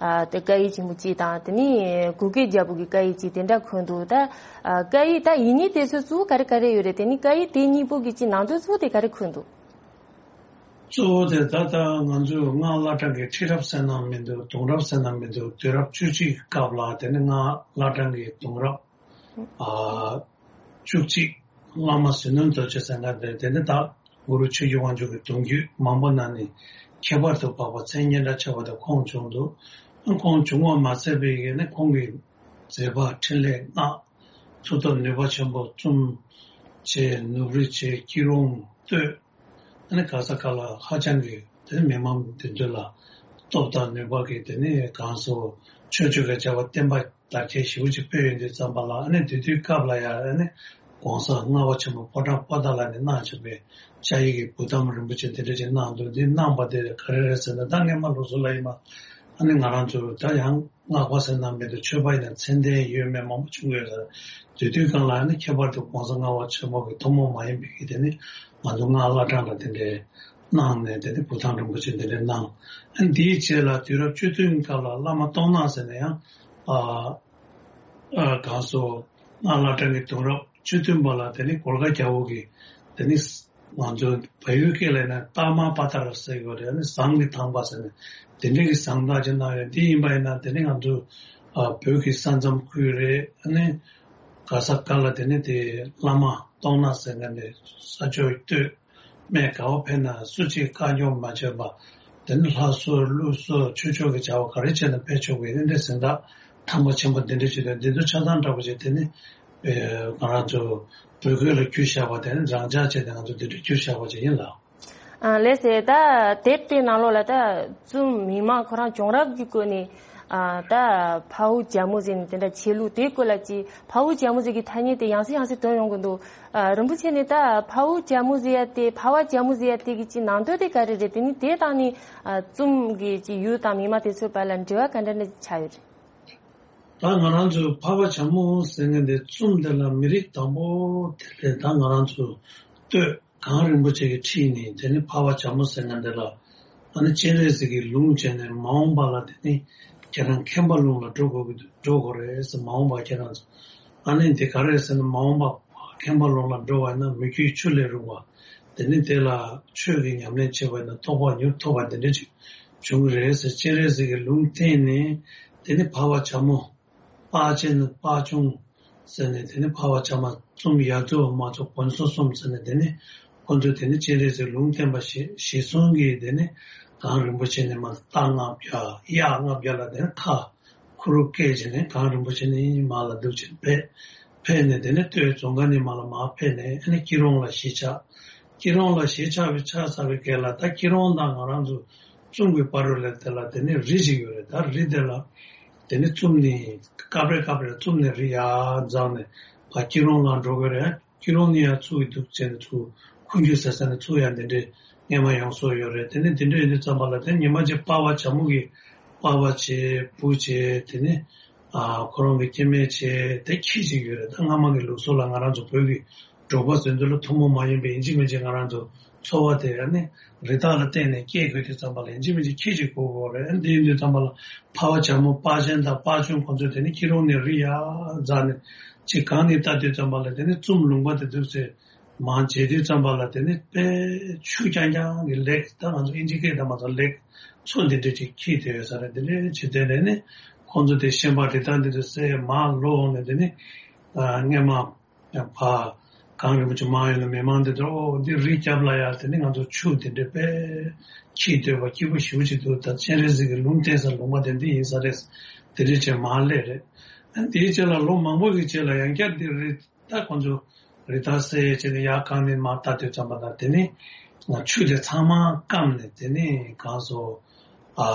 ཨ་དེ་བཀའ་ཡིག་ཆེན་པོ་གཅིག་དང་། དེ་ནས་གུ་གེ་རྒྱལ་པོ་གི་བཀའ་ཡིག་གཅིག་དེ་འདྲ་འཁོད་འདུག་ད་ཨ་བཀའ་ཡིག་ད་ཡིག་རྙིང་དེ་ཚོ་གཙོ་བོ་ག་རེ་ག་རེ་ཡོད་རེད། དེ་ནས་བཀའ་ཡིག་དེ་གཉིས་པོ་གི་གཅིག་ནང་དོན་གཙོ་བོ་དེ་ག་རེ་འཁོད་འདུག་གཙོ་བོ་དེ་ད་ལྟ་ང་ཚོས་སྔགས་བླ་བྲང་གི་ཁྲི་རབས་ཟེར་ན་མི་འདུག་གདུང་རབས་ཟེར་ན་མི་འདུག་དུས་རབས་བཅུ་གཅིག་གི་སྐབས་ལ། དེ་ནི་སྔགས་བླ་བྲང་གི་གདུང་རབས་ཨ་བཅུ་གཅིག་བླ་མ་ཟིལ་གནོན་རྡོ་རྗེ་ཟེར་མཁན་དེ། དེ་ནི་ད་གུ་རུ་ཆོས་ཀྱི་དབང་ཕྱུག་གི་གདུང་རྒྱུད་མང་པོ་ནང་ནས་ཁྱད་པར་དུ་འཕགས་པ་མཚན་སྙན་གྲགས་ཆེ་བ་དེ་ཁོང་བྱུང་འདུག་ཁོང་བྱུང་བ་མ་ཟད་པའི་ཡིན་ནི་ཁོང་གི་མཛད་པ་འཕྲིན་ལས་སྔགས་མཐུ་སྟོབས་ནུས་པ་ཆེན་པོ། ཙུམ་བྱས། ནུབ་རི་བྱས། སྐྱིད་རོང་སྟོད། ཨ་ནི་ག་ས་ག་ལ་ཧ་ཅང་གི་དེ་ནི་མི་མང་དེ་ཚོ་ལ་སྟོབས་དང་ནུས་པ་གི་དེ་ནི་གང་སོ་ཆོས་སྤྱོད་ཀྱི་བྱ་བ་བསྟན་པ་དར་རྒྱས་ཞེ་པོ་ཅིག་སྤེལ་ཡོང་དུས་ཙམ་པ་ལ། ཨ་ནི་དེ་དུས་སྐབས་ལ་ཡང་ཨ་ནི་གོང་ས་ལྔ་པ་ཆེན་པོ་ཕོ་བྲང་པོ་ཏཱ་ལ་ནས་གནང་བྱས་པའི་བཅའ་ཡིག་གི་བུ་དམ་རིན་པོ་ཆེ་དེ་འདྲ་ཅིག་གནང་འདུག་འདི་གནང་བ་དེ་ག་རེ་རེད་ཟེར་ན། ད་སྔས་མ་ལུགས་སྲོལ་ལ་ཡིན་པ། ཨ་ནི་ང་རང་ཚོ་ད་ཡང་སྔགས་པ་ཟེར་ན་མི་འདུག་ཆོས་པ་ཡིན་ན་མཚན་ལྡན་ཡོད་མེད་མང་པོ་བྱུང་ཡོད་ལ། དེ་དུས་སྒང་ལ་ཨ་ནི་ཁྱད་པར་དུ་གོང་ས་ལྔ་པ་ཆེན་པོ་གི་ཐུན་མོང་མ་ཡིན་པའི་གི་དེ་ནི་ང་ཚོ་སྔགས་བླ་བྲང་ལ་དེ་འདྲའི་གནང་ནས། དེ་ནི་བུ་དམ་རིན་པོ་ཆེ་དེ་འདྲའི་གནང་། ཨ་ནི་དེའི་རྗེས་ལ་དུས་རབས་བཅུ་བདུན་སྐབས་ལ་བླ་མ་སྟོང་ནག་ཟེར་ནས་ཡང་ཨ་ཨ་གང་སོ་སྔགས་བླ་བྲང་གི་གདུང་རབས་བཅུ་བདུན་པ་ལ། དེ་ནི་གོར་ཁ་རྒྱལ་པོ་གི་དེ་ནི་ང་ཚོ་བལ་ཡུལ་སྐད་ལ་ཡིན་ན་ཏཱ་མ་པ་ཏཱ་ར་ཟེར་གྱི་ཡོད་རེད། ཨ་ནི་ཟངས་ཀྱི་ཐང་པ་ཟེར་ནས་དེ་འདྲའི་གི་ཟངས་དག་ཅིག་གནང་ཡོད། འདི་ཡིན་པ་ཡིན་ན་དེ་ནི་ང་ཚོ་ཨ་བོད་ཀྱི་ས་མཚམས་ཁུལ་རེད། ཨ་ནི་ག་ས་ག་ལ་དེ་ནི་དེ་བླ་མ་སྟོང་ནག་ཟེར་མཁན་དེ་ས་ཕྱོགས་སྟོད་སྨད་ག་བ་ཕེབས་ན་སུ་གཅིག་བཀའ་འགྱུར་མ་བྱས་པ། དེ་ནི་ལྷ་གསོལ་ཀླུ་གསོལ་ཆོས་ཕྱོགས་ཀྱི་བྱ་བ་ག་རེ་བྱས་ན་ཕེབས་ཆོག་པའི་དེ་འདྲའི་གཟེངས་རྟགས་ཐང་པ་ཆེན་པོ་དེ་འདྲ་ཅིག་དང་། འདི་ཚོ་ཆ་ཚང་འདྲ་པོ་ཅིག་དེ་ནི་ཨེ་ང་རང་ཚོ་བོད་སྐད་ལ་བསྒྱུར་བཞག་པ། དེ་ནི་རང་འཇགས་བྱས་ཏེ་ང་ཚོ་འདི་འདྲ་བསྒྱུར་བཞག་པ་ཅིག་ཡིན་ལགས། ཨ་ལགས་སེ། ད་དེབ་དེའི་ནང་ལོགས་ལ་ད་ཙུམ་མི་མང་ཁོ་རང་བྱུང་རབས་ཀྱི་སྐོར་ནས་ཨ་ད་འཕགས་པོ་རྒྱལ་མོ་ཟེར་ནས་དེ་འདྲ་ཆེ་ལུགས་དེའི་སྐོར་ལ་ཅིག་འཕགས་པོ་རྒྱལ་མོ་ཟེར་གྱི་ཐ་སྙད་དེ་ཡང་སེ་ཡང་སེ་ཐོན་ཡོང་གི་འདུག་ཨ་རིན་པོ་ཆེ་ནས་ད་འཕགས་པོ་རྒྱལ་མོ་ཟེར་ཡ་དེ། འཕགས་པ་རྒྱལ་མོ་ཟེར་ཡ་དེ་གི་ཅིག་ནང་དོན་དེ་ག་རེ་རེད། དེ་ནི་དེ་དང་ནི་ཨ་ཙུམ་གི་ཅིག་ཡུལ་དང་མི་མང་དེ་ཚོའི་བར་ལ་འབྲེལ་བ་ག་འདྲ་འདྲ་ཆགས་ཡོད་རེད། ད་ང་རང་ཚོའི་འཕགས་པ་རྒྱལ་མོ་ཟེར་མཁན་དེ་ཙུམ་དེ་ལ་མི་རིགས་དང་པོ་དེ་ལས་ད་ང་རང་ཚོ་སྟོད་གངས་རིན་པོ་ཆེ་གི་འཁྲིས་ནས་དེ་ནི་འཕགས་པ་རྒྱལ་མོ་ཟེར་མཁན་དེ་ལ་ཨ་ནི་སྤྱན་རས་གཟིགས་ཀྱི་ལུང་བྱས་ནས། མ་འོངས་པ་ལ་དེ་ནི་ཁྱེད་རང་མཁན་པ་ལུང་ལ་འགྲོ་དགོས་ཀྱི་འདུག་འགྲོ་དགོས་རེད་ཟེར། མ་འོངས་པ་ཁྱེད་རང་ཚོ། ཨ་ནི་དེ་ག་རེ་ཟེར་ན། མ་འོངས་པ་མཁན་པ་ལུང་ལ་འགྲོ་བ་ཡིན་ན་མི་བསྐྱོད་ཆུ་ལས་རུང་བ། དེ་ནི་དེ་ལ་ཆོས་ཀྱི་ཉམས་ལེན་བྱེད་པ་ཡིན་ན་རྟོགས་པ་མྱུར་ཐོབ་པ་དེ་འདྲ་ཅིག་བྱུང་གི་རེད་ཟེར། སྤྱན་རས་གཟིགས་ཀྱི་ལུང་བསྟན་ནས་དེ་ནི་འཕགས་པ་རྒྱལ་མོ། དཔའ་ཆེན་དཔའ་ཆུང་ཟེར་ནས། དེ་ནི་འཕགས་པ་རྒྱལ་མོ་ཙུམ་ཡ་ཛུ་མ་ཚོ་གོན་སོ་གསུམ་ཟེར་ནས། དེ་ནི་ཁོ་ཚོས་དེ་ནི་སྤྱན་རས་གཟིགས་ལུང་བསྟན་པ་གཞི་གཞི་བཟུང་གིས་དེ་ནི་གངས་རིན་པོ་ཆེ་ནས་མར་རྟ་ལྔ་བརྒྱ་གཡག་ལྔ་བརྒྱ་ལ་དེ་ནི་ཁ་ཁུ་རུ་བཀལ་བྱས་ནས་གངས་རིན་པོ་ཆེ་ནས་མར་ལ་འདུག་བྱས་ཕེབས། ཕེབས་ནས་དེ་ནི་སྟོད་རྫོང་དཀར་ནས་མར་ལ་མར་ཕེབས་ནས་ཨ་ནི་སྐྱིད་རོང་ལ་གཞིས་ཆགས། སྐྱིད་རོང་ལ་གཞིས་ཆགས་པའི་ཆགས་ཚར་བའི་སྐབས་ལ། ད་སྐྱིད་རོང་དང་ང་རང་ཚོ་ཙུམ་གྱི་བར་དུ་ལ་དེ་ལ་དེ་ནི་རི་ཞིག་ཡོད་རེད། ད་རི་དེ་ལ་དེ་ནི་ཙུམ་ནས་སྐབས་རེ་སྐབས་རེ་ཙུམ་ནས་རི་ཡར་འཛེགས་ནས་ཕར་སྐྱིད་རོང་ལ་འགྲོ་གི་རེད། སྐྱིད་རོང་ནས་ཡར་ཚུར་གི་འདུག་བྱས་ནས་ཚུར་ཁུ་འགྱུར་ཟེར་ས་ནས་ཚུར་ཡར་འདི་འདྲའི་སྔས་མ་ཡོང་སྲོལ་ཡོད་རེད། དེ་ནི་འདི་འདྲ་ཡིན་དུས་ཙམ་པ་ལ་དེ་ཉི་མ་གཅིག་པ་ཕ་བྱ་མོ་གི་པ་ཕ་བྱས་བུ་བྱས། དེ་ནི་ཨ་ཁོ་རང་གི་སྐྱེ་དམན་བྱས་དེ་ཁྱི་གཅིག་ཡོད་རེད། ད་སྔ་མ་གི་ལུགས་སྲོལ་ལ་ང་རང་ཚོ་བོད་ཀྱི་འབྲོག་པ་ཚོའི་འདི་ལ་ཐུན་མོང་མ་ཡིན་པའི་ཡིན་གཅིག་མིན་གཅིག་ང་རང་ཚོ་འཚོ་བ་དེ་ཨ་ནི་རི་དྭགས་ལ་བརྟེན་ནས་སྐྱེལ་དགོས་དུས་ཙམ་པ་ལ་ཡིན་གཅིག་མིན་གཅིག་ཁྱི་གཅིག་དགོས་དགོས་རེད། ཨ་འདི་ཡིན་དུས་ཙམ་པ་ལ་ཕ་བ་བྱ་མོ་པ་ཆེན་དང་པ་ཆུང་ཁོང་ཚོས་དེ་ནི་སྐྱིད་རོང་ནས་རི་ཡར་འཛེགས་ནས་ཅིག་གང་ནས་ལྟ་དུས་ཙམ་པ་ལ་དེ་ནི་ཙུམ་ལུང་པ་དེ་འདུག་ཚེ་མར་མཇལ་དུས་ཙམ་པ་ལ་དེ་ནི་དཔེ་ཆུ་རྐྱང་རྐྱང་གི་ལེག་ད་ང་ཚོ་ཨིན་ཇི་སྐད་དང་མ་ཚོ་ལེག་མཚོ་འདི་འདྲ་ཅིག་འཁྱིལ་བསྡད་ཡོད་ས་རེད། དེ་འདྲ་ཅིག་དེ་ནས་ནི་ཁོང་ཚོ་དེ་ཤན་པ་རི་དྭགས་འདི་ཚོ་བསད་མར་ལོག་ནས་དེ་ནི་ཨ་སྔས་མ། ཡང་ཕ་གངས་རིན་པོ་ཆེ་མར་ཡོང་ན་མི་མང་འདི་ཚོ་འོ་འདི་རི་རྒྱབ་ལ་ཡ་དེ་ནི་ང་ཚོ་ཆུ་དེ་འདྲ་དཔེ་འཁྱིལ་སྡོད་པ་སྐྱིད་པོ་ཞེ་པོ་ཅིག་འདུག་ད་སྤྱན་རས་གཟིགས་ཀྱི་ལུང་བསྟན་ས་ལུང་པ་དེ་འདི་ཡིན་ས་རེད། དེ་འདྲ་བྱས་མར་སླེབས་རེད། ཨ་དེའི་རྗེས་ལ་ལོ་མང་པོ་གི་རྗེས་ལ་ཡང་བསྐྱར་འདི་རི་ད་ཁོང་ཚོ་རི་དྭགས་བསད་བྱས་ནས་ཡར་གངས་ནས་མར་ལྟ་དུས་ཙམ་པ་ན་དེ་ནི་ ཆུ་དེ་ཚང་མ་སྐམ་ནས་དེ་ནས་གང་སོ་ཨ་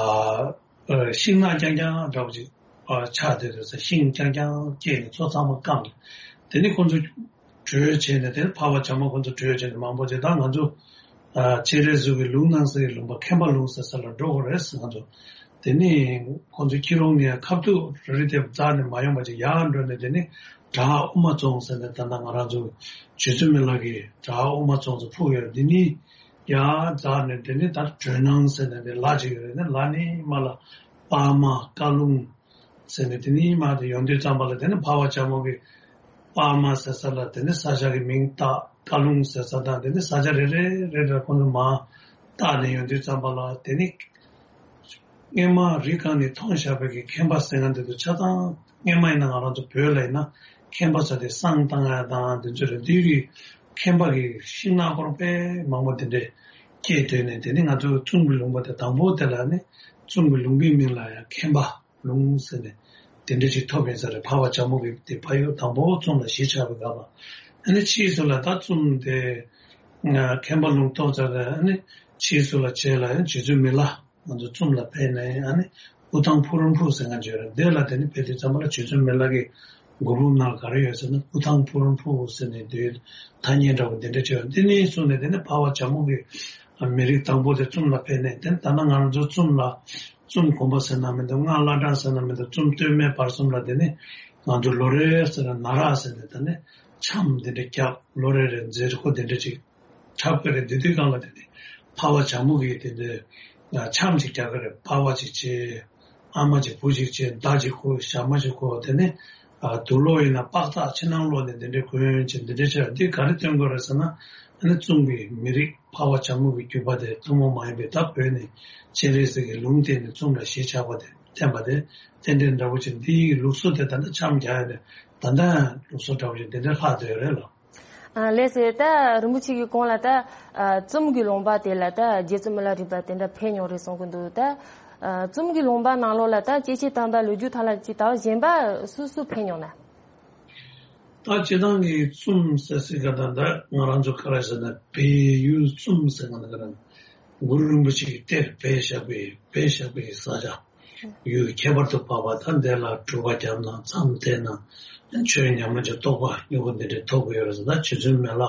ཤིང་ནགས་རྐྱང་རྐྱང་འདྲ་བོ་ཅིག་ཨ་ཆགས་བསྡད་འདུག་ཟེར། ཤིང་རྐྱང་རྐྱང་སྐྱེས་ནས་མཚོ་ཚང་མ་སྐམ་ནས་དེ་ནས་ཁོ་ཚོ་བྲོས་བྱས་ནས་དེ་ཕ་བ་བྱ་མོ་ཁོ་ཚོ་བྲོས་བྱས་ནས་མང་པོ་ཅིག་ད་ང་ཚོ་ཨ་སྤྱན་རས་གཟིགས་ཀྱི་ལུང་ནང་གསལ་གྱི་ལུང་པ་མཁན་པ་ལུང་ཟེར་ས་ལ་འགྲོ་དགོས་རེད་ཟེར། ང་ཚོ་དེ་ནས་ཁོ་ཚོ་ཁྱི་རོང་ནས་ཁ་ཐུག་རི་དེ་འཛེགས་ནས་མ་ཡོང་བ་ཅིག་ཡར་འགྲོ་ནས་དེ་ནས་བྲག་དབུ་མ་རྫོང་ཟེར་ནས་ད་ལྟ་ང་རང་ཚོ་རྗེ་བཙུན་མི་ལ་གི་བྲག་དབུ་མ་རྫོང་ཚོ་ཕུག་ཡོད་འདི་ནི་ཡར་འཛེགས་ནས་དེ་ནི་ད་སྒྲོལ་སྣང་ཟེར་ནས་དེ་ལ་ཅིག་ཡོད་རེད། ནི་ལ་ནི་མ་ལ་པར་མ་བཀའ་ལུང་ཟེར་ནས་དེ་ནི་མ་དེ་ཡོང་དུས་ཙམ་པ་ལ་དེ་ནི་ཕ་བ་བྱ་མོ་གི་པར་མ་ཟེར་ས་ལ་དེ་ནི་ས་ཆ་གི་མིང་བཏགས། བཀའ་ལུང་ཟེར་ས་དང་དེ་ནི་ས་ཆ་རེ་རེ་རེ་རེ་ཁོང་ཚོ་མ་བཏགས་ནས་ཡོང་དུས་ཙམ་པ་ལ་དེ་ནི་སྔོན་མ་རི་སྒང་ནས་མཐོང་བཞག་པའི་གི་མཁན་པ་ཟེར་མཁན་དེ་ཚོ་ཆ་ཚང་། སྔོན་མ་ཡིན་ན་ང་རང་ཚོ་བོད་ལ་ཡིན་ན་མཁན་པ་ཚོ་དེ་བསང་བཏང་ཡ་དང་དེ་ཚོ་རེད། དེའི་རིགས་མཁན་པ་གི་ཤིང་ནགས་སྐོར་དཔེ་མང་པོ་དེ་འདྲས་སྐྱེས་སྡོད་ནས་དེ་ནི་ང་ཚོ་ཙུམ་གྱི་ལུང་པ་དེ་དང་པོ་དེ་ལ་ནི་ཙུམ་གྱི་ལུང་པའི་མིང་ལ་ཡང་མཁན་པ་ལུང་ཟེར་ནས་དེ་འདྲས་ཅིག་ཐོབ་ཡིན་ས་རེད། ཕ་བ་བྱ་མོ་གི་དེ་ཕ་ཡུལ་དང་པོ་ཙུམ་ལ་གཞིས་ཆགས་པའི་སྐབས་ལ་ཨ་ནི་ཕྱིས་སུ་ལ་ད་ཙུམ་དེ་མཁན་པ་ལུང་ཐོབ་ཚར་རེད། ཨ་ནི་ཕྱིས་སུ་ལ་བྱས་ལ་ཡང་རྗེ་བཙུན་མི་ལ། ང་ཚོ་ཙུམ་ལ་ཕེབས་ནས་ཨ་ནི་སྐུ་ཐང་ཕུག་རོན་ཕུག་ཟེར་མཁན་ཅིག་ཡོད་རེད། དེ་ལ་དེ་ནི་ཕེབས་དུས་ཙམ་པ་ལ་རྗེ་བཙུན་མི་ལ་གི་མགུར་འབུམ་ནང་ག་རེ་ཡོད་ཟེར་ན། སྐུ་ཐང་ཕུག་རོན་ཕུག་ཟེར་ནས་དེའི་ཐ་སྙད་འདྲ་བོ་དེ་འདྲ་ཅིག་ཡོད། དེ་ནས་བཟུང་ནས་དེ་ནི་ཕ་བ་བྱ་མོ་གི་མི་རིགས་དང་པོ་དེ་ཙུམ་ལ་ཕེབས་ནས་དེ་ནི་ད་ལྟ་ང་ཚོ་ཙུམ་ལ་ཙུམ་དགོན་པ་ཟེར་ན་མི་འདུག། སྔགས་བླ་བྲང་ཟེར་ན་མི་འདུག། ཙུམ་སྟོད་སྨད་བར་གསུམ་ལ་དེ་ནི་ང་ཚོ་ལོ་རེ་ཟེར་ན་ན་རག་ཟེར་ནས་དེ་ནི་འཆམ་དེ་འདྲ་བརྒྱབ། ལོ་རེ་རེ་མཛད་སྒོ་དེ་འདྲ་ཅིག་འཁྲབ་ཀྱི་རེད། དེ་དུས་སྒང་ལ་དེ་ནི་ཕ་བ་བྱ་མོ་གིས་དེ་འདྲའི་འཆམ་ཅིག་རྒྱག་གི་རེད། པར་བ་ཅིག་བྱས། ཨ་མ་ཅིག་བུ་ཅིག་བྱས། མདའ་ཅིག་ཁུར། ཞྭ་མོ་ཅིག་ཁུར། དེ་ནི་དུག་ལོག་ཡིན་ན་པགས་ཐག་ཕྱི་ནང་ལོག་ནས་དེ་འདྲའི་གོན་བྱས། འདི་འདྲའི་བྱས། འདི་ག་རེ་སྟོན་དགོས་རེད་ཟེར་ན། ཨ་ནི་ཙུམ་གྱི་མི་རིགས་ཕ་བ་བྱ་མོ་གི་རྒྱུད་པ་དེ་ཐུན་མོང་མ་ཡིན་པའི་ད་བོད་ནས་སྤྱན་རས་གཟིགས་ཀྱི་ལུང་བསྟན་ནས་ཙུམ་ལ་གཞིས་ཆགས་པ་དེ་བསྟན་པ་དེ་རྟེན་འབྲེལ་འདྲ་བོ་ཅིག། འདིའི་ལུགས་སྲོལ་དེ་ད་ལྟ་འཆམ་རྒྱག་ཡ་དེ་ད་ལྟ་ཡང་ལུགས་སྲོལ་འདྲ་བོ་ཅིག་འདི་འདྲ་ལྷག་བསྡད་ཡོད་རེད་ལགས། ཨ་ལགས་སེ། ད་རིན་པོ་ཆེ་གི་གོང་ལ་ད་ཨ་ཙུམ་གྱི་ལུང་པ་དེ་ལ་ད་རྗེ་བཙུན་མི་ལ་རས་པ་དེ་འདྲ་ཕེབས་མྱོང་རེད་གསུང་གི་འདུག། ད་ཨ་ཙུམ་གྱི་ལུང་པ་ནང་ལོགས་ལ་ད་སྐྱེས་ཆེན་དམ་པ་ལོ་རྒྱུས་ཐོག་ལ་ཅིག་ད་གཞན་པ་སུ་སུ་ཕེབས་མྱོང་ན། ད་སྤྱིར་བཏང་གི་ཙུམ་ཟེར་སྲིད་ག་ད་ད་ང་རང་ཚོ་ག་རེ་ཟེར་ན། བལ་ཡུལ་ཙུམ་ཟེར་ག་ད་ག་རེ། གུ་རུ་རིན་པོ་ཆེ་གི་གཏེར་སྦས་བཞག་པའི་སྦས་བཞག་པའི་ས་ཆ། ཡུལ་ཁྱད་པར་དུ་འཕགས་པ་ད་འདི་ལ་སྒྲུབ་པ་བརྒྱབ་ན་མཚམས་བསྡད་ན་ཆོས་ཉམས་ལེན་གྱི་རྟོགས་པ་མྱུ་གུ་འདི་འདྲའི་ཐོབ་ཀྱི་ཡོད་རེད་ཟེར། ད་རྗེ་བཙུན་མི་ལ་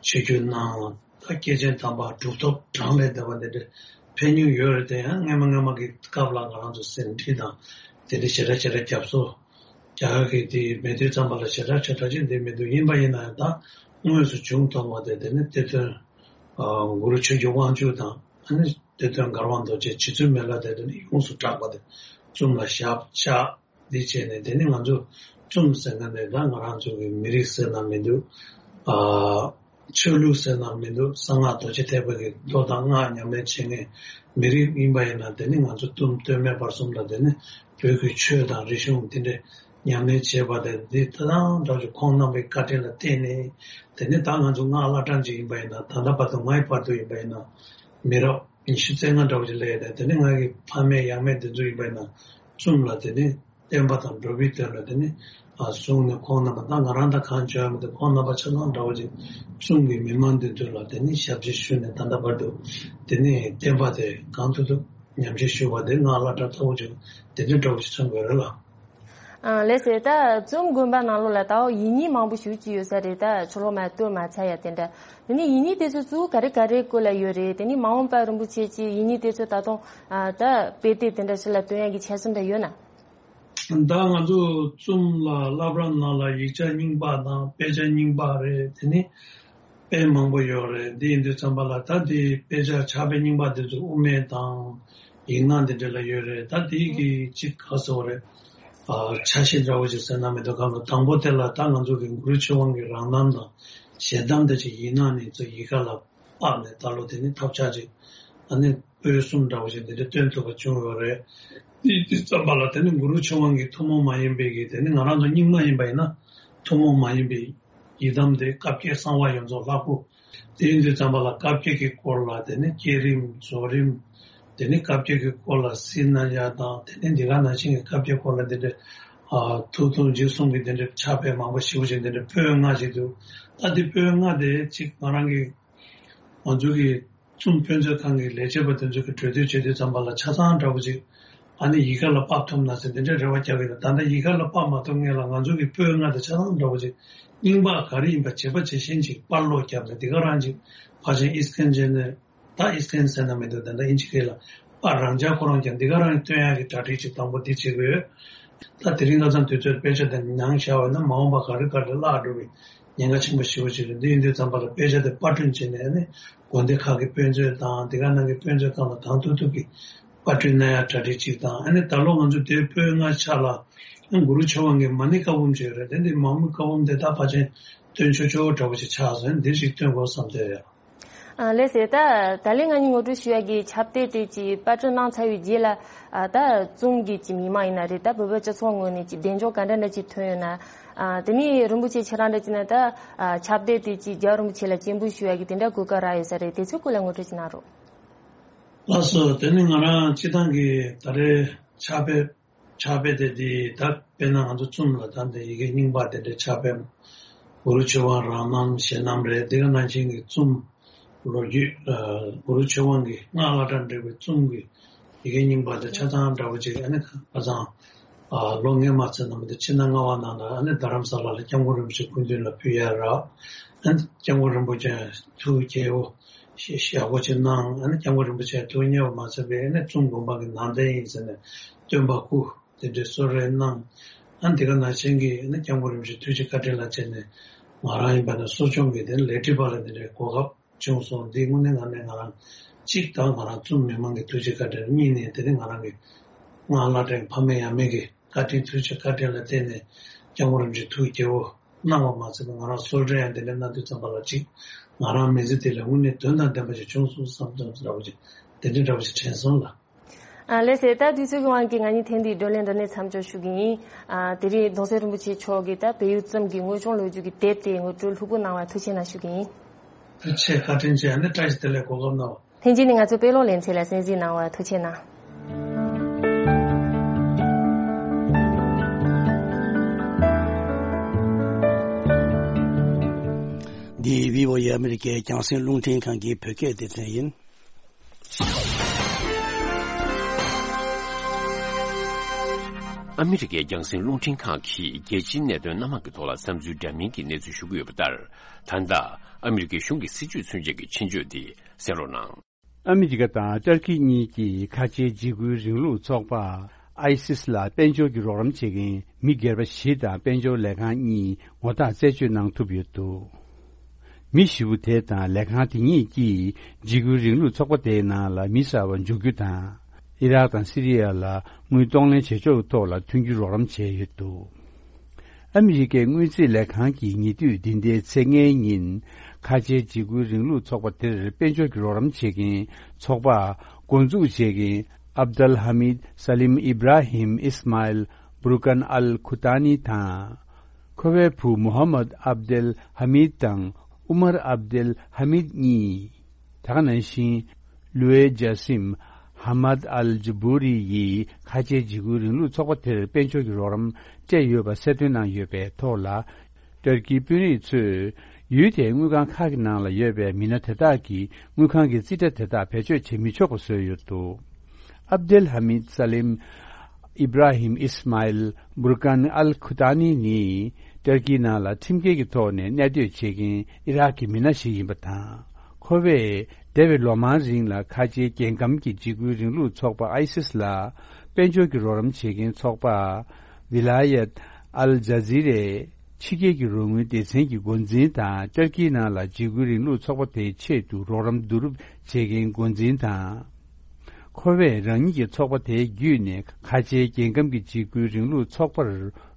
ཆིབས་བསྒྱུར་གནང་། ད་སྐྱེས་ཆེན་དམ་པ་གྲུབ་ཐོབ་གྲངས་ལས་འདས་པ་འདི་འདྲ་ཕེབས་མྱོང་ཡོད་རེད། དེ་ཡང་སྔ་མ་སྔ་མ་གི་སྐབས་ལ་ང་རང་ཚོ་ཟིན་བྲིས་དང་དེ་འདྲ་ཞེ་དྲག་ཞེ་དྲག་རྒྱབ་སོ་རྒྱག་གི་དེ་མེད་དུས་ཙམ་པ་ལ་ཞེ་དྲག་ཞེ་དྲག་ཅིག་འདི་མི་འདུག། ཡིན་པ་ཡིན་ན་ཡང་ད་དངོས་སུ་བྱུང་ཐོག་མ་དེ་དེ་ནི་གཏེར་སྟོན་གུ་རུ་ཆོས་ཀྱི་དབང་ཕྱུག་དང་། ཨ་ནི་གཏེར་སྟོན་མགར་དབང་རྡོ་རྗེ། རྗེ་བཙུན་མི་ལ་དེ་དེ་ནི་ཡོངས་སུ་གྲགས་པ་དེ་ཙུམ་ལ་ཞབས་བཅགས། འདི་བྱས་ནས་དེ་ནི་ང་ཚོ་ཙུམ་ཟེར་མཁན་དེ་ད་ང་རང་ཚོ་གི་མི་རིགས་ཟེར་ན་མི་འདུག། ཨ་ཆོས་ལུགས་ཟེར་ན་མི་འདུག། གསང་སྔགས་རྡོ་རྗེ་ཐེག་པ་གི་མདོ་དང་སྔགས་ཉམས་ལེན་བྱེད་མཁན་མི་རིགས་ཡིན་པ་ཡིན་ན། དེ་ནི་ང་ཚོ་ཙུམ་སྟོད་སྨད་བར་གསུམ་ལ་དེ་ནི་བོད་ཀྱི་ཆོས་དང་རིག་གཞུང་འདི་འདྲའི་ཉམས་ལེན་བྱེད་པ་དེ་འདི་ད་ལྟ་འདྲ་བོ་ཅིག་ཁོང་རྣམ་པའི་བཀའ་དྲིན་ལ་བརྟེན་ནས། དེ་ནི་ད་ང་ཚོ་སྔགས་བླ་བྲང་ཅིག་ཡིན་པ་ཡིན་ན། ད་ལྟ་བར་དུ་ངའི་བར་དུ་ཡིན་པ་ཡིན་ན་མི་རབས་ཉི་ཤུ་རྩ་ལྔ་འདྲ་བོ་ཅིག་སླེབས་ཡོད་དེ། དེ་ནི་ང་གི་ཕ་མེས་ཡང་མེས་འདི་ཚོ་ཡིན་པ་ཡིན་ན་ཙུམ་ལ་དེ་ནི་བསྟན་པ་དང་འགྲོ་བའི་དོན་ལ་དེ་ནི་ཨ་བཟུང་ནས་ཁོང་རྣམ་པ་ད་ང་རང་དང་གང་བྱོན་མི་འདུག། ཁོང་རྣམ་པ་ཆ་ཚང་འདྲ་བོ་ཅིག་ཙུམ་གྱི་མི་མང་འདི་ཚོ་ལ་དེ་ནི་ཞབས་ཕྱི་ཞུས་ནས་ད་ལྟ་བར་དུ་དེ་ནི་བསྟན་པ་དེ་གང་ཐུབ་ཐུབ་ཉམས་བཞེས་ཞུ་བ་དེ་སྔགས་བླ་བྲང་ལྟ་བུ་ཅིག་དེ་འདྲ་འདྲ་བོ་ཞིག་མཚོན་དགོས་རེད་ལ། ཨ་ལགས་སེ། ད་ཙུམ་དགོན་པ་ནང་ལོགས་ལ་ད་ཡིག་རྙིང་མང་པོ་ཞེ་ཅིག་ཡོད་ས་རེད། ད་ཕྱི་ལོགས་མ་གཏོར་མ་ཚར་ཡ་དེ་འདྲ། དེ་ནས་ཡིག་རྙིང་དེ་ཚོ་གཙོ་བོ་ག་རེ་ག་རེ་སྐོར་ལ་ཡོད་རེད། དེ་ནས་མ་འོངས་པར་རིན་པོ་ཆེ་གིས་ཡིག་རྙིང་དེ་ཚོ་ད་དུང་ཨ་ད་དཔེ་དེབ་དེ་འདྲ་ཞིག་ལ་བཏོན་ཡ་གི་འཆར་གཞི་འདྲ་ཡོད་ན། ད་ང་ཚོ་ཙུམ་ལ་བླ་བྲང་ནང་ལ་ཡིག་ཆ་རྙིང་པ་དང་དཔེ་ཆ་རྙིང་པ་རེད། དེ་ནས་དཔེ་མང་པོ་ཡོད་རེད། འདི་ཡིན་དུས་ཙམ་པ་ལ་ད་འདི་དཔེ་ཆ་ཕྱག་དཔེ་རྙིང་པ་འདི་ཚོ་དབུ་མེད་དང་ཡིག་སྣ་འདི་འདྲ་ལ་ཡོད་རེད། ད་འདི་གི་གཅིག་ག་ཟེར་བ་རེད། ཨ་ཆ་ཤས་འདྲ་བོ་ཞིག་ཟེར་ན་མི་འདུག། གང་གི་དང་པོ་དེ་ལ་ད་ང་ཚོ་གི་གུ་རུ་ཆོས་དབང་གི་རང་རྣམ་དང་ཞལ་གདམས་དེ་ཅིག་ཡིག་སྣ་ནས་ཚུར་ཡི་ག་ལ་ཕབ་ནས་ད་ལོ་དེ་ནི་ཐབས་ཆག་ཅིག་ཨ་ནི་པོད་གསུམ་འདྲ་བོ་ཞིག་འདི་འདྲ་བཏོན་ཐུབ་པ་བྱུང་ཡོད་རེད། དེ་དུས་ཙམ་པ་ལ་དེ་ནི་གུ་རུ་ཆོས་དབང་གི་ཐུན་མོང་མ་ཡིན་པའི་གི་དེ་ནི་ང་རང་ཚོ་རྙིང་མ་ཡིན་པ་ཡིན་ན་ཐུན་མོང་མ་ཡིན་པའི་ཡི་དམ་དེ་བཀའ་བརྒྱད་གསང་བ་ཡོངས་རྫོགས་ལྷ་སྐུ། དེ་ཡིན་དུས་ཙམ་པ་ལ་བཀའ་བརྒྱད་ཀྱི་སྐོར་ལ་དེ་ནི་བསྐྱེད་རིམ་རྫོགས་རིམ། དེ་ནི་བཀའ་བརྒྱད་ཀྱི་སྐོར་ལ་སྲིད་ན་ཡ་དང་། དེ་ནི་འདི་ག་ནང་བཞིན་གྱི་བཀའ་བརྒྱད་སྐོར་ལ་དེ་འདྲ་ཨ་ཐུགས་ཐུགས་རྗེ་གསུང་གི་དེ་འདྲ་ཕྱག་དཔེ་མང་པོ་ཞེ་པོ་ཅིག་དེ་འདྲ་པོད་ལྔ་ཞིག་འདུག། ད་དེ་པོད་ལྔ་དེ་གཅིག་ང་རང་གི་ང་ཚོ་གི་ ཙུམ་དཔེ་མཛོད་ཁང་གི་ལས་བྱེད་པ་དེ་ཚོ་གི་གྲོས་བསྡུར་བྱེད་དུས་ཙམ་པ་ལ་ཆ་ཚང་འདྲ་པོ་ཅིག་ཨ་ནི་ཡི་ག་ལ་ཕབ་ཐུབ་ན་ཟེར་དེ་འདྲའི་རེ་བ་རྒྱག་གི་ཡོད། ད་ལྟ་ཡི་ག་ལ་ཕབ་མ་ཐུབ་མཁན་ལ་ང་ཚོ་གི་པོད་ལྔ་དེ་ཆ་ཚང་འདྲ་པོ་ཅིག་རྙིང་པ་ག་རེ་ཡིན་པ་བྱེད་པ་བྱེད་བཞིན་ཅིག་པར་ཀློག་བརྒྱབ་ནས་འདི་ག་རང་ཅིག་ཕལ་ཆེར་ཨིས་ཀན་ཅན་ནས། ད་ཨིས་ཀན་ཟེར་ན་མི་འདུག་ད་ལྟ་ཨིན་ཇི་སྐད་ལ་པར་རང་འཇགས་ཁོ་རང་ཀྱང་འདི་ག་རང་སྟོན་ཡག་གི་གྲ་སྒྲིག་ཅིག་དང་པོ་འདི་བྱེད་དགོས་ཡོད། ད་དེ་རིང་ཁ་སང་དུས་ཚོད་དཔེ་ཆ་དེ་ནང་བཞག་པ་ན་མ་འོངས་པ་ག་རེ་ག་རེ་བརླག་འགྲོ་བའི་ཉེན་ཁ་ཆེན་པོ་ཞེ་པོ་ཅིག་རེད། འདི་ཡིན་དུས་ཙམ་པ་ལ་དཔེ་ཆ་དེ་པར་སྐྲུན་བྱས་ནས་ཨ་ནི་དགོན་སྡེ་ཁག་གི་དཔེ་མཛོད་དང་འདི་ག་ནང་གི་དཔེ་མཛོད་ཁང་ལ་དང་ཐུག་ཐུག་གི་པར་སྐྲུན་གནང་ཡག་གྲ་སྒྲིག་ཅིག་དང་། ཨ་ནི་ད་ལོ་ང་ཚོ་དེའི་པོད་ལྔ་ཆ་ལ་ཨ་གུ་རུ་ཆོས་དབང་གི་མ་ཎི་བཀའ་འབུམ་ཅིག་ཡོད་རེད། དེ་འདི་མ་ཎི་བཀའ་འབུམ་དེ་ད་ཕལ་ཆེར་སྟོན་ཆོག་ཆོག་འདྲ་པོ་ཅིག་ཆགས་སོང་། ཨ་ནི་འདི་ཞིག་སྟོན་དགོས་བསམ་བསྡད་ཡོད། ཨ་ལགས་སོ། ད་ད་ལན་ང་གཉིས་ངོ་སྤྲོད་ཞུ་ཡ་གི་ཁྱབ་གདལ་དེ་ཅིག་པར་སྐྲུན་གནང་ཚར་བའི་རྗེས་ལ། ཨ་ད་ཙུམ་གྱི་ཅིག་མི་མང་ཡིན་ན་རེད། ད་བོད་པའི་སྤྱི་ཚོགས་ངོས་ནས་ཅིག་གདེང་འཇོག་ག་འདྲ་འདྲ་ཅིག་ཐོན་ཡོད་ན། ཨ་དེ་ནས་རིན་པོ་ཆེ་ཁྱེད་རང་འདྲ་ཅིག་ན་ད་ཨ་ཁྱབ་གདལ་དེ་ཅིག་རྒྱལ་བ་རིན་པོ་ཆེ་ལ་སྤྱན་འབུལ་ཞུ་ཡ་གི་དེ་འདྲ་གོ་སྐབས་རག་ཡོད་ས་རེད། དེ་ཚོའི་སྐོར་ལ་ངོ་སྤྲོད་ཅིག་གནང་རོགས། ལགས་སོ། དེ་ནི་ང་རང་སྤྱི་བཏང་གི་ད་རེས་ཕྱག་དཔེ་ཕྱག་དཔེ་དེ་འདི་ད་དཔེར་ན་ང་ཚོ་ཙུམ་ལ་ད་འདི་ཡི་གེ་རྙིང་པ་དེ་འདྲའི་ཕྱག་དཔེ་གུ་རུ་ཆོས་དབང་རང་རྣམ་གཞན་རྣམ་རེད། འདི་ག་ནང་བཞིན་གྱི་ཙུམ་ལོ་རྒྱུས་ཨ་གུ་རུ་ཆོས་དབང་གི་སྔགས་བླ་གྲྭ་འབྲེལ་བའི་ཙུམ་གྱི་ཡི་གེ་རྙིང་པ་དེ་ཆ་ཚང་འདྲ་པོ་ཅིག་ཨ་ནི་ཁ་སང་ཨ་ལོ་ངས་མ་ཚད་ནམ་དེ་ཕྱི་ཟླ་ལྔ་པ་ནང་ལ་ཨ་ནི་རྡ་རམ་ས་ལ་ལ་སྐྱབས་མགོན་རིན་པོ་ཆེ་སྐུ་མདུན་ལ་ཕུལ་ཡ་རག་ཨ་ནི་སྐྱབས་མགོན་རིན་པོ་ཆེ་ཐུགས་དགྱེས་པོ་ཞེ་ཞེ་པོ་ཅིག་གནང་། ཨ་ནི་སྐྱབས་མགོན་རིན་པོ་ཆེ་ཐུགས་མཉེས་པ་མ་ཚད་པའི་ཨ་ནི་ཙུམ་དགོན་པ་གི་ནང་རྟེན་ཡིན་ཟེར་ནས་སྟོན་པ་སྐུ། དེ་འདྲའི་གསོལ་རས་གནང་། ཨ་འདི་ག་ནང་བཞིན་གྱི་ནི་སྐྱབས་མགོན་རིན་པོ་ཆེ་ཐུགས་རྗེ་བཀའ་དྲིན་ལ་བརྟེན་ནས་ང་རང་ཡིན་པ་ན་གསོ་སྐྱོང་གི་དེ་ལས་བྲིས་པ་ལ་འདི་འདྲའི་གོ་སྐབས་བྱུང་སོང་། འདི་དངོས་གནས་ངང་ནས་ང་རང་གཅིག་དང་ང་རང་ཚོ་མི་མང་གི་ཐུགས་རྗེ་བཀའ་དྲིན། གཉིས་ནས་དེ་ནི་ང་རང་གི་སྔགས་བླ་གྲྭའི་ཕ་མེས་ཡང་མེས་ཀྱི་བཀའ་དྲིན་ཐུགས་རྗེ་བཀའ་དྲིན་ལ་བརྟེན་ནས་སྐྱབས་མགོན་རིན་པོ་ཆེ་ཐུགས་དགྱེས་པོ་གནང་བ་མ་ཚད་པ་ང་རང་གསོལ་རས་ཡང་འདི་འདྲ་གནང་དུས་ཙམ་པ་ལ་གཅིག་ང་རང་མི་ཚེ་འདི་ལ་དངོས་གནས་དོན་དང་ལྡན་པ་ཞིག་བྱུང་སོང་བསམ་སྟངས་འདྲ་བོ་ཅིག་དེ་འདྲ་འདྲ་བོ་ཞིག་དྲན་སོང་ལ། ཨ་ལགས་སོ། ད་དུས་ཚོད་ཀྱི་དབང་གིས་ང་གཉིས་ཐེངས་འདིའི་བགྲོ་གླེང་འདི་ནས་མཚམས་འཇོག་ཞུ་གི་ཡིན། ཨ་དེ་རིང་གདུང་སྲས་རིན་པོ་ཆེ་མཆོག་གིས་ད་བལ་ཡུལ་ཙུམ་གྱི་དངོས་བྱུང་ལོ་རྒྱུས་ཀྱི་དེབ་དེ་ངོ་སྤྲོད་ལྷུག་པོ་གནང་བར་ཐུགས་རྗེ་གནང་ཞུ་གི་ཡིན། ཐུགས་རྗེ་ཆེ། བཀའ་དྲིན་ཆེ། ཨ་ནི་བཀྲ་ཤིས་བདེ་ལེགས། གོ་སྐབས་གནང་བ། ལྷན་རྒྱས་ནས་ང་ཚོའི་དཔེ་ཀློག་ལེ་ཚན་ལ་གསན་གཟིགས་གནང་བར་ཐུགས་རྗེ་གནང་། འདི་བྷི་ཨོ་ཨེ་ཨ་མི་རི་ཀའི་རྒྱང་སྲིང་རླུང་འཕྲིན་ཁང་གི་བོད་སྐད་སྡེ་ཚན་ཡིན། ཨ་མི་རི་ཀའི་རྒྱང་སྲིང་རླུང་འཕྲིན་ཁང་གིས་རྒྱལ་སྤྱིའི་གནད་དོན་སྣ་མང་གི་ཐོག་ལ་བསམ་ཚུལ་འདྲ་མིན་གྱི་གནས་ཚུལ་ཞུ་གི་ཡོད་པ་ལྟར། ད་ལྟ་ཨ་མི་རི་ཀའི་གཞུང་གི་སྲིད་ཇུས་མཚོན་བྱེད་ཀྱི་ཆེད་བརྗོད་འདི་གསན་རོགས་གནང་། ཨ་མི་རི་ཀ་དང་ཏུར་ཀི་གཉིས་ཀྱིས་ཁ་ཆེའི་འཇིགས་སྐུལ་རིང་ལུགས་ཚོགས་པ་ཨའི་སིས་ལ་དཔལ་འབྱོར་གྱི་རོགས་རམ་བྱེད་མཁན་མི་སྒེར་པ་བཞི་དང་དཔལ་འབྱོར་ལས་ཁང་གཉིས་ངོ་རྟགས་རྩད་གཅོད་གནང་ཐུབ་ཡོད་འདུག་མི་བཞི་པོ་དེ་དང་ལས་ཁང་དེ་གཉིས་ཀྱིས་འཇིགས་སྐུལ་རིང་ལུགས་ཚོགས་པ་དེའི་ནང་ལ་མི་གསར་པ་འཇུག་རྒྱུ་དང་། ཨི་རག་དང་སི་རི་ཡ་ལ་དངུལ་གཏོང་ལེན་བྱེད་ཕྱོགས་ཐོག་ལ་མཐུན་འགྱུར་རོགས་རམ་བྱས་ཡོད་འདུག་ཨ་མི་རི་ཀའི་དངུལ་རྩིས་ལས་ཁང་གིས་ཉེ་དུས་འདི་ཟླའི་ཚེས་ལྔའི་ཉིན་ཁ་ཆེའི་འཇིགས་སྐུལ་རིང་ལུགས་ཚོགས་པ་དེར་དཔལ་འབྱོར་གྱི་རོགས་རམ་བྱེད་མཁན་ཚོགས་པ་འགོ་འཛུགས་བྱེད་མཁན་ཨབ་དལ་ཧ་མིད་ས་ལིམ་ཨི་བྲ་ཧིམ་ཨིས་མཱ་ཨིལ་བུར་ཀན་ཨལ་ཁུ་ཏཱ་ནི་དང་། ཁོ་པའི་བུ་མུ་ཧམ་མད་ཨབ་དེལ་ཧ་མིད་དང་ཨུ་མར་ཨབ་དེལ་ཧ་མིད་གཉིས། ད་ག་ནང་བཞིན། ལུའེ་ཇཱ་སིམ་ཧ་མད་ཨལ་ཇུ་བུ་རི་ཡིས་ཁ་ཆེའི་འཇིགས་སྐུལ་རིང་ལུགས་ཚོགས་པ་དེར་དཔལ་འབྱོར་གྱི་རོགས་རམ་སྤྲད་ཡོད་པ་གསལ་སྟོན་གནང་ཡོད་པའི་ཐོག་ལ། ཏུར་ཀིའི་དཔོན་རིགས་ཚོས་ཡུལ་དེའི་དངུལ་ཁང་ཁག་གི་ནང་ལ་ཡོད་པའི་མི་སྣ་དེ་དག་གིས་དངུལ་ཁང་གི་རྩིས་ཁྲ་དེ་དག་བེད་སྤྱོད་བྱེད་མི་ཆོག་པ་བཟོས་ཡོད་འདུག་ཨབ་དེལ་ཧ་མིད་ས་ལིམ་ཨི་བྲ་ཧིམ་ཨིས་མཱ་ཨིལ་བུར་ཀན་ཨལ་ཁུ་ཏཱ་ནི་ནི་ཏུར་ཀིའི་ནང་ལ་ཁྲིམས་འགལ་གྱི་ཐོག་ནས་གནས་སྡོད་བྱེད་མཁན་ཨི་རག་གི་མི་སྣ་ཞིག་ཡིན་པ་དང་། ཁོ་པས་འདས་པའི་ལོ་མང་རིང་ལ་ཁ་ཆེའི་རྒྱལ་ཁམས་ཀྱི་འཇིགས་སྐུལ་རིང་ལུགས་ཚོགས་པ་ཨའི་སིས་ལ་དཔལ་འབྱོར་གྱི་རོགས་རམ་བྱེད་མཁན་ཚོགས་པ་ཝི་ལ་ཡད་ཨལ་ཇཱ་ཛི་རའི་ཕྱི་རྒྱལ་གྱི་རོགས་དངུལ་སྡེ་ཚན་གྱི་འགོ་འཛིན་དང་། ཏུར་ཀིའི་ནང་ལ་འཇིགས་སྐུལ་རིང་ལུགས་ཚོགས་པ་དེའི་ཆེད་དུ་རོགས་རམ་བསྡུ་རུབ་བྱེད་མཁན་འགོ་འཛིན་དང་། ཁོ་པས་རང་ཉིད་ཀྱི་ཚོགས་པ་དེའི་བརྒྱུད་ནས་ཁ་ཆེའི་རྒྱལ་ཁམས་ཀྱི་འཇིགས་སྐུལ་རིང་ལུགས་ཚོགས་པར་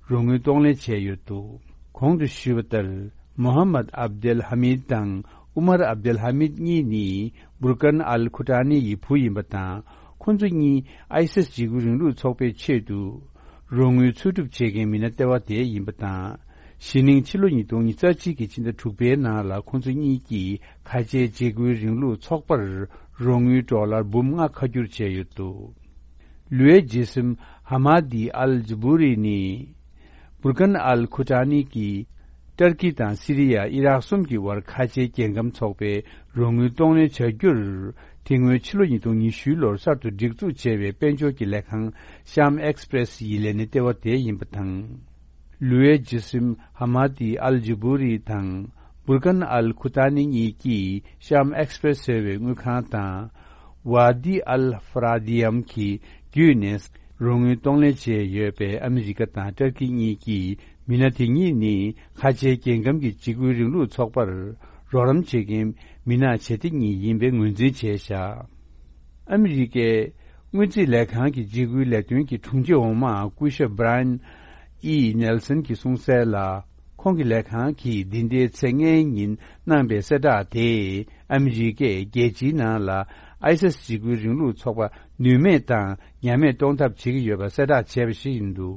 རོགས་དངུལ་གཏོང་ལེན་བྱས་ཡོད་འདུག་གོང་དུ་ཞུས་པ་ལྟར། མོ་ཧམ་མད་ཨབ་དེལ་ཧ་མིད་དང་ཨུ་མར་ཨབ་དེལ་ཧ་མིད་གཉིས་ནི་བུར་ཀན་ཨལ་ཁུ་ཏཱ་ནི་ཡི་བུ་ཡིན་པ་དང་། ཁོ་ཚོ་གཉིས་ཨའི་སིས་འཇིགས་སྐུལ་རིང་ལུགས་ཚོགས་པའི་ཆེད་དུ་རོགས་དངུལ་འཚོལ་སྒྲུབ་བྱེད་མཁན་མི་སྣ་ལྟེ་བ་དེ་ཡིན་པ་དང་། གཞེས་ནིང་ཕྱི་ལོ་ཉིས་སྟོང་ཉི་ཤུ་རྩ་གཅིག་གི་ཕྱི་ཟླ་དྲུག་པའི་ནང་ལ་ཁོ་ཚོ་གཉིས་ཀྱིས་ཁ་ཆེའི་འཇིགས་སྐུལ་རིང་ལུགས་ཚོགས་པར་རོགས་དངུལ་ཌོ་ལར་འབུམ་ལྔ་ཁ་བསྒྱུར་བྱས་ཡོད་འདུག་ལུའེ་ཇི་སིམ་ཧ་མ་དི་ཨལ་ཇུ་བུ་རི་ནི་བུར་ཀན་ཨལ་ཁུ་ཏཱ་ནི་གི་ ཏར་ཀི་དང་སི་རི་ཡ། ཨི་རག་གསུམ་གྱི་དབར་ཁ་ཆེའི་རྒྱལ་ཁམས་ཚོགས་པའི་རོགས་དངུལ་གཏོང་ལེན་བྱ་རྒྱུར། དེ་སྔོན་ཕྱི་ལོ་ཉིས་སྟོང་ཉི་ཤུ་ལོར་གསར་དུ་སྒྲིག་འཛུགས་བྱས་པའི་དཔལ་འབྱོར་གྱི་ལས་ཁང་ཤམ་ཨེགས་པྲེས་ཡི་ལས་སྣེ་ལྟེ་བ་དེ་ཡིན་པ་དང་། ལུའེ་ཇི་སིམ་ཧ་མ་ཏི་ཨལ་ཇི་བུ་རི་དང་། བུར་ཀན་ཨལ་ཁུ་ཏཱ་ནི་གཉིས་ཀྱིས་ཤམ་ཨེགས་པྲེས་ཟེར་བའི་དངུལ་ཁང་དང་། ཝ་དི་ཨལ་ཧྥ་ར་དི་ཡམ་གྱི་བརྒྱུད་ནས་རོགས་དངུལ་གཏོང་ལེན་བྱས་ཡོད་པའི་ཨ་མི་རི་ཀ་དང་ཏར་ཀི་གཉིས་ཀྱིས། མི་སྣ་དེ་གཉིས་ནི་ཁ་ཆེའི་རྒྱལ་ཁམས་ཀྱི་འཇིགས་སྐུལ་རིང་ལུགས་ཚོགས་པར་རོགས་རམ་བྱེད་མཁན་མི་སྣ་ཇེ་ཐེ་གཉིས་ཡིན་པའི་ངོས་འཛིན་བྱས་བཞག་ཨ་མི་རི་ཀའི་སྔོན་རྩིས་ལས་ཁང་གི་འཇིགས་སྐུལ་ལས་དོན་གྱི་དྲུང་ཆེ་འོག་མ་སྐུ་ཞབས་Brian E Nelson གྱིས་གསུངས་གསལ་ལ། ཁོང་གི་ལས་ཁང་གིས་འདི་ཟླའི་ཚེས་ལྔའི་ཉིན་གནང་པའི་གསལ་བསྒྲགས་དེས། ཨ་མི་རི་ཀས་རྒྱལ་སྤྱིའི་ནང་ལ་ཨའི་སི་སི་འཇིགས་སྐུལ་རིང་ལུགས་ཚོགས་པ་ནུས་མེད་དང་ཉམས་མེད་གཏོང་ཐབས་བྱེད་ཀྱི་ཡོད་པ་གསལ་བསྒྲགས་བྱས་པ་ཞིག་ཡིན་འདུག་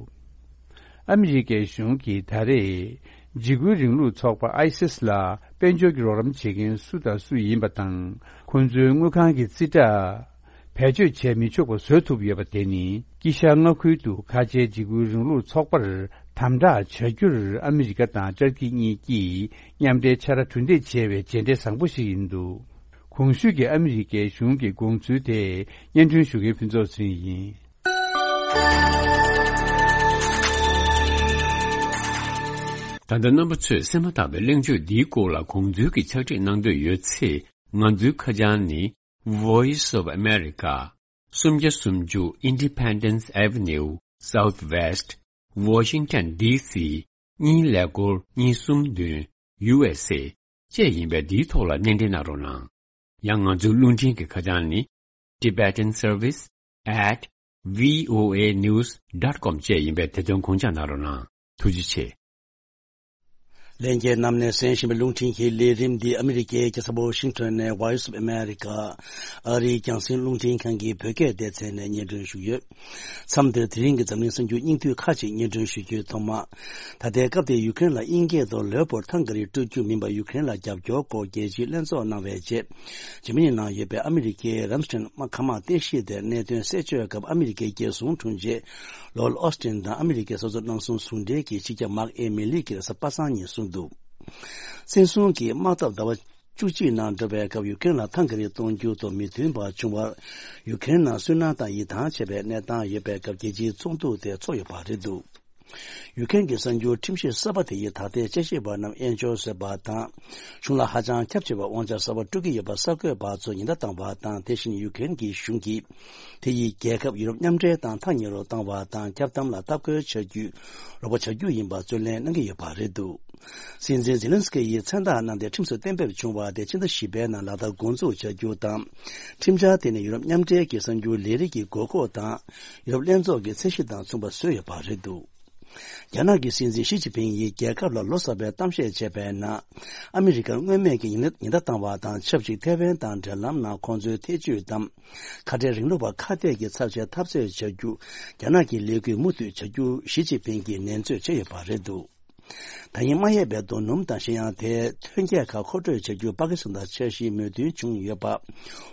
ཨ་མི་རི་ཀའི་གཞུང་གིས་ད་རེས་འཇིགས་སྐུལ་རིང་ལུགས་ཚོགས་པ་ཨའི་སི་སི་ལ་དཔལ་འབྱོར་གྱི་རོགས་རམ་བྱེད་མཁན་སུ་དང་སུ་ཡིན་པ་དང་། ཁོང་ཚོའི་དངུལ་ཁང་གི་རྩིས་ཁྲ་བེད་སྤྱོད་བྱས་མི་ཆོག་པ་བཟོ་ཐུབ་ཡོད་པ་དེ་ནི། དཀྱིལ་ཤར་མངའ་ཁུལ་དུ་ཁ་ཆེའི་འཇིགས་སྐུལ་རིང་ལུགས་ཚོགས་པར་དམ་དྲག་བྱ་རྒྱུར་ཨ་མི་རི་ཀ་དང་ཏུར་ཀི་གཉིས་ཀྱིས་མཉམ་འབྲེལ་ཕྱག་ར་གྲུ་འདེགས་བྱས་པའི་རྗེས་འབྲས་བཟང་པོ་ཞིག་ཡིན་འདུག་གོང་ཞུས་ཀྱི་ཨ་མི་རི་ཀའི་གཞུང་གི་དགོངས་ཚུལ་དེ་སྙན་སྒྲོན་ཞུ་མཁན་ཕུན་ཚོགས་ཟིན་ཡིན། ད་ལྟ་རྣམ་པ་ཚོས་གསན་མ་ཐག་པའི་གླེང་བརྗོད་འདིའི་སྐོར་ལ་དགོངས་ཚུལ་གྱི་ཕྱག་བྲིས་གནང་འདོད་ཡོད་ཚེ། ང་ཚོའི་ཁ་བྱང་ནི། Voice of America། སུམ་བརྒྱ་སུམ་ཅུ་Independence Avenue Southwest Washington D C གཉིས་ཀླད་ཀོར་གཉིས་གསུམ་བདུན་U S A བཅས་ཡིན་པས། འདིའི་ཐོག་ལ་སྣེ་འདྲེན་གནང་རོགས་གནང་། ཡང་ང་ཚོའི་རླུང་འཕྲིན་གྱི་ཁ་བྱང་ནི། Tibetan Service at V O A News dot com བཅས་ཡིན་པས། དེ་དོན་དགོངས་འཇགས་གནང་རོགས་གནང་། ཐུགས་རྗེ་ཆེ། ལྷན་རྒྱས་རྣམས་ནས་གསན་བཞིན་པའི་རླུང་འཕྲིན་གྱི་ལས་རིམ་འདི་ཨ་མི་རི་ཀའི་རྒྱལ་ས་ཝ་ཤིང་ཊོན་ནས་Voice of America ཨ་རིའི་རྒྱང་སྲིང་རླུང་འཕྲིན་ཁང་གི་བོད་སྐད་སྡེ་ཚན་ནས་སྙན་སྒྲོན་ཞུས་ཡོད། མཚམས་འདིར་དེ་རིང་གི་འཛམ་གླིང་གསར་འགྱུར་སྙིང་བསྡུས་ཁག་ཅིག་སྙན་སྒྲོན་ཞུ་རྒྱུའི་ཐོག་མ། ད་ལྟའི་སྐབས་དེར་ཡུ་ཀེ་རེན་ལ་དབྱིན་སྐད་དུ་ལེའོ་པོལ་ཊང་ཀ་རི་སྤྲོད་རྒྱུ་མིན་པར་ཡུ་ཀེ་རེན་ལ་རྒྱབ་སྐྱོར་སྐོར་རྒྱལ་སྤྱིའི་ལྷན་ཚོགས་གནང་བའི་རྗེས། འཇར་མ་ནིའི་ནང་ཡོད་པའི་ཨ་མི་རི་ཀའི་རམ་སི་ཊེན་མཁའ་དམག་རྟེན་གཞི་དེར་གནད་དོན་གསལ་བརྗོད་སྐབས། ཨ་མི་རི་ཀའི་རྒྱལ་སྲུང་དྲུང་ཆེ་ལོ་ཨོ་སི་ཊིན་དང་ཨ་མི་རི་ཀའི་སོ་སོ་གནང་སྲུང་ཟུང་འབྲེལ་གྱི་སྤྱི་ཁྱབ་མཱག་ཨེ་མི་ལི་ཀྱིས་རེས་གཟའ་པ་སངས་ཉིན་གསུངས་འདུག་བཙན་བཟུང་གིས་དམག་འཐབ་ཟླ་བ་བཅུ་གཅིག་ནང་འགྲོ་བའི་སྐབས། ཡུ་ཀེ་རེན་ལ་ཐང་ག་རིགས་གཏོང་རྒྱུ་དང་མི་མཐུན་པ་བྱུང་བར། ཡུ་ཀེ་རེན་ནང་སུན་སྣང་དང་ཡིད་ཐང་ཆད་པའི་གནས་སྟངས་ཡོད་པའི་སྐབས། རྒྱལ་སྤྱིའི་ཚོགས་འདུ་དེ་ཚོགས་ཡོད་པ་རེད་འདུག་ཡུ་ཀེ་རེན་གྱི་གསར་འགྱུར་ཁྲིམས་གཞི་གསར་པ་དེ་ཡིས་ད་ལྟའི་དཔྱད་ཞིབ་པ་རྣམས་དབྱེན་སྦྱོར་བཟོས་པ་དང་། གཞུང་ལ་ཧ་ཅང་ཁྱབ་ཆེ་བའི་དབང་ཆ་གསར་པ་སྤྲོད་ཀྱི་ཡོད་པ་གསར་འགོད་པ་ཚོས་ཉེན་བརྡ་བཏང་བ་དང་། དེ་བཞིན་ཡུ་ཀེ་རེན་གྱི་གཞུང་གིས་དེ་ཡིས་རྒྱལ་ཁབ་ཡུ་རོབ་མཉམ་འབྲེལ་དང་ཐག་ཉེ་རུ་བཏང་བ་དང་། འཁྱབ་གདམ་ལ་ལྟ་སྐོར་བྱ་རྒྱུ་རོགས་པ་བྱ་རྒྱུ་ཡིན་པ་རྩོད་ལེན་གནང་གི་ཡོད་པ་རེད་འདུག་སྲིད་འཛིན་ཛེ་ལན་སི་ཀི་ཡིས་མཚན་རྟགས་གནང་སྟེ་ཁྲིམས་སུ་གཏན་འབེབས་བྱུང་བ་དེ་ཕྱི་ཟླ་བཞི་པའི་ནང་ལག་བསྟར་འགོ་འཛུགས་བྱ་རྒྱུ་དང་། ཁྲིམས་འཆར་དེ་ནི་ཡུ་རོབ་མཉམ་འབྲེལ་གྱི་གསར་འགྱུར་ལས་རིགས་ཀྱི་དགོས་མཁོ་དང་། ཡུ་རོབ་ལྷན་ཚོགས་ཀྱི་ཚད་གཞི་དང་མཚུངས་པ་བཟོས་ཡོད་པ་རེད་འདུག་རྒྱ་ནག་གི་སྲིད་འཛིན་ཞི་ཅིན་ཕིང་ཡིས་རྒྱལ་ཁབ་ལ་ལོ་གསར་པའི་གཏམ་བཤད་བྱས་པའི་ནང་། ཨ་མི་རི་ཀར་མངོན་མེད་ཀྱི་ཉེན་ཉེན་བརྡ་བཏང་བ་དང་ཆབས་ཅིག་ཐེ་ཝན་དང་འབྲེལ་ལམ་ནང་ཁོང་ཚོའི་ཐེ་བྱུས་དང་། ཁ་བྲལ་རིང་ལུགས་པ་ཁ་གཏད་ཀྱི་ཚབ་བྱས་འཐབ་རྩོད་བྱ་རྒྱུ། རྒྱ་ནག་གི་ལས་འགུལ་མུ་མཐུད་བྱ་རྒྱུ་ཞི་ཅིན་ཕིང་གིས་ནན་བརྗོད་བྱས་ཡོད་པ་རེད་འདུག་ད་ཡིན་མ་ཡས་པའི་རྡོ་སྣུམ་དང་གཞན་ཡང་དེའི་ཐོན་སྐྱེད་ཁག་མཁོ་སྤྲོད་བྱ་རྒྱུར་པ་ཀི་སི་ཐན་དང་འཆར་གཞིའི་མོས་མཐུན་བྱུང་ཡོད་པ།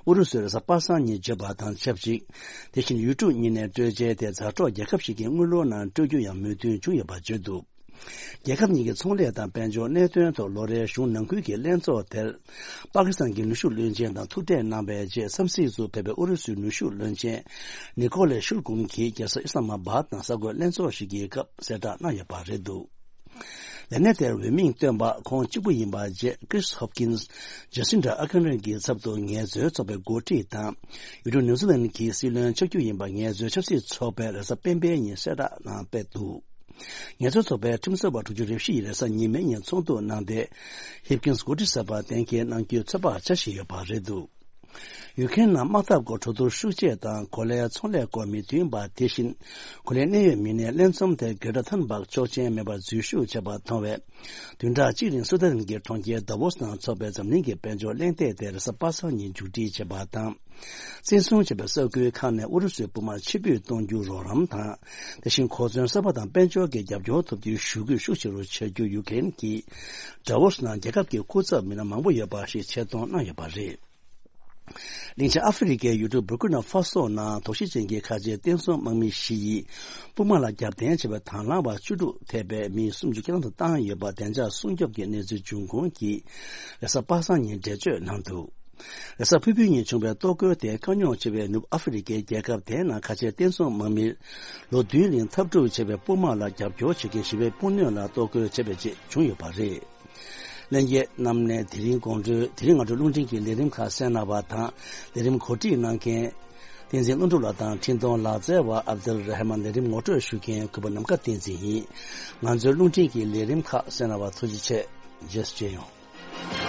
ཨུ་རུ་སུས་རེས་གཟའ་པ་སངས་ཉིན་བརྗོད་པ་དང་ཆབས་ཅིག་དེ་བཞིན་ཡུལ་གྲུ་གཉིས་ནས་སྤྲོད་ཆས་དེ་མཛའ་གྲོགས་རྒྱལ་ཁབ་ཞིག་གི་དངུལ་ལོར་ནང་སྤྲོད་རྒྱུ་ཡང་མོས་མཐུན་བྱུང་ཡོད་པ་བརྗོད་འདུག་རྒྱལ་ཁབ་གཉིས་ཀྱི་ཚོང་ལས་དང་དཔལ་འབྱོར་གནད་དོན་ཐོག་ལོ་རེའི་གཞུང་ནང་ཁུལ་གྱི་ལྷན་ཚོགས་དེར། པ་ཀི་སི་ཐན་གྱི་ནུས་ཤུགས་བློན་ཆེན་དང་ཐུག་འཕྲད་གནང་བའི་རྗེས། འཚམས་གཟིགས་སུ་ཕེབས་པའི་ཨུ་རུ་སུའི་ནུས་ཤུགས་བློན་ཆེན་ནི་ཀོ་ལེ་ཤུར་གུམ་གྱིས་རྒྱལ་ས་ཨི་སི་ལ་མ་བྷ་དང་གསར་འགོད་ལྷན་ཚོགས་ཤིག་གི་སྐབས་གསལ་བསྒྲགས་གནང་ཡོད་པ་རེད་འདུག་ལས་གནས་དེར་འོས་མིང་བཏོན་པ་ཁོང་གཅིག་པུ་ཡིན་པ་བཅས། Chris Hopkins། Jacinda Ardern གྱི་ཚབ་ཏུ་ངལ་རྩོལ་ཚོགས་པའི་འགོ་ཁྲིད་དང་། ཡུལ་གྲུ་ནིའུ་ཛི་ལན་གྱི་སྲིད་བློན་ཆགས་རྒྱུ་ཡིན་པ་ངལ་རྩོལ་ཆབ་སྲིད་ཚོགས་པས་རེས་གཟའ་སྤེན་པའི་ཉིན་གསལ་བསྒྲགས་གནང་སྤེལ་འདུག་ངལ་རྩོལ་ཚོགས་པའི་ཁྲིམས་རྩོད་པ་དྲུག་ཅུ་རེ་བཞི་ཡིས་རེས་གཟའ་ཉི་མའི་ཉིན་ཚོགས་འདུ་གནང་སྟེ། Hopkins་འགོ་ཁྲིད་ཟུར་པ་གཏན་འཁེལ་གནང་རྒྱུའི་ཚོད་དཔག་བྱ་བཞིན་ཡོད་པ་རེད་འདུག་ཡུ་ཁེན་ནང་དམག་འཐབ་སྐོར་གྲོས་བསྡུར་ཤུགས་ཆེ་དང་། གོ་ལའི་ཚོང་ལས་སྐོར་མི་མཐུན་པ། དེ་བཞིན་གོ་ལའི་གནད་ཡོད་མི་སྣའི་ལྷན་འཛོམས་དེར་གྷེ་ཊ་ཐུན་སྦག་ཆོག་མཆན་མེད་པར་འཛུལ་ཞུགས་བྱས་པ་མཐོང་བས། བདུན་ཕྲག་གཅིག་རིང་སུའུ་ཏན་གྱི་གྲོང་ཁྱེར་དཱ་ཝོ་སི་ནང་འཚོགས་པའི་འཛམ་གླིང་གི་དཔལ་འབྱོར་གླེང་སྟེགས་དེ་རེས་གཟའ་པ་སངས་ཉིན་མཇུག་སྒྲིལ་བྱས་པ་དང་། བཙན་བཟུང་བྱས་པའི་ས་ཁུལ་ཁག་ནས་ཨུ་རུ་སུའི་དཔུང་དམག་ཕྱིར་འབུད་གཏོང་རྒྱུར་རོགས་རམ་དང་། དེ་བཞིན་གོ་མཚོན་གསར་པ་དང་དཔལ་འབྱོར་གྱི་རྒྱབ་སྐྱོར་ཐོབ་རྒྱུའི་ཞུ་སྐུལ་ཤུགས་ཆེ་རུ་བྱ་རྒྱུ་ཡུ་ཁེན་གྱིས་དཱ་ཝོ་སི་ནང་རྒྱལ་ཁབ་ཀྱི་སྐུ་ཚབ་མི་སྣ་མང་པོ་ཡོད་པ་ཞིག་ཆེད་གཏོང་གནང་ཡོད་པ་རེད། གླིང་ཆེན་ཨ་ཧྥེ་རི་ཁའི་ཡུལ་གྲུ་བུར་ཀུ་ན་ཧྥ་སོ་ནང་དོགས་གཞི་ཅན་གྱི་ཁ་ཆེའི་བསྟན་སྲུང་དམག་མི་བཞི་ཡིས་དཔུང་དམག་ལ་རྒྱབ་རྟེན་བྱས་པའི་དང་བླངས་པ་བཅུ་དྲུག་ཐེ་བའི་མི་སུམ་ཅུ་སྐྱེལ་དུ་བཏང་ཡོད་པ་བདེ་འཇགས་སྲུང་སྐྱོབ་ཀྱི་གནས་ཚུལ་འབྱུང་ཁུངས་ཀྱིས་རེས་གཟའ་པ་སངས་ཉིན་འགྲེལ་བརྗོད་གནང་འདུག་རེས་གཟའ་ཕུར་བུའི་ཉིན་བྱུང་བའི་གཏོར་རྒོལ་དེ་དཀའ་རྙོག་ཆེ་བའི་ནུབ་ཨ་ཧྥེ་རི་ཁའི་རྒྱལ་ཁབ་དེའི་ནང་ཁ་ཆེའི་བསྟན་སྲུང་དམག་མིར་ལོ་བདུན་རིང་འཐབ་འཁྲུག་ཆེ་བའི་དཔུང་དམག་ལ་རྒྱབ་སྐྱོར་བྱེད་མཁན་ཞི་བའི་དཔུང་སྣོད་ལ་གཏོར་རྒོལ་བྱས་པའི་རྗེས་བྱུང་ཡོད་པ་རེད། ལྷན་རྒྱས་རྣམས་ནས་དེ་རིང་དགོང་དྲོའི་དེ་རིང་སྔ་དྲོ་རླུང་འཕྲིན་གྱི་ལས་རིམ་ཁག་གསན་གནང་བ་དང་། ལས་རིམ་གོ་སྒྲིག་གནང་མཁན་བསྟན་འཛིན་ཀླུ་སྒྲུབ་ལགས་དང་འཕྲིན་གཏོང་ལག་རྩལ་བ་ཨབ་དུལ་ར་ཧ་མན། ལས་རིམ་ངོ་སྤྲོད་ཞུ་མཁན་གུས་པ་ནམ་མཁའ་བསྟན་འཛིན་ཡིན། ང་ཚོའི་རླུང་འཕྲིན་གྱི་ལས་རིམ་ཁག་གསན་གནང་བར་ཐུགས་རྗེ་ཆེ། རྗེས་སུ་མཇལ་ཡོང་།